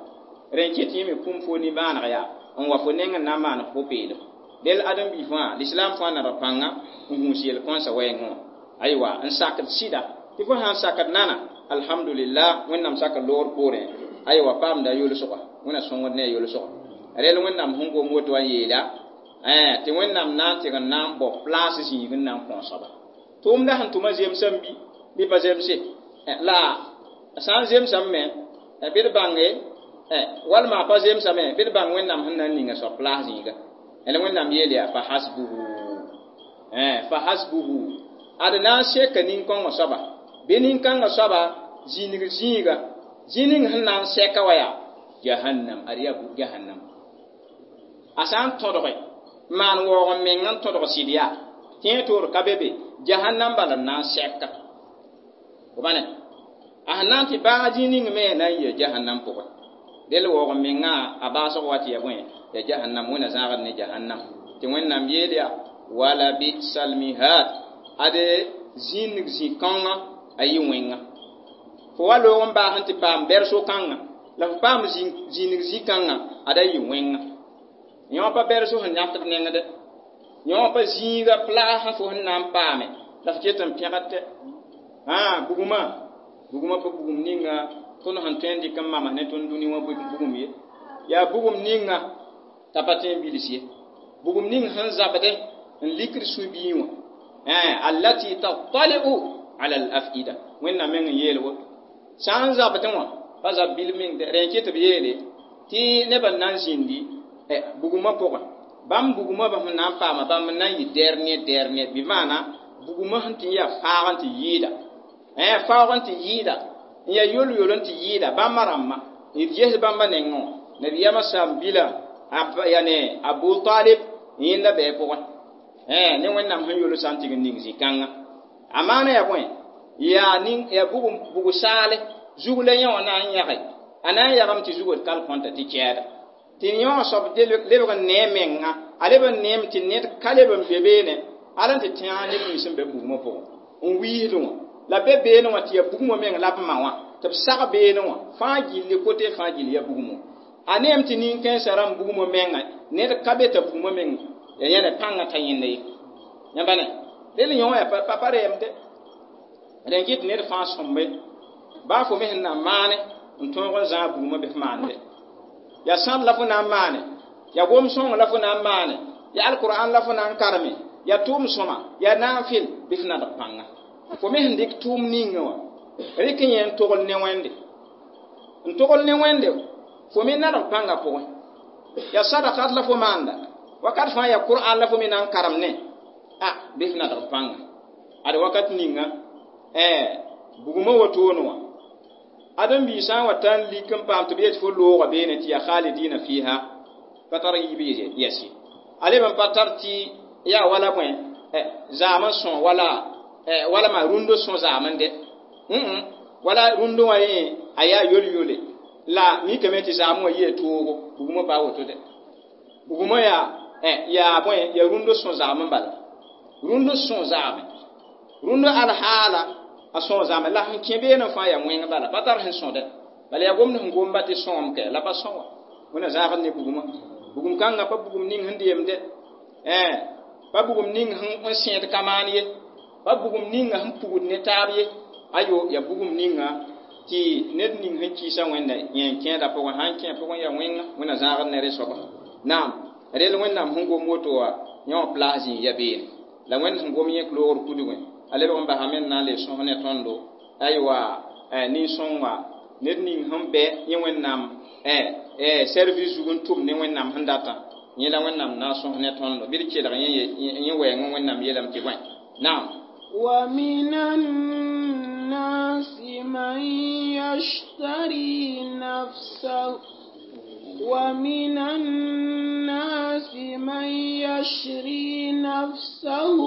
rẽn kɩt yẽ me kũm fo nimbãaneg yaa n wa fo neng n na n maan pʋ-peelem del ãdem-biig fãa lislaam fãa nadg pãnga n gũus yel-kõnsa wɛɛngẽ wã aywa n sakd sɩda tɩ fo sã n sakd nana alhamdulillah Wẽnnaam sakr loogr poorẽ aywa paamda yʋlsga Wẽnna sõngd ne a yʋlsga rel Wẽnnaam sẽn gom woto wã n yeela tɩ Wẽnnaam na n tɩg n na n bao plaas zĩig n na n kõ soaba tʋʋmda sẽn tʋma zemsame bɩ bɩ pa zemse la sã n zemsame me bɩ d bãnge walma a pa zemsame bɩ d bãng Wẽnnaam sẽn na n ninga soab plaas zĩiga la Wẽnnaam yeel yaa fa hasbuhu fa hasbuhu ad na n seka nin-kõngã soaba bɩ nin-kãngã soaba zĩnig zĩiga zĩ ning sẽn na n sɛka wa yaa jahannam ad yaa jahannam a sã n tõdge maan waoog n meng n tõdg sɩd yaa tẽeg toor ka be be jahannam bala n na n sɛka bane a sẽn na n tɩ baag zĩ ning me na n yɩa jahannam pʋgẽ del waoog n mengã a baasg wa tɩ yaa bõe yaa jahannam Wẽnna zãagd ne jahannam tɩ Wẽnnaam yeel yaa wala bisal mihad ade zĩnig zĩ-kãngã a yɩ wẽnga fo wa loog n baas n tɩ paam bɛr-so-kãngã la fo paam zĩnig zĩ-kãngã ada yɩ wẽnga yõ pa bɛr-so sẽn yãkd nengdɛ yõ pa zĩiga plaas fo sẽn na n paame la f ket n pẽgd tɛ bugmã bugmã pa bugum ninga Tõnd sẽn tõe n dɩk n mams ne tõnd dũni wã bugum ye yaa bugum ninga t'a pa tõe n bils ye bugum ning sẽn zabde n likd sũ-biig wã allati tattali'u ala al-afida wẽnnaam meng n yeel woto sã n zabdẽ wã pa zab bil meng dɛ rẽ n ket b yeele tɩ nebã n na n zĩndi bugumã pʋgẽ bãmb bugumã sẽn na n paama bãmb n na n yɩ dernier dernier bɩ maana bugumã sẽn tɩ n yaa faag n tɩ yɩɩda faoog n tɩ yɩɩda n yaa yol-yol n tɩ yɩɩda bãmba rãmbã d ges bãmba nengẽ wã nabiyaamã saam-bilã yane Abu Talib yẽnda bɩ pʋgẽ ne wẽnnaam sẽn yol sã n tɩg n ning zĩ-kãngã a maana yaa bõe yaa ning yaa bugum bug saale zug la yẽ wã na n yãge a na n yagame tɩ zugd kal kõnta tɩ kɛɛda tɩ yẽ wã soab lebg n nee menga a leb n neem tɩ ned ka leb n be beene ala n tɩ tẽag neb nins sẽn be bugmã pʋgẽ n wiisdẽ wã la be beene wã tɩ yaa bugmã meng la b ma wã tɩ b sag beene wã fãa gilli kote fãa gill yaa bugmã a neem tɩ nin-kãensã rãmb bugmã menga ned ka be t'a bugmã meng ya yẽne pãngã ta yẽnda ye yãmba ne rel yõ yaa pa pa reem de rẽn kɩt ned fãa sõmbe baa fo me sẽn na n maane n tõog n zãag bugmã bɩ f maande yaa sãd la fo na n maane yaa gom-sõng la fo na n maane yaa alkur'an la fo na n karme yaa tʋʋm sõma yaa naafɩl bɩ f nadg pãnga fo me sẽn dɩk tʋʋm ninga wã rɩk yẽ n togl ne wẽnde n togl ne wẽnde fo me nadg pãnga pʋgẽ yaa sadakat la fo maanda wakat fãa yaa kur'an la fo me na n karem ne a bɩ f nadg pãnga ad wakat ninga bugmã wotone wã ãdem-biig sã n wa ta n lik n paam tɩ b yet fo looga beene tɩ yaa khalidina fiha pa tar yiib yɛs ye a leb n pa tar tɩ yaa wala bõe zaam n sõ wala wala maa rũndo sõ zaam n dɛ wala rũndo wã yẽ a yaa yol-yole la mikame tɩ zaam wã yɩa toogo bugmã pa woto dɛ bugmã yaa yaa bõe yaa rũndo sõ zaam n bala rũndo sõ zaame rũndo alhaala a sõ zaame la sẽn kẽ beene fãa yaa wẽng bala pa tar sẽn sõdɛ bala yaa gomd sẽn gomba tɩ sõom kɛ la pa sõ wã wẽna zãagd ne bugmã bugum kãngã pa bugum ning sẽn deemdɛ pa bugum ning sẽn sẽed ka maan ye pa bugum ninga sẽn pugd ne taab ye ayo yaa bugum ninga tɩ ned ning sẽn kɩɩsa wẽnda yẽ n kẽeda pʋgẽ sã n kẽ pʋgẽ yaa wẽnga wẽna zãagd ne rẽ soaba naam rel wẽnnaam sẽn gom woto wã yẽ wã plas zĩig ya beene la wẽnd sẽn gom yẽ loogr kudgẽ a lebg n basame n na n le sõs ne tõndo aywa nin-sõnga ned ning sẽn bɛ yẽ wẽnnaam service zug n tʋm ne wẽnnaam sẽn datã yẽ la wẽnnaam na n sõs ne tõndo bɩ d kelg yẽ wɛɛng wẽnnaam yeelame tɩ bõe naam ومن الناس من يشتري نفسه ومن الناس من يشري نفسه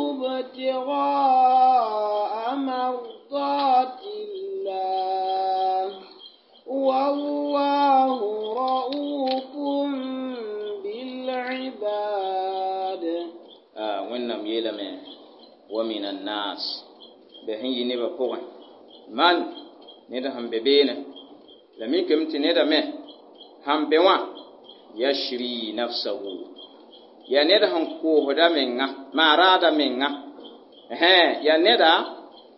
ابتغاء مرضات الله والله رؤوف بالعباد آه وإنم يلمه ومن الناس بهن ينبا بوغن من ندا هم ببينه لم يكن تندا مه هم بوا يشري نفسه يا ندا هم كوهدا منغا ما رادا منغا ها يا ندا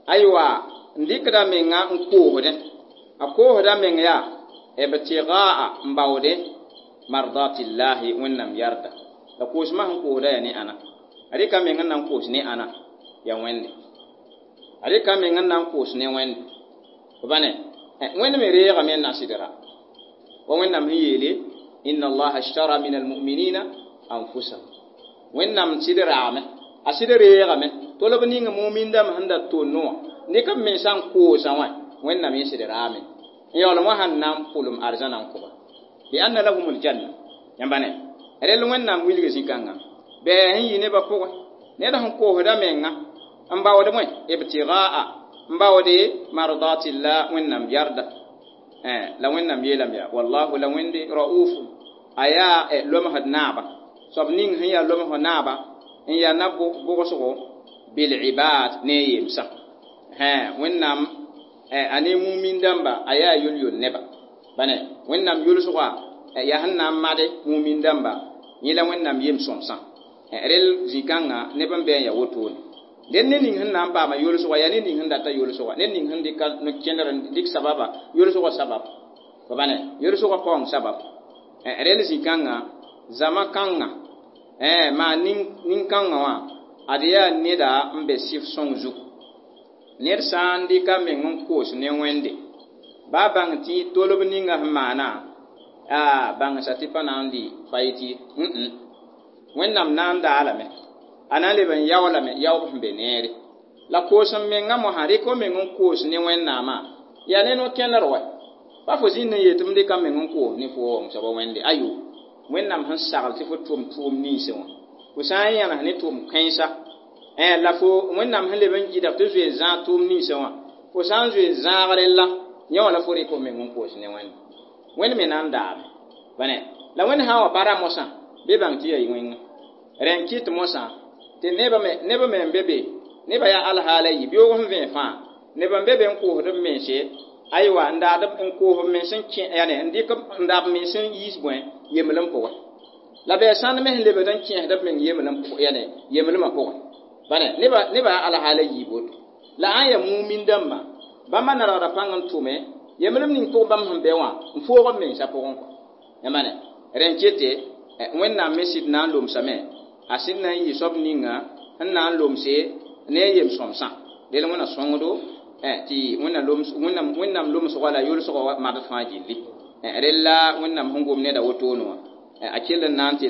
أيوا ndikda menga n koosdẽ a koosda meng yaa ibtigaa n baoode mardatillahi wẽnnaam yarda la koosmã sẽn koosda yaa ne ãna a rɩka meng n na n koos ne ãna ya wẽnde a rɩka meng n na n koos ne wẽnde b ba ne wẽnd me reegame n na sɩdra wa wẽnnaam sẽn yeele inna allaha ishtara min almuminina anfusahum wẽnnaam sɩd raame a sɩd reegame tol b ning mumindame sẽn da tonno wã nɩk b mensã n koosã wã wẽnnaam yẽ sɩd raame n yaoolem wã sãn na n pʋlem arzãna n kʋba bi anna lahum aljanna yãmba ne rel wẽnnaam wilg zĩ-kãngã bɩ sẽn yɩ nebã pʋgẽ ned sẽn koosda menga n baood bõe ibtigaa n baoode mardatillah wẽnnaam yarda la wẽnnaam yeelame yaa wallahu la wẽnde raufu a yaa lomsd naaba soab ning sẽn yaa lomsg naaba n yaa na bʋgsgo bilibad ne a yemsã wẽnnaam a ne mumin dãmba a yaa yol-yol neba bane wẽnnaam yʋlsga yaa sẽn na n made mumin dãmba yẽ la wẽnnaam yem sõmsã rel zĩ-kãngã neb n bɩ n yaa wotone Ned ne ning sẽn na n paama yolsgã yaa ned ning sẽn data yolsgã ned ning sẽn dɩka no-kẽndr n dɩk sababa yolsgã sabab fo bãne yolsgã paoong sabab rẽnd zĩ-kãngã zãma kãngã maa nin-kãngã wã ad yaa neda n be sɩf sõng zugu ned sã n dɩka meng n koos ne Wẽnde ba bãng tɩ tolb ninga sẽn maana a bãngsa tɩ pa na n lɩ fayt ye Wẽnnaam na n daalame a na n leb n yaoolame yaoob sẽn be neere la koos n mengã mosã rɩk f meng n koos ne Wẽnnaamã yaa ne no-kẽndr wa pa fo zĩnd n yet tɩ m dɩka m meng n koos ne fo n soaba Wẽnde ayo Wẽnnaam sẽn sagl tɩ fo tʋm tʋʋm ninsẽ wã fo sã n yãnes ne tʋʋm kãensa la fo Wẽnnaam sẽn leb n gɩdg tɩ zoe n zãag tʋʋm ninsẽ wã fo sã n zoe n zãag rella yẽ wã la fo rɩk f meng n koos ne Wẽnde Wẽnd me na n daame bãne la Wẽnd sã n wa pa ra mosã bɩ bãng tɩ yaa wẽnga rẽ n kɩt mosã tɩ nebã me nebã me n be be nebã yaa alhaala yi beoog sẽn vẽe fãa neb n be be n koosd b mense aywa n daad n koos b mens n kẽ yane n dɩk n daa b mens n yiis bõe yemlem pʋgẽ la bɩ sãnd me sẽn lebd n kẽesd b meng yemlem yane yemlemã pʋgẽ bãne nebã nebã yaa alhaala yiib woto la ãn yaa mumin dãmbã bãmba nadgda pãng n tʋme yemlem ning pʋgẽ bãmb sẽn be wã n foog b mensã pʋgẽ kɔ yãmba rẽ n kete Wẽnnaam me sɩd na n lomsame a sẽd na n yɩ soab ninga sẽn na n lomse ne a yem-sõmsã del Wẽnna sõngdo tɩ Wẽnnaam lomsgã la yolsgã madg fãa gilli rella Wẽnnaam sẽn gom neda wotone wã a kell n na n tɩ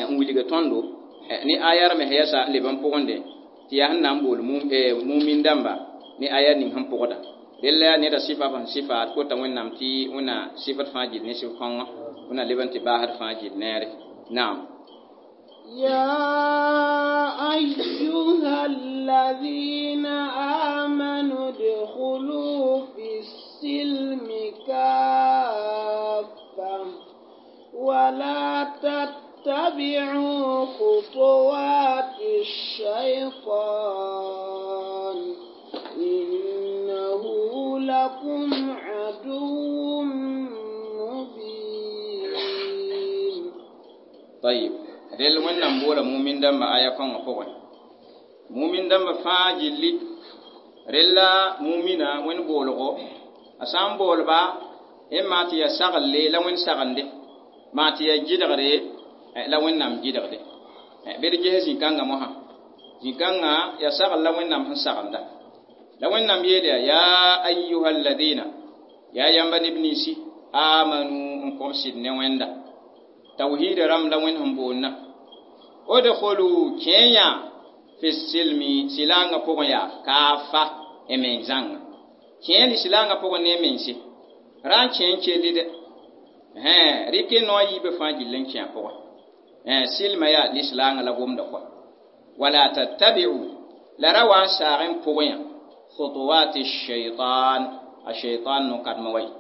n wilg tõndo ne ayar me yɛsa n leb n pʋgende tɩ yaa sẽn na n bool mumin dãmba ne aya ning sẽn pʋgda rella yaa neda sɩfa sẽn sɩfa d kota Wẽnnaam tɩ Wẽnna sɩfd fãa gill ne sɩf kõngã Wẽnna leb n tɩ baasd fãa gill neere naam يا أيها الذين آمنوا ادخلوا في السلم كافة ولا تتبعوا خطوات الشيطان إنه لكم عدو مبين طيب rel Wẽnnaam boola mumin dãmba aya kõngã pʋgẽ mumin dãmba fãa gilli rella mumina Wẽnd boolgo a sã n boolba n maa tɩ yaa saglle la Wẽnd sagende maa tɩ yaa gɩdgre la Wẽnnaam gɩdgde bɩ d ges zĩ-kãngã mosã zĩ-kãngã yaa sagl la Wẽnnaam sẽn sagenda la Wẽnnaam yeel yaa yaa ayuha alladina yaa yãmba neb ninsi amanu n kõb sɩd ne Wẽnda tawhiida rãmb la Wẽnd sẽn boonna odkhulu kẽe fi silmi silanga pʋgẽ yaa kaafa y meng zãnga kẽe lislaangã pʋgẽ ne mense ra n kẽ n kelli dɛ rɩk noa yiibã fãa gill n kẽ a pʋgẽ silma yaa lislaangã la gomda kɔa wala tattabi'u la ra wa n saag n pʋgẽ yã khutuwati shaitan a shaitan no-kadmã wa ye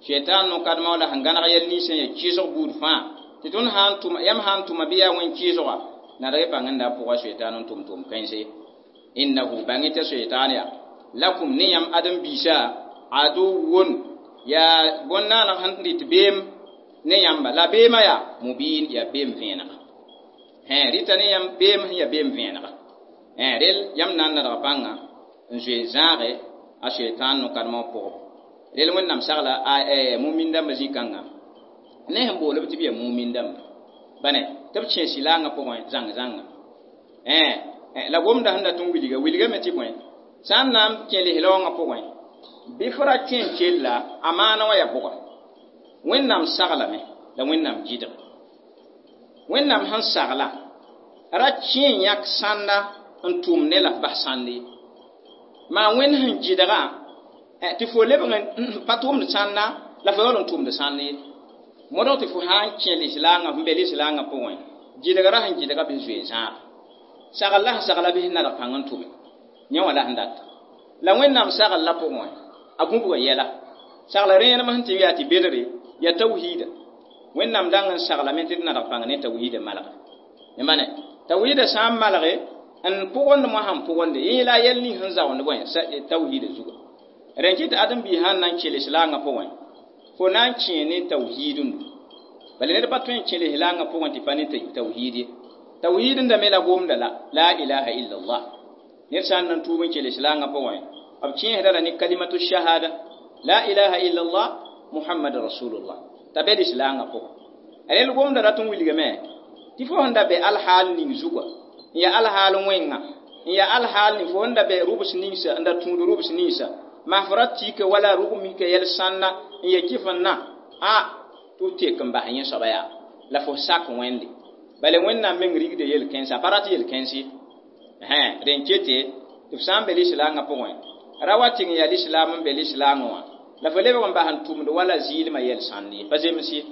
shaitan no-kadmã la sẽn gãneg yɛl ninsã ya kɩɩsg buud fãa tɩ tõnd sã n tʋma yãmb sã n tʋma bɩ yaa wẽn kɩɩsga nadg y bãng n da pʋga shaitan n tʋm tʋm kãense innahu bãng tɩ shaitan yaa lakum ne yãmb ãdem-biisã aduwwun yaa bõn-naaneg sẽn dɩt beem ne yãmba la beemã yaa mubin yaa beem vẽenega rɩta ne yãmb beem sẽn yaa beem vẽenega rel yãmb na n nadg pãnga n zoe n zãage a shaitan no-kadmã pʋgẽ rel Wẽnnaam sagla mumin dãmbã zĩ-kãngã ne sẽn bool b tɩ b yaa mumin dãmba bãne tɩ b kẽ sɩlaangã pʋgẽ zãng-zãnga la gomda sẽn dat n wilga wilgame tɩ bõe sã n na n kẽ lislaoongã pʋgẽ bɩ fo ra kẽ n kella a maana wã yaa bʋga Wẽnnaam saglame la Wẽnnaam gɩdg Wẽnnaam sẽn sagla ra kẽ n yãk sãnda n tʋm ne la f bas sãnd ye maa Wẽnd sẽn gɩdga tɩ fo lebg n pa tʋmd sãnda la fo yaool n tʋmd sãnd ye modg tɩ fo sã n kẽ lislaangã f n be lislaangã pʋgẽ gɩdgra sẽn gɩdga bɩ zoe zãag sagl la sẽn sagla bɩ nadg pãng n tʋme yẽ wã la sẽn data la Wẽnnaam sagl la pʋgẽ a gũbga yɛla sagla rẽenem sẽn tɩ yaa tɩ bedre yaa tawhiida Wẽnnaam dang n saglame tɩ d nadg pãng ne tawhiida malge yãmba ne tawhiida sã n malge n pʋgend mosã n pʋgende yẽ la a yɛl ning sẽn zaoond bõe tawhiida zuga rẽ kɩ tɩ ãdem-biis sãn na n kẽ lislaangã pʋgẽ fo na n kẽ ne tawhiidẽndo bala ned pa tõe n kẽ lislaangã pʋgẽ tɩ pa ne tawhiid ye Tawhid n da me la gomda la la ilaha illallah. Ned sã n na n tuub n kell islaangã pʋgẽ, b kẽesda la ne kalimatu shahada la ilaha illallah muhammad rasulullah t'a be lislaangã pʋgẽ. Rẽnd gomda rat n wilgame tɩ fo sẽn da be alhaal ning zuga n yaa alhaal wẽnga n yaa alhaal ning fo sẽn da be rʋbs ninsa n da tũud rʋbs ninsa maa fo ra tika wala rʋg mika yɛl sãnna n ya kɩf n na a tɩ f tek n bas yẽ soaba yaa la fo sak Wẽnde. Bala Wẽnnaam meng rigda yel-kẽnsa, a pa rat yel-kẽns ye. Rẽn kete tɩ f sã n be lislaangã pʋgẽ, ra wa tɩg n yaa lislaam n be lislaangã wã la fo lebg n bas n tʋmd wala zɩɩlmã yɛl-sãnd ye, pa zems ye.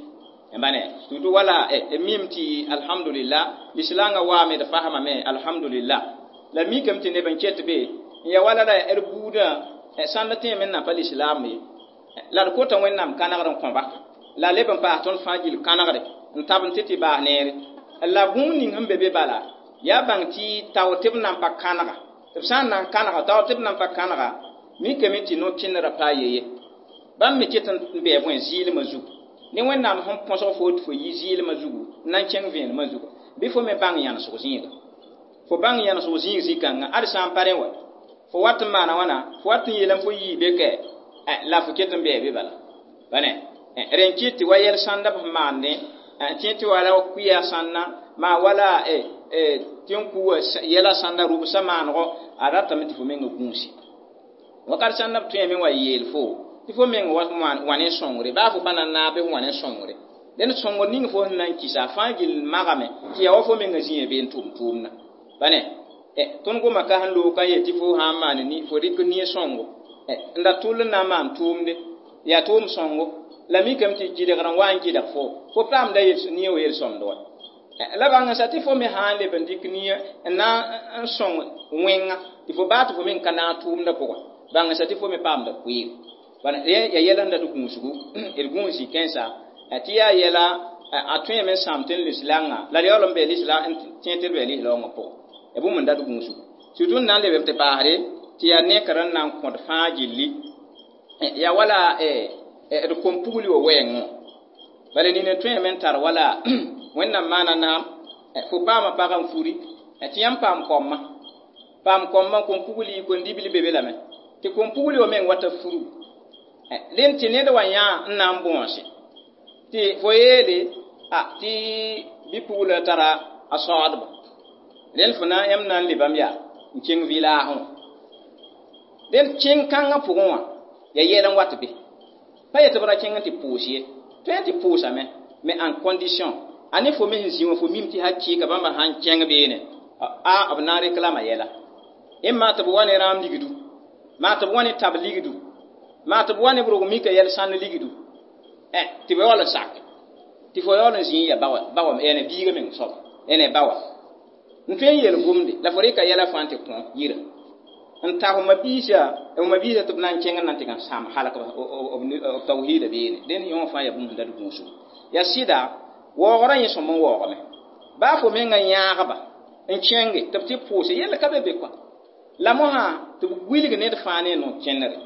Bane tɩ wala mim tɩ alhamdulillah lislaangã waame d fasmame alhamdulillah la mikame tɩ neb n ket be n ya wala la d buudã sãnd tẽeme n na pa lislaam ye la d kota Wẽnnaam kãnegr n kõba la leb n paas tõnd fãa gill kãnegre n tab n tɩ tɩ baas neere la bũmb ning sẽn be be bala yaa bãng tɩ tao tɩ b nan pa kãnega tɩ b sã n na n kãnega tao tɩ b nan pa kãnega mikame tɩ no-kẽnerã paa ye ye bãmb me ket n bɩ bõe zɩɩlmã zugu ne Wẽnnaam sẽn põsg fo tɩ fo yi zɩɩlmã zugu n na n kẽng vẽenemã zugu bɩ fo me bãng yãnesg zĩiga fo bãng yãnesg zĩig zĩ-kãngã ad sã n pa rẽ wa fo wat n maana wãna fo wat n yeelame fo yii be kɛ la fo ket n bɩ be bala bane rẽn kɩt tɩ wa yɛl sãnda b sẽn maandẽ tẽ tɩ wala kʋɩa sãnna maa wala tɩ n kuwa yɛla sãnda rʋbsã maanego a ratame tɩ fo menga gũusi wakat sãnda b tõeme wa yeel fo tɩ fo meng wa ne sõngre baa fo pa na n naab bɩ fo wa ne sõngre dẽnd sõngr ning fo sẽn na n kɩsa a fãa gill magame tɩ yaa wa fo menga zĩiã bee n tʋm tʋʋmdã bane tõnd goma ka sẽn loog ka yet tɩ fo sã n maan fo rɩk nie sõngo n da tʋll n na n maan tʋʋmde yaa tʋʋm sõngo la mikame tɩ gɩdgr n wa n gɩdg fo fo paamda nie wa yel-sõmd wa la bãng n sa tɩ fo me sã n leb n dɩk nie n na n sõng wẽnga tɩ fo baa tɩ fo meng ka naag tʋʋmdã pʋgẽ bãng n sa tɩ fo me paamda koeego ya yɛla n dat gũusgu d gũus zĩ-kãensa tɩ yaa yɛla a tõeme n sãam tɩ n lislaangã la d yaool n bee n tẽ tɩ d bee lislaoongã pʋgẽ ya bũmb n dat gũusgu surtout n na n lebem tɩ paasde tɩ yaa nekr n na n kõd fãa gilli yaa wala d kom-pugli wa wɛɛngẽ bala nina tõeme n tar wala Wẽnnaam maana naam fo paama pag n furi tɩ yãmb paam koamã paam koamã kom-pugli kom-dibli be be lame tɩ kom-pugli wa meng wata furugu rẽnd tɩ ned wa yã n na n bõose tɩ fo yeele a tɩ bɩ-pugla tara a saoodba rẽnd fo na yãmb na n lebame yaa n kẽng vɩlaasẽ wã rẽnd kẽng kãngã pʋgẽ wã yaa yɛl n wat be pa yetɩ b ra kẽng n tɩ pʋʋs ye tõe n tɩ pʋʋsame mais en condition a ne fo me sẽn zĩ wã fo mim tɩ hakɩɩka bãmba sã n kẽng beene a b na n reklama yɛla maa tɩ b wa ne rãam ligdu maa tɩ b wa ne tab ligdu maa tɩ b wa ne b rog mika yɛl sãnd ligdu tɩ b yaool n sak tɩ fo yaool n zĩ ya ba wã ene biiga meng soaba ene ba wã n tõe n yeel gomde la fo rɩka yɛla fãa tɩ kõ yira n ta fo mabiisa fo mabiisa tɩ b na n kẽng n na n tɩ n sãam halk b tawhiida beene dẽnd yõ fãa yaa bũmb sẽn dat gũusgu yaa sɩda waoogrã yẽ sõm n waoogame baa fo menga yãagba n kẽnge tɩ b tɩ pʋʋse yell ka be be kɔa la mosã tɩ b wilg ned fãa ne no-kẽnere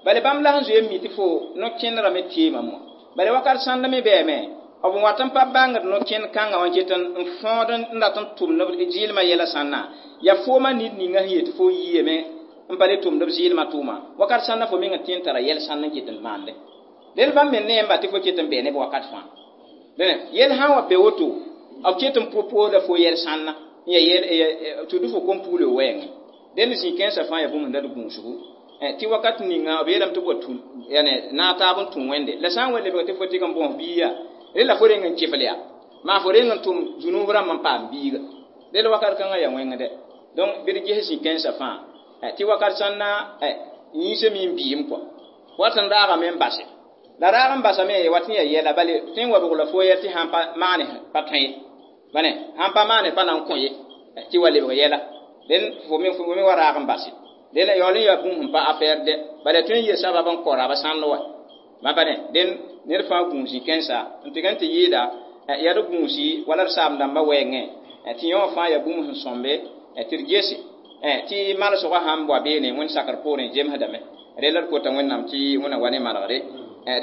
bala bãmb la sẽn zoe n mi tɩ fo no-kẽnerã me teemame wã bala wakat sãnd me bɛɛme b wat n pa bãngd no-kẽnd kãngã wã ket n fõod n dat n tʋmd zɩɩlmã yɛla sãnna yaa foomã nid ninga sẽn yet fo yiame n pa le tʋmd b zɩɩlmã tʋʋma wakat sãnda fo meng tẽ n tara yɛl sãnd n ket n maande del bãmb me neemba tɩ fo ket n bɛɛ neb wakat fãa yɛl sã n wa be woto b ket n pʋ-pooda fo yɛl sãnna n ya tɩ fo kom-pugl wɛɛngẽ dẽnd zĩ-kãensã fãa yaa bũmb sẽn dat gũusgu tɩ wakat ninga b yeelame tɩ b wa tũ naag taab n tũ Wẽnde la sã n wa lebg tɩ fo tɩg n bõs biiga rẽ la fo reng n kɩfl yaa maa fo reng n tʋm zunub rãmb n paam biiga del wakat kãngã yaa wẽngde donc bɩ d ges zĩ-kãensã fãa tɩ wakat sãnna yĩnsame n biim kɔ wat n raagame n base la raag n basame wat n yaa yɛla bale tõe n wa bg la fo yɛl tɩ sãn pa maane pa tõe ye bane sãn pa maane pa na n kõ ye tɩ wa lebg yɛla dẽn fo me fo me wa raag n base dẽn yaool n yaa bũmb sẽn pa affaire dɛ bala tõe n yeel sabab n kõ raba sãnd wa ma bane dẽn ned fãa gũus zĩ-kãensa n tɩg n tɩ yɩɩda yaa d gũusi wala d saam-dãmbã wɛɛngẽ tɩ yõ fãa yaa bũmb sẽn sõmbe tɩ d gese tɩ malsgã sãn wa beene wẽnd sakr poorẽ zemsdame rel d kota Wẽnnaam tɩ wẽna wa ne malgre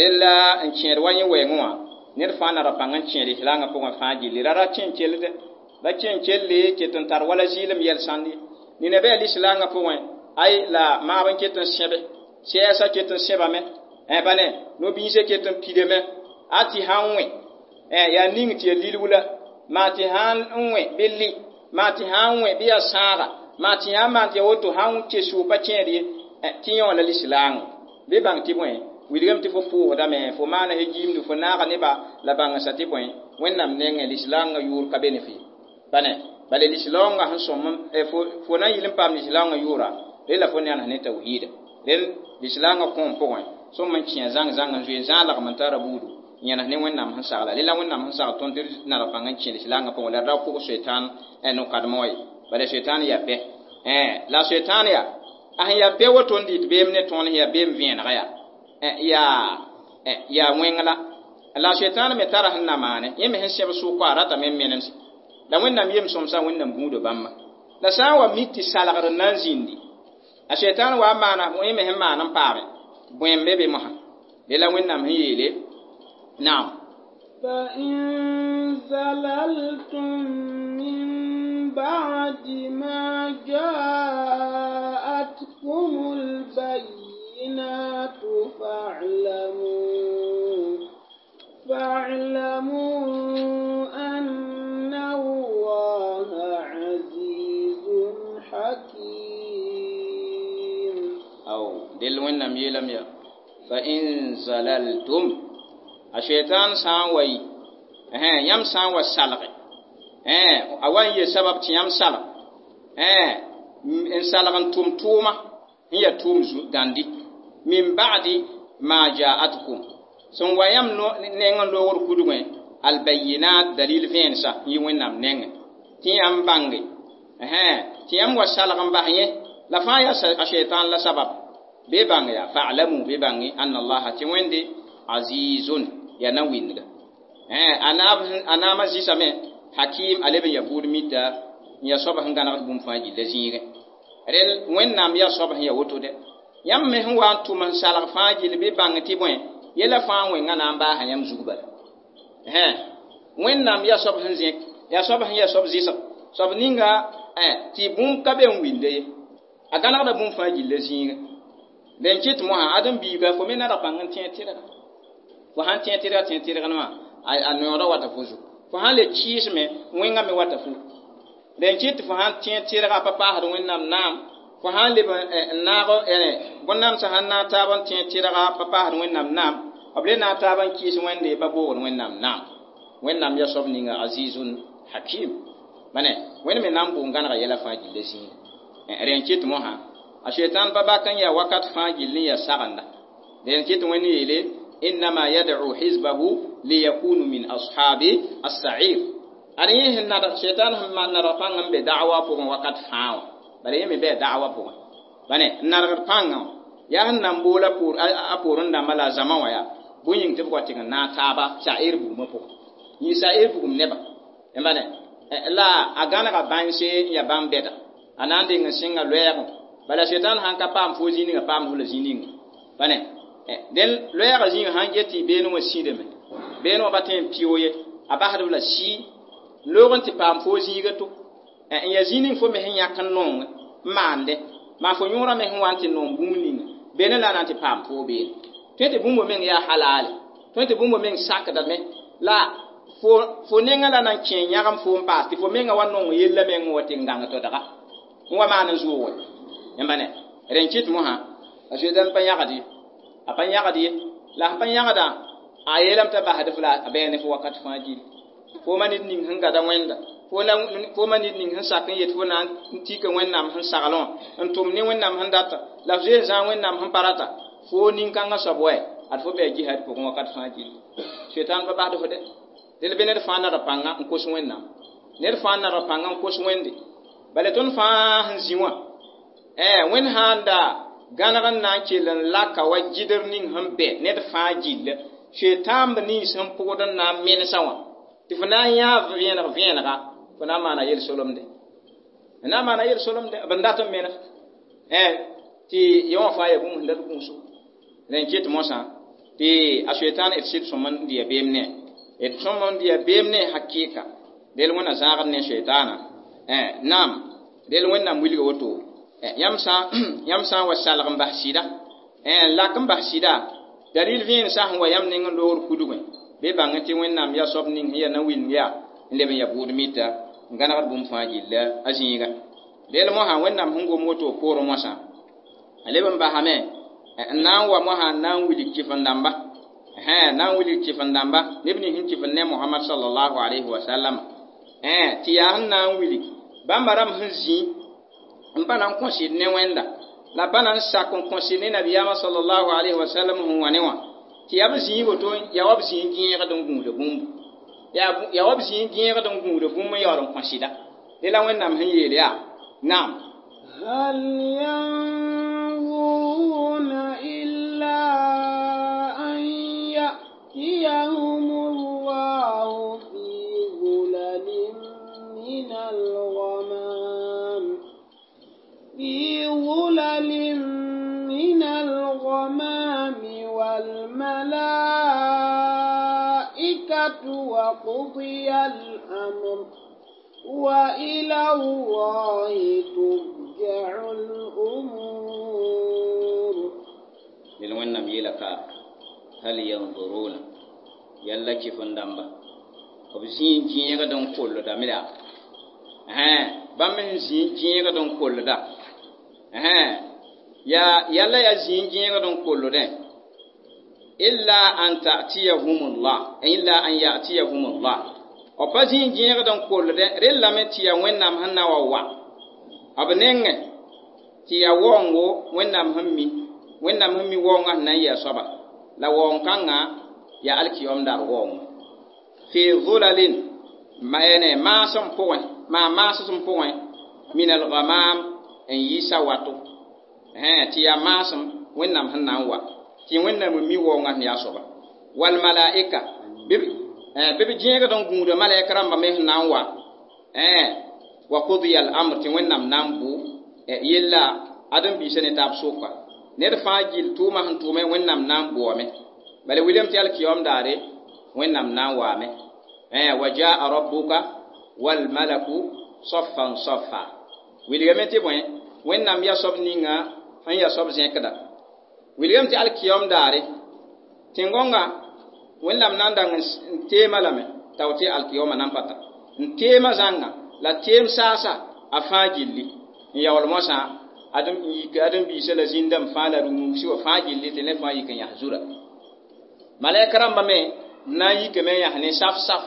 rel la n kẽed wa yẽ wɛɛngẽ wã ned fãa nara pãng n kẽed islaangã pʋgẽ fãa gilli ra ra kẽ n keld La kẽn kelle ket n tar wala zɩɩlem yɛl sãnd ye. Nina bɩ a lislaangã pʋgẽ, ay la maab n ket n sẽbe, sɛɛsã ket n sẽbame, pa ne, no-biisã ket n pidame, a tɩ sã n wẽ, yaa ning tɩ ya lilg la, maa tɩ sã n wẽ bɩ lɩ, maa tɩ sã n wẽ bɩ yaa sãaga, maa tɩ sã n maan tɩ ya woto, sã n kes pa kẽed ye, tɩ yẽ wã la lislaangã. Bɩ bãng tɩ bõe, wilgame tɩ fo pʋʋsdame, fo maana he gimdu, fo naaga neba la bãngsa tɩ bõe, Wẽnnaam nengẽ lislaangã yʋʋr ka be ne fo ye. Pa ne, bala lislaoongã sẽn sõm fo na n yɩl n paam lislaoongã yʋʋra, rẽ la fo ne ne tawhiida. Rẽnd lislaangã kõom pʋgẽ, sõm n kẽ zãng zãng n zoe zãalgem n tara buudu, yẽnes ne Wẽnnaam sẽn sagla. Rẽ la Wẽnnaam sẽn sagl tõnd tɩ d nadg pãng n kẽ lislaangã pʋgẽ, la d ra kʋg soetan no-kadmẽ wã ye. Bala soetan yaa bɛ. La soetan yaa, a sẽn yaa bɛ woto n dɩt beem ne tõnd sẽn yaa beem vẽenega yaa, yaa yaa wẽng la. La soetan me tara sẽn na maane, yẽ me sẽn sẽb sʋka a ratame n menemse. La Wẽnnaam yem sõmsa Wẽnnaam gũuda bãmba. La sã n wa mik tɩ salgr n na n zĩndi, a soetan wa n maana yẽ me sẽn maan n paame, bõe n be be mosã. Rẽ la Wẽnnaam sẽn yeele, naam. فإن زللتم من بعد ما جاءتكم البينات فاعلموا فاعلموا أن الله عزيز حكيم. أو دل وين يلم يا فإن زللتم الشيطان سان وي eh yam sã n wa salge eh a wa n yee sabab tɩ yãmb salg eh n salg n tʋm tʋʋma n yaa tʋʋm gãndi min ba'di ma ja'atkum sẽn wa yãmb neng n loogr kudgẽ albayinat dalil vẽensa n yɩ Wẽnnaam nengẽ tɩ yãmb bãnge tɩ yãmb wa salg n bas yẽ la fãa yaa a shaitan la sabab bɩ bãng yaa fa'lamu bɩ bãnge anna allaha tɩ Wẽnde azizun yaa na wĩndga a naamã zĩsame hakim a leb n yaa buud mita n yaa soab sẽn gãnegd bũmb fãa gilla zĩigẽ rel Wẽnnaam yaa soab sẽn yaa woto dɛ yãmb me sẽn wa n tʋm n salg fãa gill bɩ bãng tɩ bõe yɛla fãa wẽngã na n baasa yãmb zug bala Wẽnnaam yaa soab sẽn zẽk yaa soab sẽn yaa soab zɩsg soab ninga tɩ bũmb ka be n winde ye a gãnegda bũmb fãa gilla zĩigẽ den kɩt mosã ãdem-biiga fo me nadg pãng n tẽeg tɩrga fo sãn tẽeg tɩrga tẽeg tɩrgd wã a noodã wata fo zugu fo sãn le kɩɩsme wẽngã me wata fu den kɩt fo sãn tẽeg tɩrga pa paasd Wẽnnaam naam fo sãn leb n naag bõn-namsã sãn naag taab n tẽeg tɩrga pa paasd Wẽnnaam naam b le naag taab n kɩɩs Wẽnde pa boogd Wẽnnaam naam Wẽnnaam yaa soab ninga azizun hakim bane Wẽnd me na n bʋ n gãnega yɛla fãa gilla zĩigẽ rẽn kɩt mosã a shaitan pa bak n yaa wakat fãa gill n yaa sagenda rẽn kɩt Wẽnd yeele innama yad'u hizbahu liyakunu min ashabi as-sa'ir ad yẽ sẽn nadg shaitan sẽn nadg pãng n be da'wa pʋgẽ wakat fãa wã bala yẽ me bɩ da'wa pʋgẽ bane n nadgd pãngã yaa sẽn na n boola a poorẽ dãmbã la a zãma wã yaa bõe yĩng tɩ b wa tɩg n naag taaba sa'ir bugmã pʋgẽ yĩng sa'ir bugum nebã bane la a gãnega bãnse n yaa bãmb bɛda a na n deng n sɩnga loɛɛgẽ bala shaitan sãn ka paam fo zĩ ninga paam fo la zĩ ninga bane dẽn loɛɛgã zĩigã sãn get tɩ beene wã sĩdame beene wã pa tõe n pɩʋ ye a basd b la sɩɩ loog n tɩ paam fo zĩiga to n yaa zĩ ning fo me sẽn yãk n nong n maande maa fo yõorã me sẽn wa n tɩ nong bũmb ninga beene la a na n tɩ paam fo beene tõe tɩ bũmb meng yaa halaale tõe tɩ bũmb meng sakdame la fo fo nengã la na n kẽ yãgem fo n paas tɩ fo menga wa nong yella meng wa tɩ n gãng todga n wa maan n zʋʋge yãmba ne rẽn kɩt mosã a soetan pa yãgd ye a pa yãgd ye la sẽn pa yãgda a yeelame t'a basd f la a bɛɛ ne fo wakat fãa gilli fo ma ned ning sẽn gada Wẽnda fo ma ned ning sẽn sak n yet fo na n tika Wẽnnaam sẽn saglẽ wã n tʋm ne Wẽnnaam sẽn data la f zoe n zãag Wẽnnaam sẽn pa rata fo nin-kãngã soab wɛ ad fo bɩ a jihad pʋgẽ wakat fãa gilli soetan pa basd fo dɛ dẽl bɩ ned fãa nadg pãnga n kos Wẽnnaam ned fãa nadg pãnga n kos Wẽnde bala tõnd fãa sẽn zĩ wã Wẽnd sãn da gãneg n na n kell n laka wa gɩdr ning sẽn bɛ ned fãa gilla soetãamb nins sẽn pʋgd n na n menesã wã tɩ fo na n yãa vẽeneg vẽenega fo na n maana yel-solemde n na n maana yel-solemde b n dat n menes tɩ yẽ wã fãa yaa bũmb sẽn dat gũusgo rẽn kɩt mosã tɩ a soetãan d sɩd sõm n dɩ ya beem ne d sõm n dɩ ya beem ne hakɩɩka Del wẽnna zãagd ne shaytana. Eh, naam, del wẽnnaam wilga woto. Yãmb sã yãmb sã n wa salg n bas sɩda, n lak n bas sɩda, dalil vẽen sã sẽn wa yãmb neng n loogr kudgẽ, bɩ bãng tɩ Wẽnnaam yaa soab ning sẽn yaa na-wilg yaa n leb n ya bʋʋd mita n gãnegd bũmb fãa gilla a zĩiga. Rel mosã Wẽnnaam sẽn gom woto poorẽ moasã, a leb n basame n na n wa mosã n na n wilg kɩf-n-dãmba, na n wilg kɩf-n-dãmba, neb nins sẽn kɩf n ne Mohamad sallallahu alayhi wa sallam, tɩ yaa sẽn na n wilg bãmba rãmb sẽn zĩ n pa na n kõsɩd ne Wẽnda la pa na n sak n kõsɩd ne nabiyaamã sallallahu alayhi wa sallam sẽn wa ne wã, tɩ yaa b zĩig woto, yaa wa b zĩig gẽegd n gũuda bũmbu, yaa wa b zĩig gẽegd n gũuda bũmb n yaool n kõsɩda. Dẽ la Wẽnnaam sẽn yeel yaa naam. هل ينظرون إلا أن يأتيهم الله في ظلل من الغمام في ظلل من الغمام والملائكة وقضي الأمر وإلى الله ترجع الأمور. Del Wẽnnaam yeela ka hal yanzuruna, yalla kɩf-n-dãmba b zĩig gẽegd n kolldame yaa, bãmb sẽn zĩig gẽegd n kollda, yaa yalla yaa zĩig gẽegd n kolldẽ, illa an ta'tiyahumullah, illa an ya'tiyahumullah, b pa zĩig gẽegd n kolldẽ rellame tɩ yaa Wẽnnaam sẽn na wa wa b nengẽ, tɩ yaa waoongo Wẽnnaam sẽn mi, Wẽnnaam sẽn mi waoongã sẽn na n yɩ a soaba, la waoong kãngã yaa alkiyom daar waoongo, fi zulalin maasem pʋgẽ, maa maasem pʋgẽ, min alghamam n yi sawato, tɩ yaa maasem Wẽnnaam sẽn na n wa, tɩ Wẽnnaam n mi waoongã sẽn yaa soaba, wal malaika bɩ b gẽegd n gũuda malaika rãmba me sẽn na n wa, wa qudiya al amr, tɩ Wẽnnaam na n bʋ yella ãdem-biisã ne taab soka, ned fãa gill tʋʋmã sẽn tʋʋme Wẽnnaam na n bʋame, bala wilame tɩ alkiyom daare Wẽnnaam na n waame, wa jaa rabbuka wal malaku saffan saffa, wilgame tɩ bõe Wẽnnaam yaa soab ninga sẽn yaa soab zẽkda, wilgame tɩ alkiyom daare tẽn-gõnga Wẽnnaam na n dang n teema lame t'a tɩ alkiyoma nan pata n teema zãnga la teem saasa a fãa gilli n yaool moasã adem n yik ãdem-biisã la zĩndame fãa la rũmsi wã fãa gilli tɩ ne fãa yik n yãs zura. Malɛk rãmba me n na n yikame n yãs ne saf-saf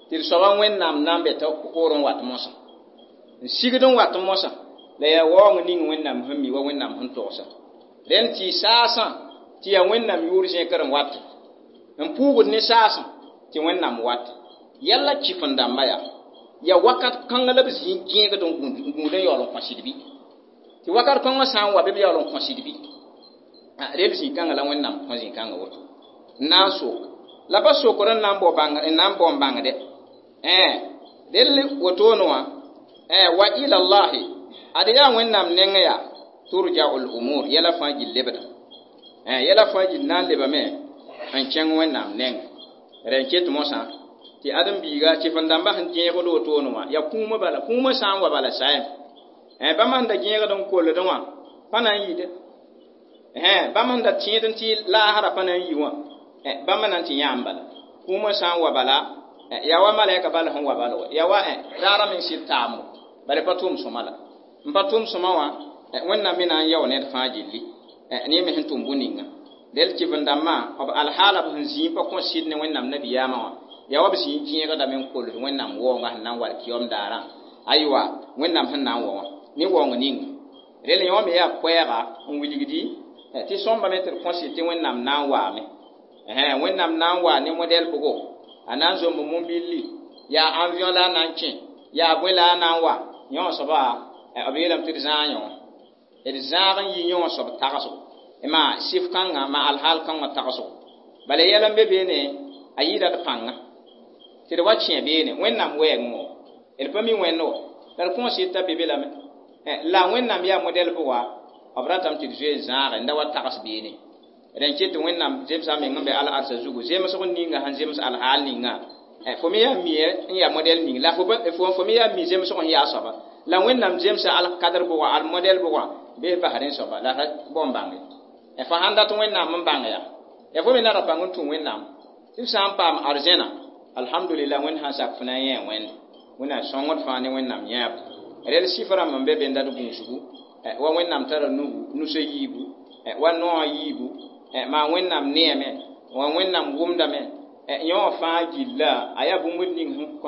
tɩ d soaba Wẽnnaam na n be t'a poorẽ n wat mosã, n sigd n wat mosã, la yaa waoong ning Wẽnnaam sẽn mi wa Wẽnnaam sẽn togsa rẽnd tɩ saasã tɩ yaa Wẽnnaam yʋʋr zẽkr n wat n puugd ne saasã tɩ Wẽnnaam wat yalla kɩf-n-dãmba yaa yaa wakat kãngã la b zĩig gẽegd n gũud n yaool n kõsd bɩ, tɩ wakat kãngã sã n wa bɩ b yaool n kõsd bɩ, rel zĩ-kãngã la Wẽnnaam kõ zĩ-kãngã woto n na n sok la pa sokr n na n bao bãng n na n bao n bãngdɛ, rel wotone wã wa ila llahi, ad yaa Wẽnnaam nengẽ yaa turja'ul umur, yɛla fãa gill lebda, yɛla fãa gill na n lebame n kẽng Wẽnnaam nengẽ. Rẽ n ket mosã tɩ ãdem-biiga kɩf-n-dãmbã sẽn gẽegd wotone wã yaa kũumã bala, kũumã sã n wa bala saɛm bãmb sẽn da gẽegd n kolldẽ wã pa na n yɩɩde, bãmb sẽn da tẽed n tɩ laasra pa na n yi wã bãmb na n tɩ yãam bala, kũumã sã n wa bala yaa wa malɛka bala sẽn wa bala wa yaa wa raarã meng sɩd taamo bala pa tʋʋm sõma la n pa tʋʋm sõma wã Wẽnnaam me na n yao ned fãa gilli ne me sẽn tʋm bũ-ninga. Rel kɩf-n-dãmbã b alhaala b sẽn zĩig pa kõ sɩd ne Wẽnnaam nabiyaamã wã yaa wa b zĩig gẽegdame n kolд Wẽnnaam waoongã sẽn na n wa alkiyom daarã, aywa Wẽnnaam sẽn na n wa wã ne waoong ninga. Rel yõ me yaa koɛɛga n wilgdi tɩ sõmbame tɩ d kõ sɩd tɩ Wẽnnaam na n waame, Wẽnnaam na n waa ne modɛl bʋgo, a na n zomb mumbilli, yaa avion la a na n kẽ, yaa bõe la a na n wa yõ soaba, b yeelame tɩ d zãag yõ, d zãag n yi yõ soab tagsgo maa sɩf kãngã ma alhaal kãngã tagsgo, bala yɛl n be beene a yɩɩda d pãnga tɩ d wa kẽ beene Wẽnnaam wɛɛngẽ wã d pa mi Wẽnd wã la d kõn sɩd t'a be be lame, la Wẽnnaam yaa modɛl bʋga b ratame tɩ d zoe n zãage n da wa tags beene. Rẽn ket tɩ Wẽnnaam zemsa meng n be al-arsa zugu zemsg ninga sẽn zems alhaal ninga Fo me yaa mie n yaa modɛl ning la fo me yaa mi zemsg n yaa soaba la Wẽnnaam zemsa al kadr bʋga al modɛl bʋga bee bas rẽ soaba la ra bao n bãnge fo sãn dat Wẽnnaam n bãng yaa ya fo me na ra bãng n tũ Wẽnnaam tɩ f sã n paam arzẽna alhamdulillah Wẽnd sãn sak fo na n yẽ Wẽnd Wẽnnaam sõngd fãa ne Wẽnnaam yãab rel sɩf rãmb n be be n dat gũusgu wa Wẽnnaam tara nugu nusã yiibu wa noogã yiibu maa Wẽnnaam neeme wa Wẽnnaam wʋmdame yõ wã fãa gilla a yaa bũmb ning n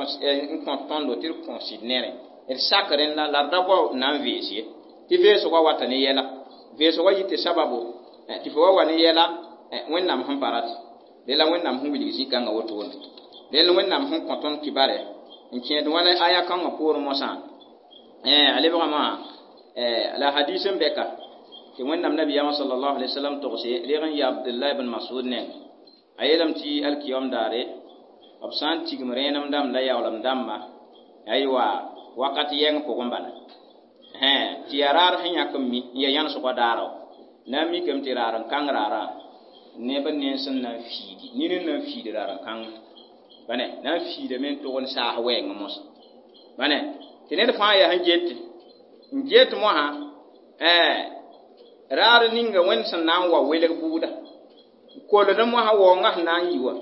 kõt tõndo tɩ d kõsɩd nere d sak rẽnda la d da bao n na n vees ye tɩ veesgã wata ne yɛla veesgã yɩ tɩ sababo tɩ fo wa wa ne yɛla Wẽnnaam sẽn pa rat rela Wẽnnaam sẽn wilg zĩ-kãngã wotone rel Wẽnnaam sẽn kõ tõnd kibare n kẽed wãna aya kãngã poorẽ mosã a lebgame la hadis n bɛka tɩ Wẽnnaam nabiyaamã sallallahu alaihi wasallam togse reg n ya Abdullah ibn Mas'ud neng a yeelame tɩ alkiyom daare b sã n tigm rẽenem dãmb la yaoolem dãmba aywa wakat yɛng pʋgẽ bala tɩ yaa raar sẽn yãk n mi n yaa yãnesgã daara na n mikame tɩ raar n kãng raarã neb nens n na n fiidi nin n na n fiidi raar n kãng bane na n fiidame n tog n saas wɛɛngẽ mosã bane tɩ ned fãa yaa sẽn get n get mosã raar ninga Wẽnd sẽn na n wa welg bʋʋda koled mosã waoongã sẽn na n yi wa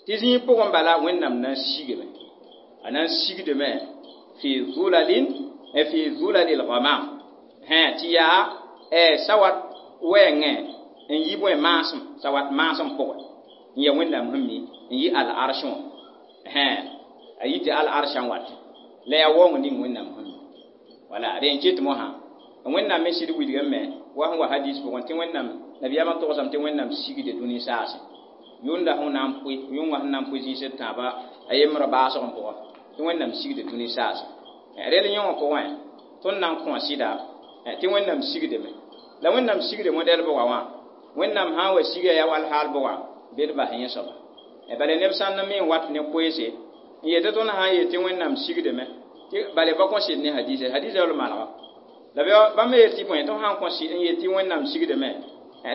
tɩ zĩig pʋgẽ bala Wẽnnaam na n sigame a na n sigdame fi zulalin fi zulalil ghamam tɩ yaa sawat wɛɛngẽ n yi bõe maasem sawat maasem pʋgẽ n yaa Wẽnnaam sẽn mi n yi al-arsh wã a yi tɩ al-arshã n wat la yaa waoong ning Wẽnnaam sẽn mi wala rẽ n ket mosã Wẽnnaam me sɩd wilgame wa sẽn wa hadis pʋgẽ tɩ Wẽnnaam nabiyaamã togsame tɩ Wẽnnaam sigde dũni saase yʋnda sẽn na n pʋɩ yʋngã sẽn na n pʋɩ zĩis d tãaba a yembrã baasg n pʋgẽ tɩ Wẽnnaam sigde dũni saase rel yõ wã pʋgẽ tõnd na n kõ sɩda tɩ Wẽnnaam sigdame la Wẽnnaam sigde modɛl bʋga wã Wẽnnaam sã n wa siga yaa wall haal bʋga bɩ d bas yẽ soaba bala neb sãn n me n wat ne koeese n yetɩ tõnd sã n yet tɩ Wẽnnaam sigdame tɩ bala ba kõ sɩd ne hadisa hadisa yall malga la bãmb me yet tɩ bõe tõnd sã n kõ n yet tɩ Wẽnnaam sigdame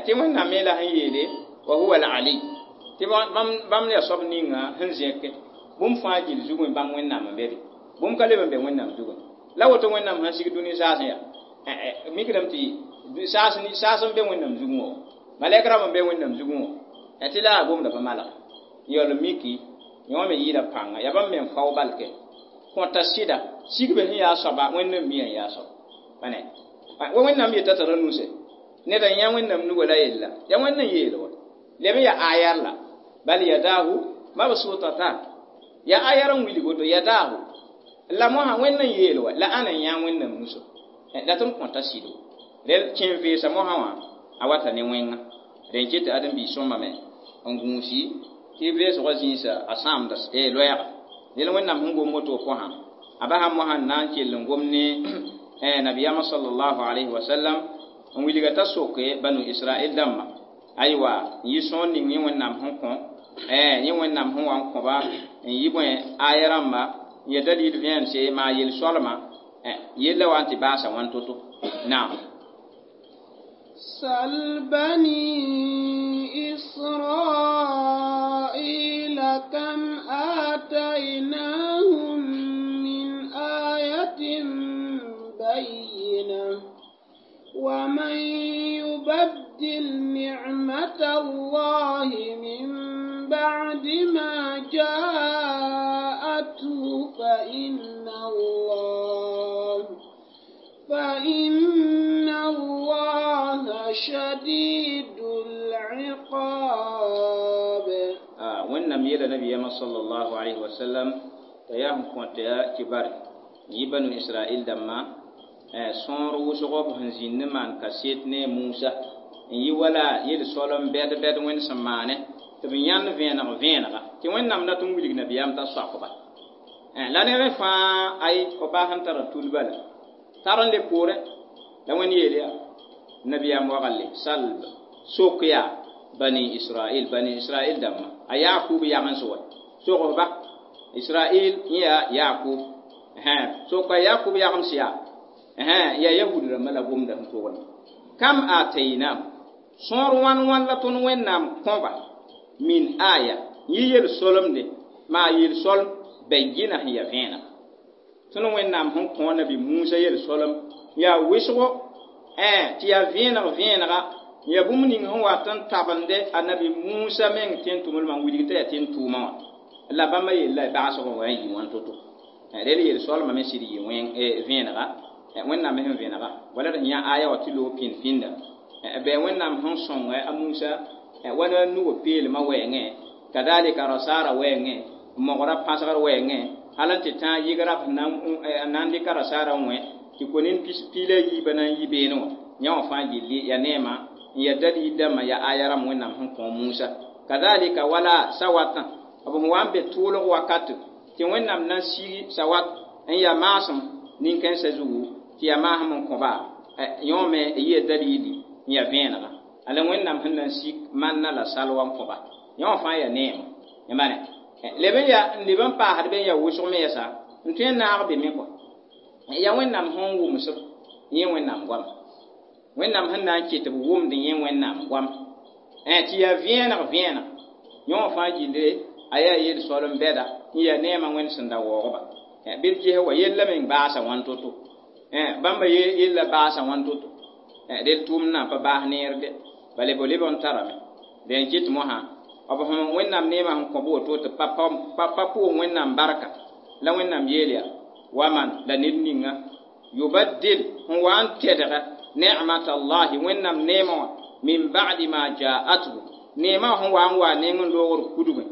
tɩ Wẽnnaam me la sẽn yeele wa huwa al-ali tɩ bãmb yaa soab ninga sẽn zẽke bũmb fãa gill zugẽ bãmb Wẽnnaam n be be bũmb ka leb n be Wẽnnaam zugẽ la woto Wẽnnaam sẽn sig dũni saasẽ yaa mikdame tɩ saas n be Wẽnnaam zugẽ wã malɛk rãmb n be Wẽnnaam zugẽ wã tɩ la a gomda pa malg yaool miki yõ me yɩɩda pãnga yaa bãmb me n fao balke kõta sɩda sigbe sẽn yaa soaba Wẽnnaam mia n yaa soaba bane wa Wẽnnaam yeta tara nuse ned n yã Wẽnnaam nuga la yella yaa Wẽnd n yeel wa leb n yaa ayar la bal yadahu mabsutatan yaa ayar n wilg woto yadahu la mosã Wẽnd n yeel wa la ãna n yã Wẽnnaam nuso la tõnd kõta sɩdo rel kẽ veesa mosã wã a wata ne wẽnga rẽ n ket tɩ ãdem-biis sõmbame n gũusi tɩ veesgã zĩisa a sãamda loɛɛga rel Wẽnnaam sẽn gom woto pʋsã a basã mosã n na n kell n gom ne nabiyaamã sallallahu alayhi wa sallam n wilga t'a soke banu Israɛl dãmba aywa n yɩ sõor ning yẽ Wẽnnaam sẽn kõ yẽ Wẽnnaam sẽn wa n kõba n yɩ bõe aya rãmba n ya dalil vẽense maa yel-soalma yella wa n tɩ baasa wãn to-to naam سل بني إسرائيل كم آتيناهم من آية بينة ومن يبدل نعمة الله من بعد ما جاءته فإن الله فإن الله شديد العقاب Wẽnnaam yeela nabiyaamã sallallahu alaihi wasallam t'a yaa sẽn kõt yaa kibar yɩ banu Israɛl dãmbã sõor wʋsg b sẽn zĩnd n maan kaset ne Musa n yɩ wala yel-soal n bɛd bɛd Wẽnd sẽn maane tɩ b yãnd vẽeneg vẽenega tɩ Wẽnnaam dat n wilg nabiyaam t'a soakba la neb fãa ay f baa sẽn tara tul bala tar n le poorẽ la Wẽnd yeel yaa nabiyaam wagalle salb sok yaa bani Israɛl bani Israɛl dãmbã a Yakub yagens wa sogsba Israɛl yẽ yaa Yakub soka Yakub yagems yaa yaa Yahud rãmbã la gomda sẽn pʋgẽ kam ataynam sõor wãn wãn la tõnd Wẽnnaam kõba min aya yɩ yel-solemde maa yel-solem bayyina sẽn yaa vẽeneg tõnd Wẽnnaam sẽn kõ nabi Musa yel-solem yaa wɩsgo tɩ yaa vẽeneg vẽenega yaa bũmb ning sẽn wat n tabende a nabi Musa meng tẽn-tʋmdmã n wilg t'a yaa tẽn-tʋʋmã wã la bãmba yella baasgã wa n yɩ wãn to-to rel yel-soalmã me sɩd yɩ vẽenega Wẽnnaam me sẽn vẽnega wala d sẽn yã aya wã tɩ loog pĩnd pĩnda bɩ Wẽnnaam sẽn sõng a Musa wa la nugã peelmã wɛɛngẽ kadalika rasaara wɛɛngẽ mogra pãsgr wɛɛngẽ hal n tɩ tãag yɩgra n na n dɩka rasaarã n wẽ tɩ konin piila yiibã na n yi beene wã yã wã fãa gilli yaa neema n yaa dalil dãmbã yaa aya rãmb Wẽnnaam sẽn kõ Musa kadalika wala sawatã b sẽn wa n be tʋʋlg wakat tɩ Wẽnnaam na n sig sawat n yaa maasem nin-kãensã zugu tɩ yaa maasem n kõba yõ me yɩa dalili n yaa vẽenega ala Wẽnnaam sẽn na n sik manna la salwa n kõba yã wã fãa yaa neema yãmba ne leb n yaa n leb n paasd be n yaa wʋsg me yɛsa n tõe n naag be me kɔa yaa Wẽnnaam sẽn wʋmsb yẽ Wẽnnaam goama Wẽnnaam sẽn na n ket b wʋmd yẽ Wẽnnaam goam tɩ yaa vẽeneg vẽeneg yõ wã fãa gilde a yaa yel-soalem bɛda n yaa neemã Wẽnd sẽn da waoogba bɩ d ges wa yella meng baasa wãn to-to bãmba yella baasa wãn to-to del tʋʋmdnã pa baas neerde bala b leb n tarame dẽn kɩt mosã b sẽn Wẽnnaam neemã sẽn kõ b woto tɩ pa pʋʋs Wẽnnaam barka la Wẽnnaam yeel yaa waman la ned ninga yubaddil sẽn wa n tɛdga ni'mat allahi Wẽnnaam neemã wã min ba'di ma ja'athu neemã sẽn wa n wa neng n loogr kudgẽ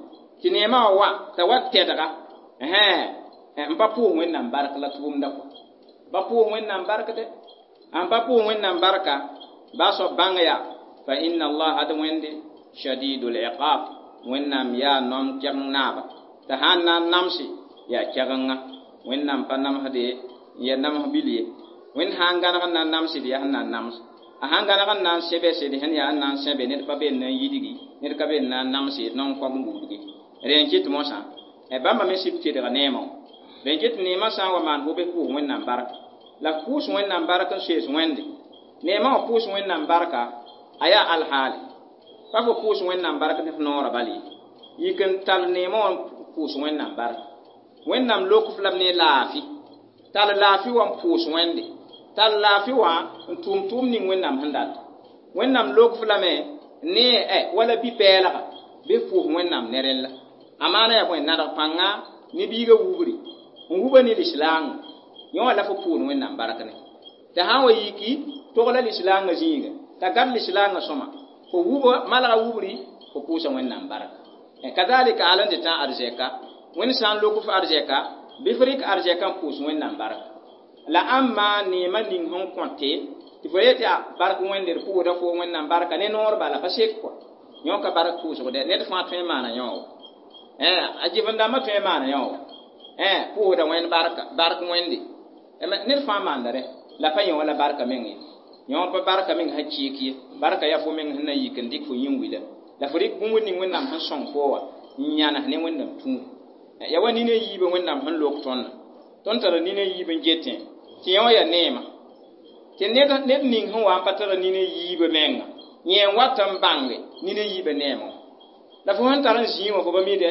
tɩ neemã wã wa t'a wa tɛdga n pa pʋʋs Wẽnnaam bark la tʋʋmda kɔ pa pʋʋs Wẽnnaam bark dɛ n pa pʋʋs Wẽnnaam barka baa soab bãng yaa fa inna allaha d Wẽnde shadidul iqab Wẽnnaam yaa nom kɛgeng naaba t'a sãn na n namse yaa kɛgenga Wẽnnaam pa namsde n yaa nams bil ye Wẽnd sã n gãneg n na n namsd yaa sẽn na n nams a sãn gãneg n na n sẽbe sed sẽn yaa n na n sẽbe ned pa be n na n yidgi ned ka be n na n namse non kɔg n buudge rẽ n kɩt mosã bãmba me sɩb tedga neemã rẽ kɩt neemã sã n wa maan fo bɩ pʋʋs Wẽnnaam barka la f pʋʋs Wẽnnaam bark n soees Wẽnde neemã wã pʋʋs Wẽnnaam barka a yaa alhaale pa fo pʋʋs Wẽnnaam bark ne f noorã bal ye yik n tall neemã wã n pʋʋs Wẽnnaam barka Wẽnnaam lok f lame ne laafɩ tall laafɩ wã n pʋʋs Wẽnde tall laafɩ wã n tʋʋm tʋʋm ning Wẽnnaam sẽn data Wẽnnaam lok f lame ne wala bi-pɛɛlga bɩ f pʋʋs Wẽnnaam ne rẽlla a maana yaa bõe nadg pãnga ne biigã wubri n wuba ne lislaangã yõ wã la fo pʋʋd Wẽnnaam bark ne t'a sã n wa yiki togla lislaangã zĩiga t'a gad lislaangã sõma fo wuba malga wubri fo pʋʋsa Wẽnnaam barka kazalika al n tɩ tã arzɛka Wẽnd sã n lok f arzɛka bɩ f rɩk arzɛka n pʋʋs Wẽnnaam barka la ãmba neemã ning sẽn kõte tɩ fo yetɩ bark Wẽnde d pʋʋsda fo Wẽnnaam barka ne noor bala pa sek kɔa yõ ka bark pʋʋsg dɛ ned fãa tõe n maana yõ wa a jɩf-n-dãmbã tõe n maana yõ wa pʋʋsda Wẽnd barka bark Wẽnde ned fãa maanda rẽ la pa yõ la barka meng ye yõ pa barka meng sã kɩɩk ye barka yaa fo meng sẽn na n yik n dɩk fo yĩn-wila la fo rɩk bũmb ning Wẽnnaam sẽn sõng fo wã n yãnes ne Wẽnnaam tũud ya wa nina yiibã Wẽnnaam sẽn lok tõndã tõnd tara nina yiib n getẽ tɩ yõ yaa neema tɩ ned ning sẽn wa n pa tara nina yiibã menga yẽ n wat n bãnge nina yiibã neemã la fo sẽn tar n zĩig wã fo pa mi dɛ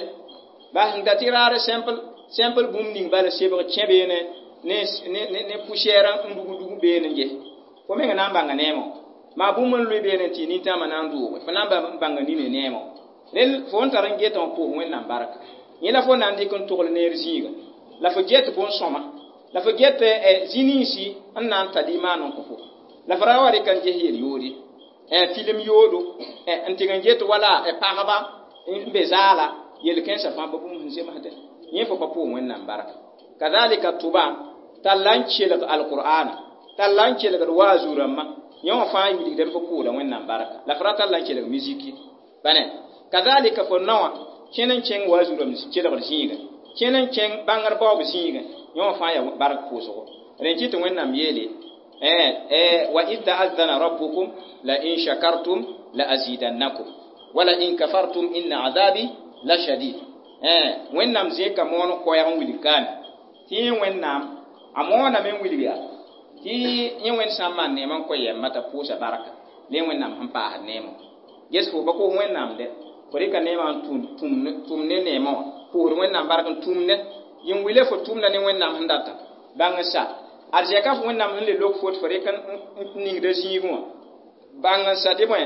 bas n da tɩ raar simple simple bũmb ning bala sebg kẽ beene ne ne ne poussière n dug dug beene n ges fo meng na n bãnga neemã maa bũmb n lʋɩ beene tɩ nintãamã na n dʋʋge fo na n bãnga nina neemã rel fo n tar n getã wã pʋʋs Wẽnnaam barka yẽ la fo na n dɩk n togl neer zĩiga la fo get bõn-sõma la fo get zĩ-ninsi n na n ta limaan n kõ fo la fo ra wa rɩk n ges yel-yood ye film yoodo n tɩg n get wala pagba n be zaala yel-kẽensã fãa pa bũmb sẽn zemsdẽ yẽ fo pa pʋʋs Wẽnnaam barka kazalika tʋba talla n kelg alqur'ana talla n kelgd waazu rãmbã yẽ wã fãa wilgdame fo pʋʋda Wẽnnaam barka la fo ra talla n kelg miziki bane kazalika fo naowã kẽn n kẽng waazu rãmb kelgd zĩigã kẽn n kẽng bãngr baoob zĩigã yẽ wã fãa yaa bark pʋʋsgo rẽ kɩ tɩ Wẽnnaam yeele wa id ta'adhana rabbukum la in shakartum la azidannakum wala in kafartum inna azabi la shadid Wẽnnaam zẽka moon koɛɛg n wilg kaame tɩ yẽ Wẽnnaam a mooname n wilg yaa tɩ yẽ Wẽnd sã n maan neemã n kõ yɛmba t'a pʋʋsa barka la yẽ Wẽnnaam sẽn paasd neemã ges fo pa kos Wẽnnaam dɛ fo rɩka neemã n tʋm ne neemã wã Pʋʋsd Wẽnnaam bark n tũumdẽ yĩn wile fo tʋʋmda ne Wẽnnaam sẽn data bãng n sa arzɛka fo Wẽnnaam sẽn le lok fo tɩ fo rɩk n ningda zĩigẽ wã bãng n sa tɩ bõe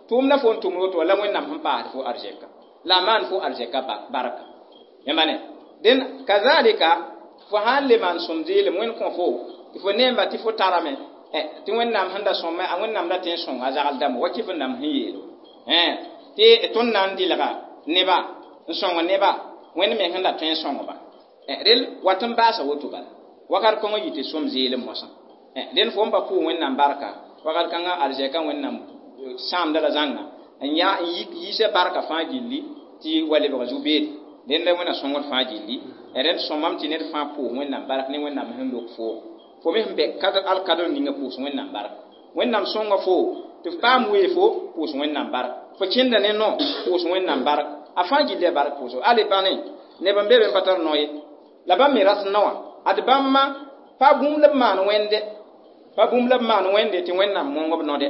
tʋʋmda fo n tʋmd woto la Wẽnnaam sẽn paasd fo arzɛka la a maan fo arzɛka barka yãmba ne dẽn kazalika fo sãn le maan sõm zeelem Wẽnd kõ fo tɩ fo neemba tɩ fo tarame tɩ Wẽnnaam sẽn da sõma a Wẽnnaam da tõe n sõnga zagl dãmba wa kɩf n nam sẽn yeel tɩ tõnd na n dɩlga neba n sõng neba Wẽnd me sẽn da tõe n sõngba rel wat n baasa woto bala wakat kõngã yɩ tɩ sõm zeelem moasã dẽn fo n pa pʋʋs Wẽnnaam barka wakat kãngã arzɛka Wẽnnaam sãamda la zãnga n ya n yiisa barka fãa gilli tɩ wa lebg zu-beede dẽnd la Wẽnna sõngd fãa gilli rẽnd sõmame tɩ ned fãa pʋʋs Wẽnnaam bark ne Wẽnnaam sẽn lok foo fo me sẽn bɛ alkadr ninga pʋʋs Wẽnnaam bark Wẽnnaam sõnga fo tɩ f paam wee fo pʋʋs Wẽnnaam bark fo kẽnda ne no pʋʋs Wẽnnaam bark a fãa gilli a bark pʋʋsgo ale bãne neb n be be n pa tar no ye la bãmb me rat noa ad bãmba pa bũmb la b maan wẽnde pa bũmb la b maan wẽnde tɩ Wẽnnaam mõng b node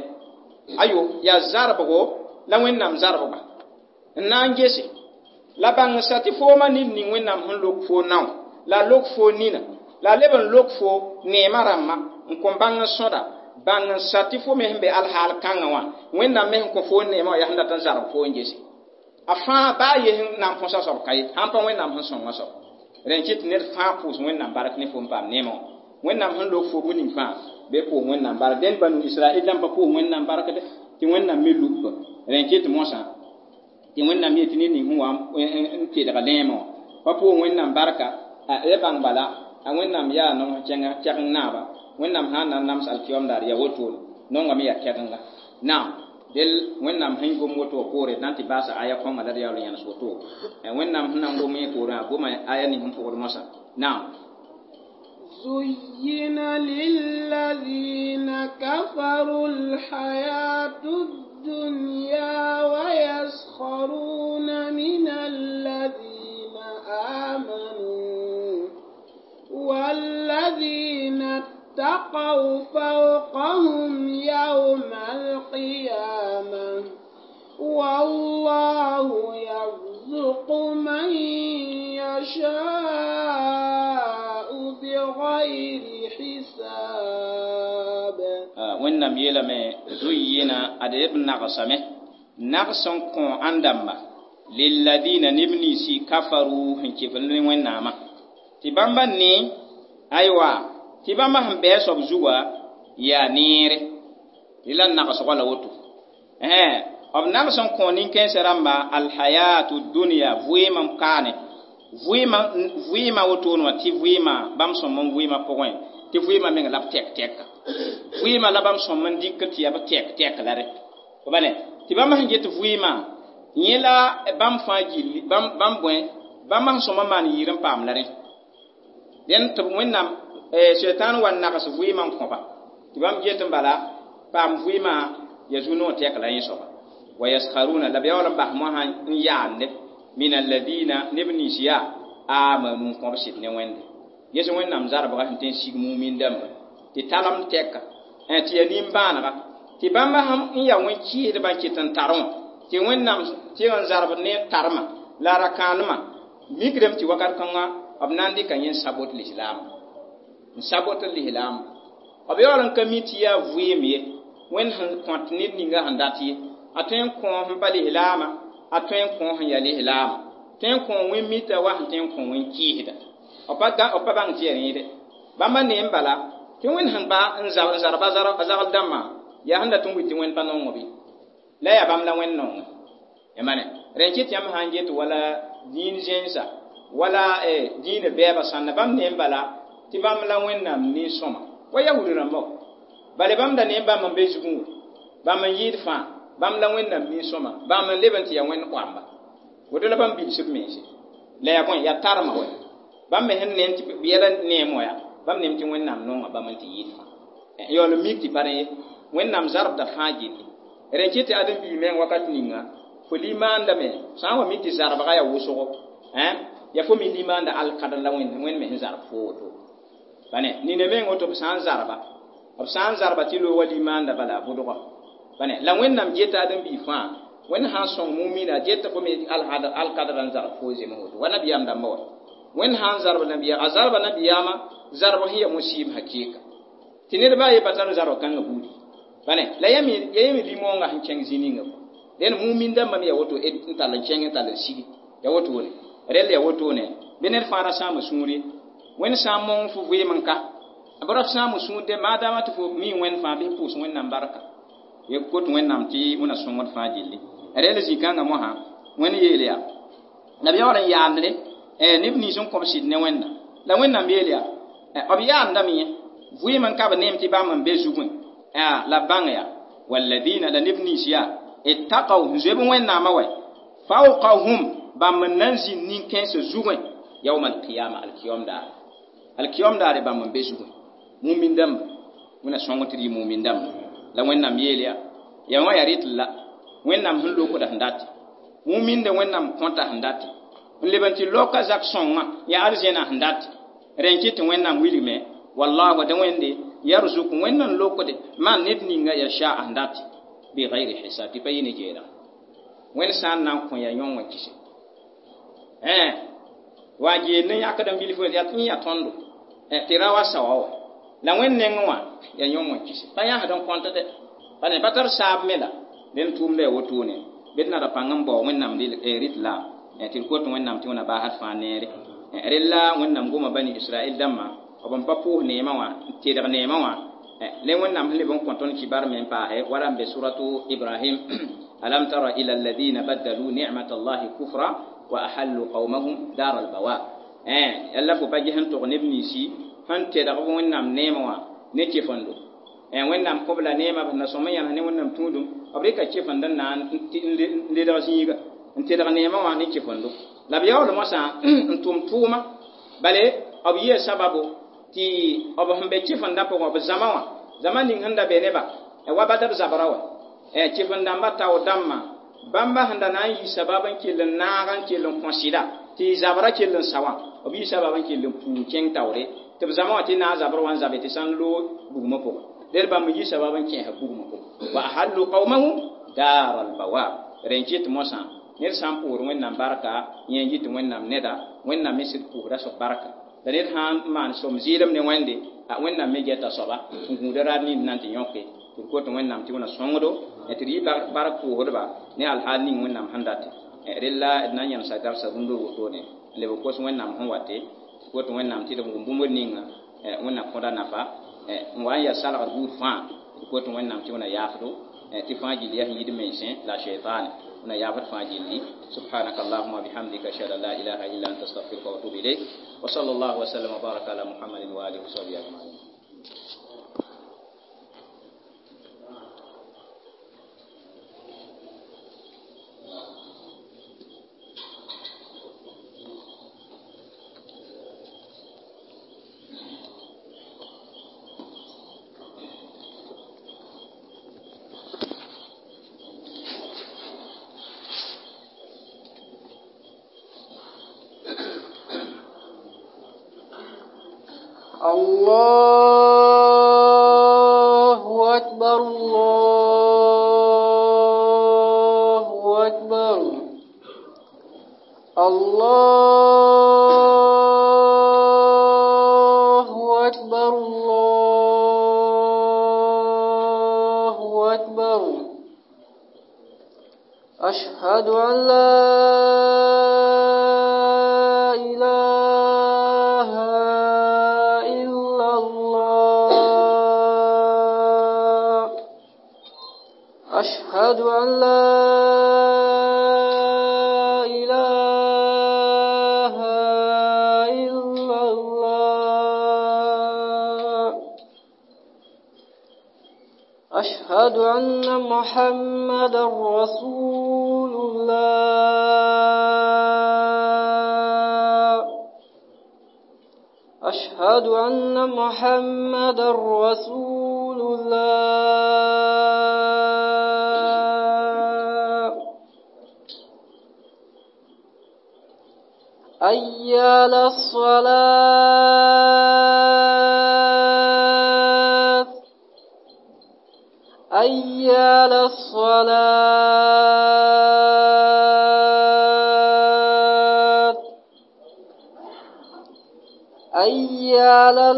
ayo yaa zarbgo la Wẽnnaam zarbga n na n gese la bãng sa tɩ fooma ned ning Wẽnnaam sẽn lok fo nao la a lok fo nina la a leb n lok fo neemã rãmba n kõn bãng n sõda bãng n sa tɩ fo me sẽn be alhaal kãngã wã Wẽnnaam me sẽn kõ fo neemã wã yaa sẽn dat n zarb fo n gese a fãa baa ye sẽn na n põsa soab ka ye sãn pa Wẽnnaam sẽn sõnga soab rẽn kɩt tɩ ned fãa pʋʋs Wẽnnaam bark ne fo n paam neemã wã Wẽnnaam sẽn lok fo bũ ning fãa bɩ pʋʋs Wẽnnaam bark dẽnd banu Israɛl dãmb pa pʋʋs Wẽnnaam bark dɛ tɩ Wẽnnaam me lubba rẽn kɩt moasã tɩ Wẽnnaam yetɩ ned ning sẽn wa n kelg lẽemã wã pa pʋʋs Wẽnnaam barka ya bãng bala a Wẽnnaam yaa nong kẽnga kɛgeng naaba Wẽnnaam sã n na n nams alkiyom daar yaa wotone nongame yaa kɛgenga naam del Wẽnnaam sẽn gom woto wã poore na n tɩ baasa aya kõnga la d yaool n yãnes woto Wẽnnaam sẽn na n gom yẽ poorẽ a goma aya ning sẽn pʋgd moasã naam زين للذين كفروا الحياة الدنيا ويسخرون من الذين آمنوا والذين اتقوا فوقهم يوم القيامة والله يرزق من يشاء بغير حساب Wẽnnaam yeelame zuyyina ad b nagsame nags n kõ ãn-dãmba lilladina neb ninsi kafaru sẽn kɩf ne Wẽnnaamã tɩ bãmba ne aywa tɩ bãmba sẽn bɩa soab zuga yaa neere tɩ la nagsgã la woto b nags n kõ nin-kãensã rãmba alhayatu dunya vɩɩm n kaane vɩɩmã vɩɩmã wotone wã tɩ vɩɩmã bãmb sõm n vɩɩmã pʋgẽ tɩ vɩɩmã meng la b tɛk tɛka vɩɩmã la bãmb sõm n dɩk tɩ yaa b tɛk tɛk la rẽ fo ba ne tɩ bãmb sẽn get vɩɩmã yẽ la bãmb fãa gilli bãmb bõe bãmb sẽn sõm n maan yɩɩr n paam la rẽ dẽn tɩ Wẽnnaam sɛtãan wa nags vɩɩmã n kõba tɩ bãmb get n bala paam vɩɩmã ya zu-noog tɛk la yẽ soaba wa yaskharuna la b yaool n bas moasã n yaande min alladina neb nins yaa amanu n kõb sɩd ne Wẽnde ges Wẽnnaam zarbga sẽn tõe n sig mumin dãmba tɩ talem tɛka tɩ yaa nimbãanega tɩ bãmba sẽn n yaa wẽn-kɩɩsdbã n kɩt n tar wã tɩ Wẽnnaam tɩ n zarbd ne tarmã la ra-kãanemã mikdame tɩ wakat kãngã b na n dɩka yẽ n sabot lislaam n sabot lislaam b yaool n ka mi tɩ yaa vɩɩm ye Wẽnd sẽn kõt ned ninga sẽn dat ye a tõe n kõ sẽn pa lislaamã a tõe n kõ sẽn yaa lislaamã tõe n kõ wẽn mita wa sẽn tõe n kõ wẽn kɩɩsda b pa bãng tɩ yaa rẽede bãmba neem bala tɩ Wẽnd sẽn ba n zarba a zagl dãmbã yaa sẽn dat n wit tɩ Wẽnd pa nongo bɩ la yaa bãmb la Wẽnd nonga yãmba ne rẽn kɩt yãmb sã n get wala dĩin zẽnsa wala dĩinã bɛɛbã sãnna bãmb neem bala tɩ bãmb la Wẽnnaam nin-sõma wa yahud rãmba bale bãmb da neem bãmb n be zugẽ wã bãmb n yɩɩd fãa bãmb la Wẽnnaam nin-sõma bãmb n leb n tɩ yaa Wẽnd koamba woto la bãmb bilsb mense la yaa bõe yaa tarmã wɛ bãmb me sẽn neem tɩ yɛla neem wã yaa bãmb neem tɩ Wẽnnaam nonga bãmb n tɩ yɩɩd fãa yaool n mik tɩ pa rẽ ye Wẽnnaam zarbda fãa gilli rẽn kɩt tɩ ãdem-biig meng wakat ninga fo limaandame sã n wa mi tɩ zarbga yaa wʋsgo yaa fo me limaanda alkadr la Wẽnd me sẽn zarb fo woto bane nina meng woto b sã n zarba b sã n zarba tɩ loog wa limaanda bala a bʋdga bane la Wẽnnaam geta ãdem-biig fãa Wẽnd sã n sõng mumina get fo me alkadra n zagd fo zem woto wa nabiyaam dãmba wa wẽnd sã n zarb nabiyaam a zarba nabiyaamã zarb sẽn ya musiib hakɩɩka tɩ ned baa ye pa tar zarb kãngã buudi bane la ya me limoongã sẽn kẽng zĩ ninga dẽn mumin dãmbã me ya woto n tall n kẽng n tall n sigi ya wotone rẽll ya wotone bɩ ned fãa ra sãam sũur ye wẽnd sã n mong fo vɩɩm n ka b ra sãam sũur de maadaama tɩ fo mi wẽnd fãa bɩ pʋʋs wẽnnaam barka ye kot wẽnnaam tɩ wẽna sõngd fãa gilli rẽll zĩ-kãngã mosã wẽnd yeel yaa la b yaool n yaandre neb nins n kõb sɩd ne wẽnna la wẽnnaam yeel yaa b yaandame yẽ vɩɩm n ka b neem tɩ bãmb n be zugẽ la b bãng yaa walladina la neb nins yaa ittaqaw n zoe b wẽnnaamã wɛ fawqahum bãmb n na n zĩnd nin-kãensã zugẽ yawma alqiyama alkiyom daare alkiyom daare bãmb n be zugẽ mumin dãmba wẽna sõng tɩ d yɩ mumin dãmba la wẽnnaam yeel yaa ya wã yaa rɩtl la wẽnnaam sẽn lokda sẽn date muminde wẽnnaam kõta sẽn date n leb n tɩ loka zak sõngã yaa arzẽna sẽn date rẽ n kɩt tɩ wẽnnaam wilgme wallahu da wẽnde yarzuk wẽnd n lokde maan ned ninga yasha sẽn date bigayri hisab tɩ pa yɩ ne jeelg wẽnd sã n na n kõ ya yõ wã kise wa geel ne yãkd n bilf yaa tɩ yaa tõndo tɩ ra wa saoa wa la wẽnd nengẽ wã yaa yõ wã kise pa yãsd n kõt dɛ pa ne pa tar saab me la dẽn tʋʋmda ya wotone bɩ d nada pãng n bao wẽnnaam rɩt la tɩ d kot wẽnnaam tɩ wẽna baasd fãa neere rella wẽnnaam goma bani israɛl dãmbã b n pa pʋʋs neemã wã n tedg neemã wã le wẽnnaam sẽn leb n kõ tõnd kibar me n paase wala n be suratu ibrahim alam tara ila alladina baddalu nicmat allahi kufra wa ahallu qawmahum dar albawar yalla fo pa ges n tog neb ninsi sẽn tedg wẽnnaam neemã wã ne kefendo wẽnnaam kõb la neemã b na sõm n yãnes ne wẽnnaam tũudum b rɩka kefend n na n ledg zĩiga n tedg neemã wã ne kefendo la b yaool mosã n tʋm tʋʋma bale b yɩa sababo tɩ b sẽn be kefendã pʋgẽ b zãma wã zãma ning sẽn da be neba wa badr zabra wa kefend-dãmbã tao dãmbã bãmba sẽn da na n yɩ sabab n kell n naag n kell n kõ sɩda tɩ zabra kell n sa wã b yɩ sabab n kell n puu kẽng taoore tɩ b zãma wã tɩ naag zabr wã n zabe tɩ sã n loog bugmã pʋgẽ ded bãmb n yɩ sabab n kẽesã bugmã pʋgẽ wa ahallu qawmahum dar albawar rẽ n kɩt mosã ned sã n pʋʋsd wẽnnaam barka yẽ n yɩ tɩ wẽnnaam neda wẽnnaam me sɩd pʋʋsda soab barka la ned sã n maan som zɩɩlem ne wẽnde a wẽnnaam me gɛta soaba n gũuda raad nins na n tɩ yõke tɩ d kot wẽnnaam tɩ wẽna sõngdo tɩ d yɩ bark pʋʋsdba ne alhaal ning wẽnnaam sẽn date rella d na n yãmsa dabsa rũndor wotone n leb n kos wẽnnaam sẽn wate tɩ kot wẽnnaam tɩ d wʋm bũmb ninga wẽnnaam kõda nafa n wa n yaa salgd buud fãa d kot wẽnnaam tɩ wẽna yaafdo tɩ fãa gill yaa sẽn yid mensẽ la shaytan wẽna yaafd fãa gilli subhanaka allahuma bihamdika ashhadu an la ilaha illa anta astaghfiruka wa atubu ilayk wa sallallahu wa sallam wa baraka ala muhammadin wa alihi wa sahbihi ajma'in. الله أكبر الله أكبر الله أكبر الله أكبر أشهد أن لا إله إلا الله أشهد أن لا إله إلا الله أشهد أن محمدا رسول الله أشهد أن محمدا رسول الله حي على الصلاة حي على الصلاة حي على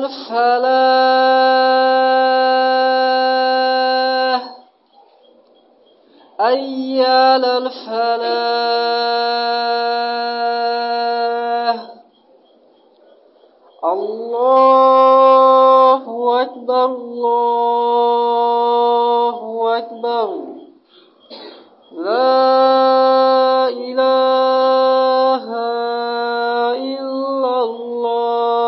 الفلاح حي على الفلاح الله أكبر الله أكبر لا إله إلا الله.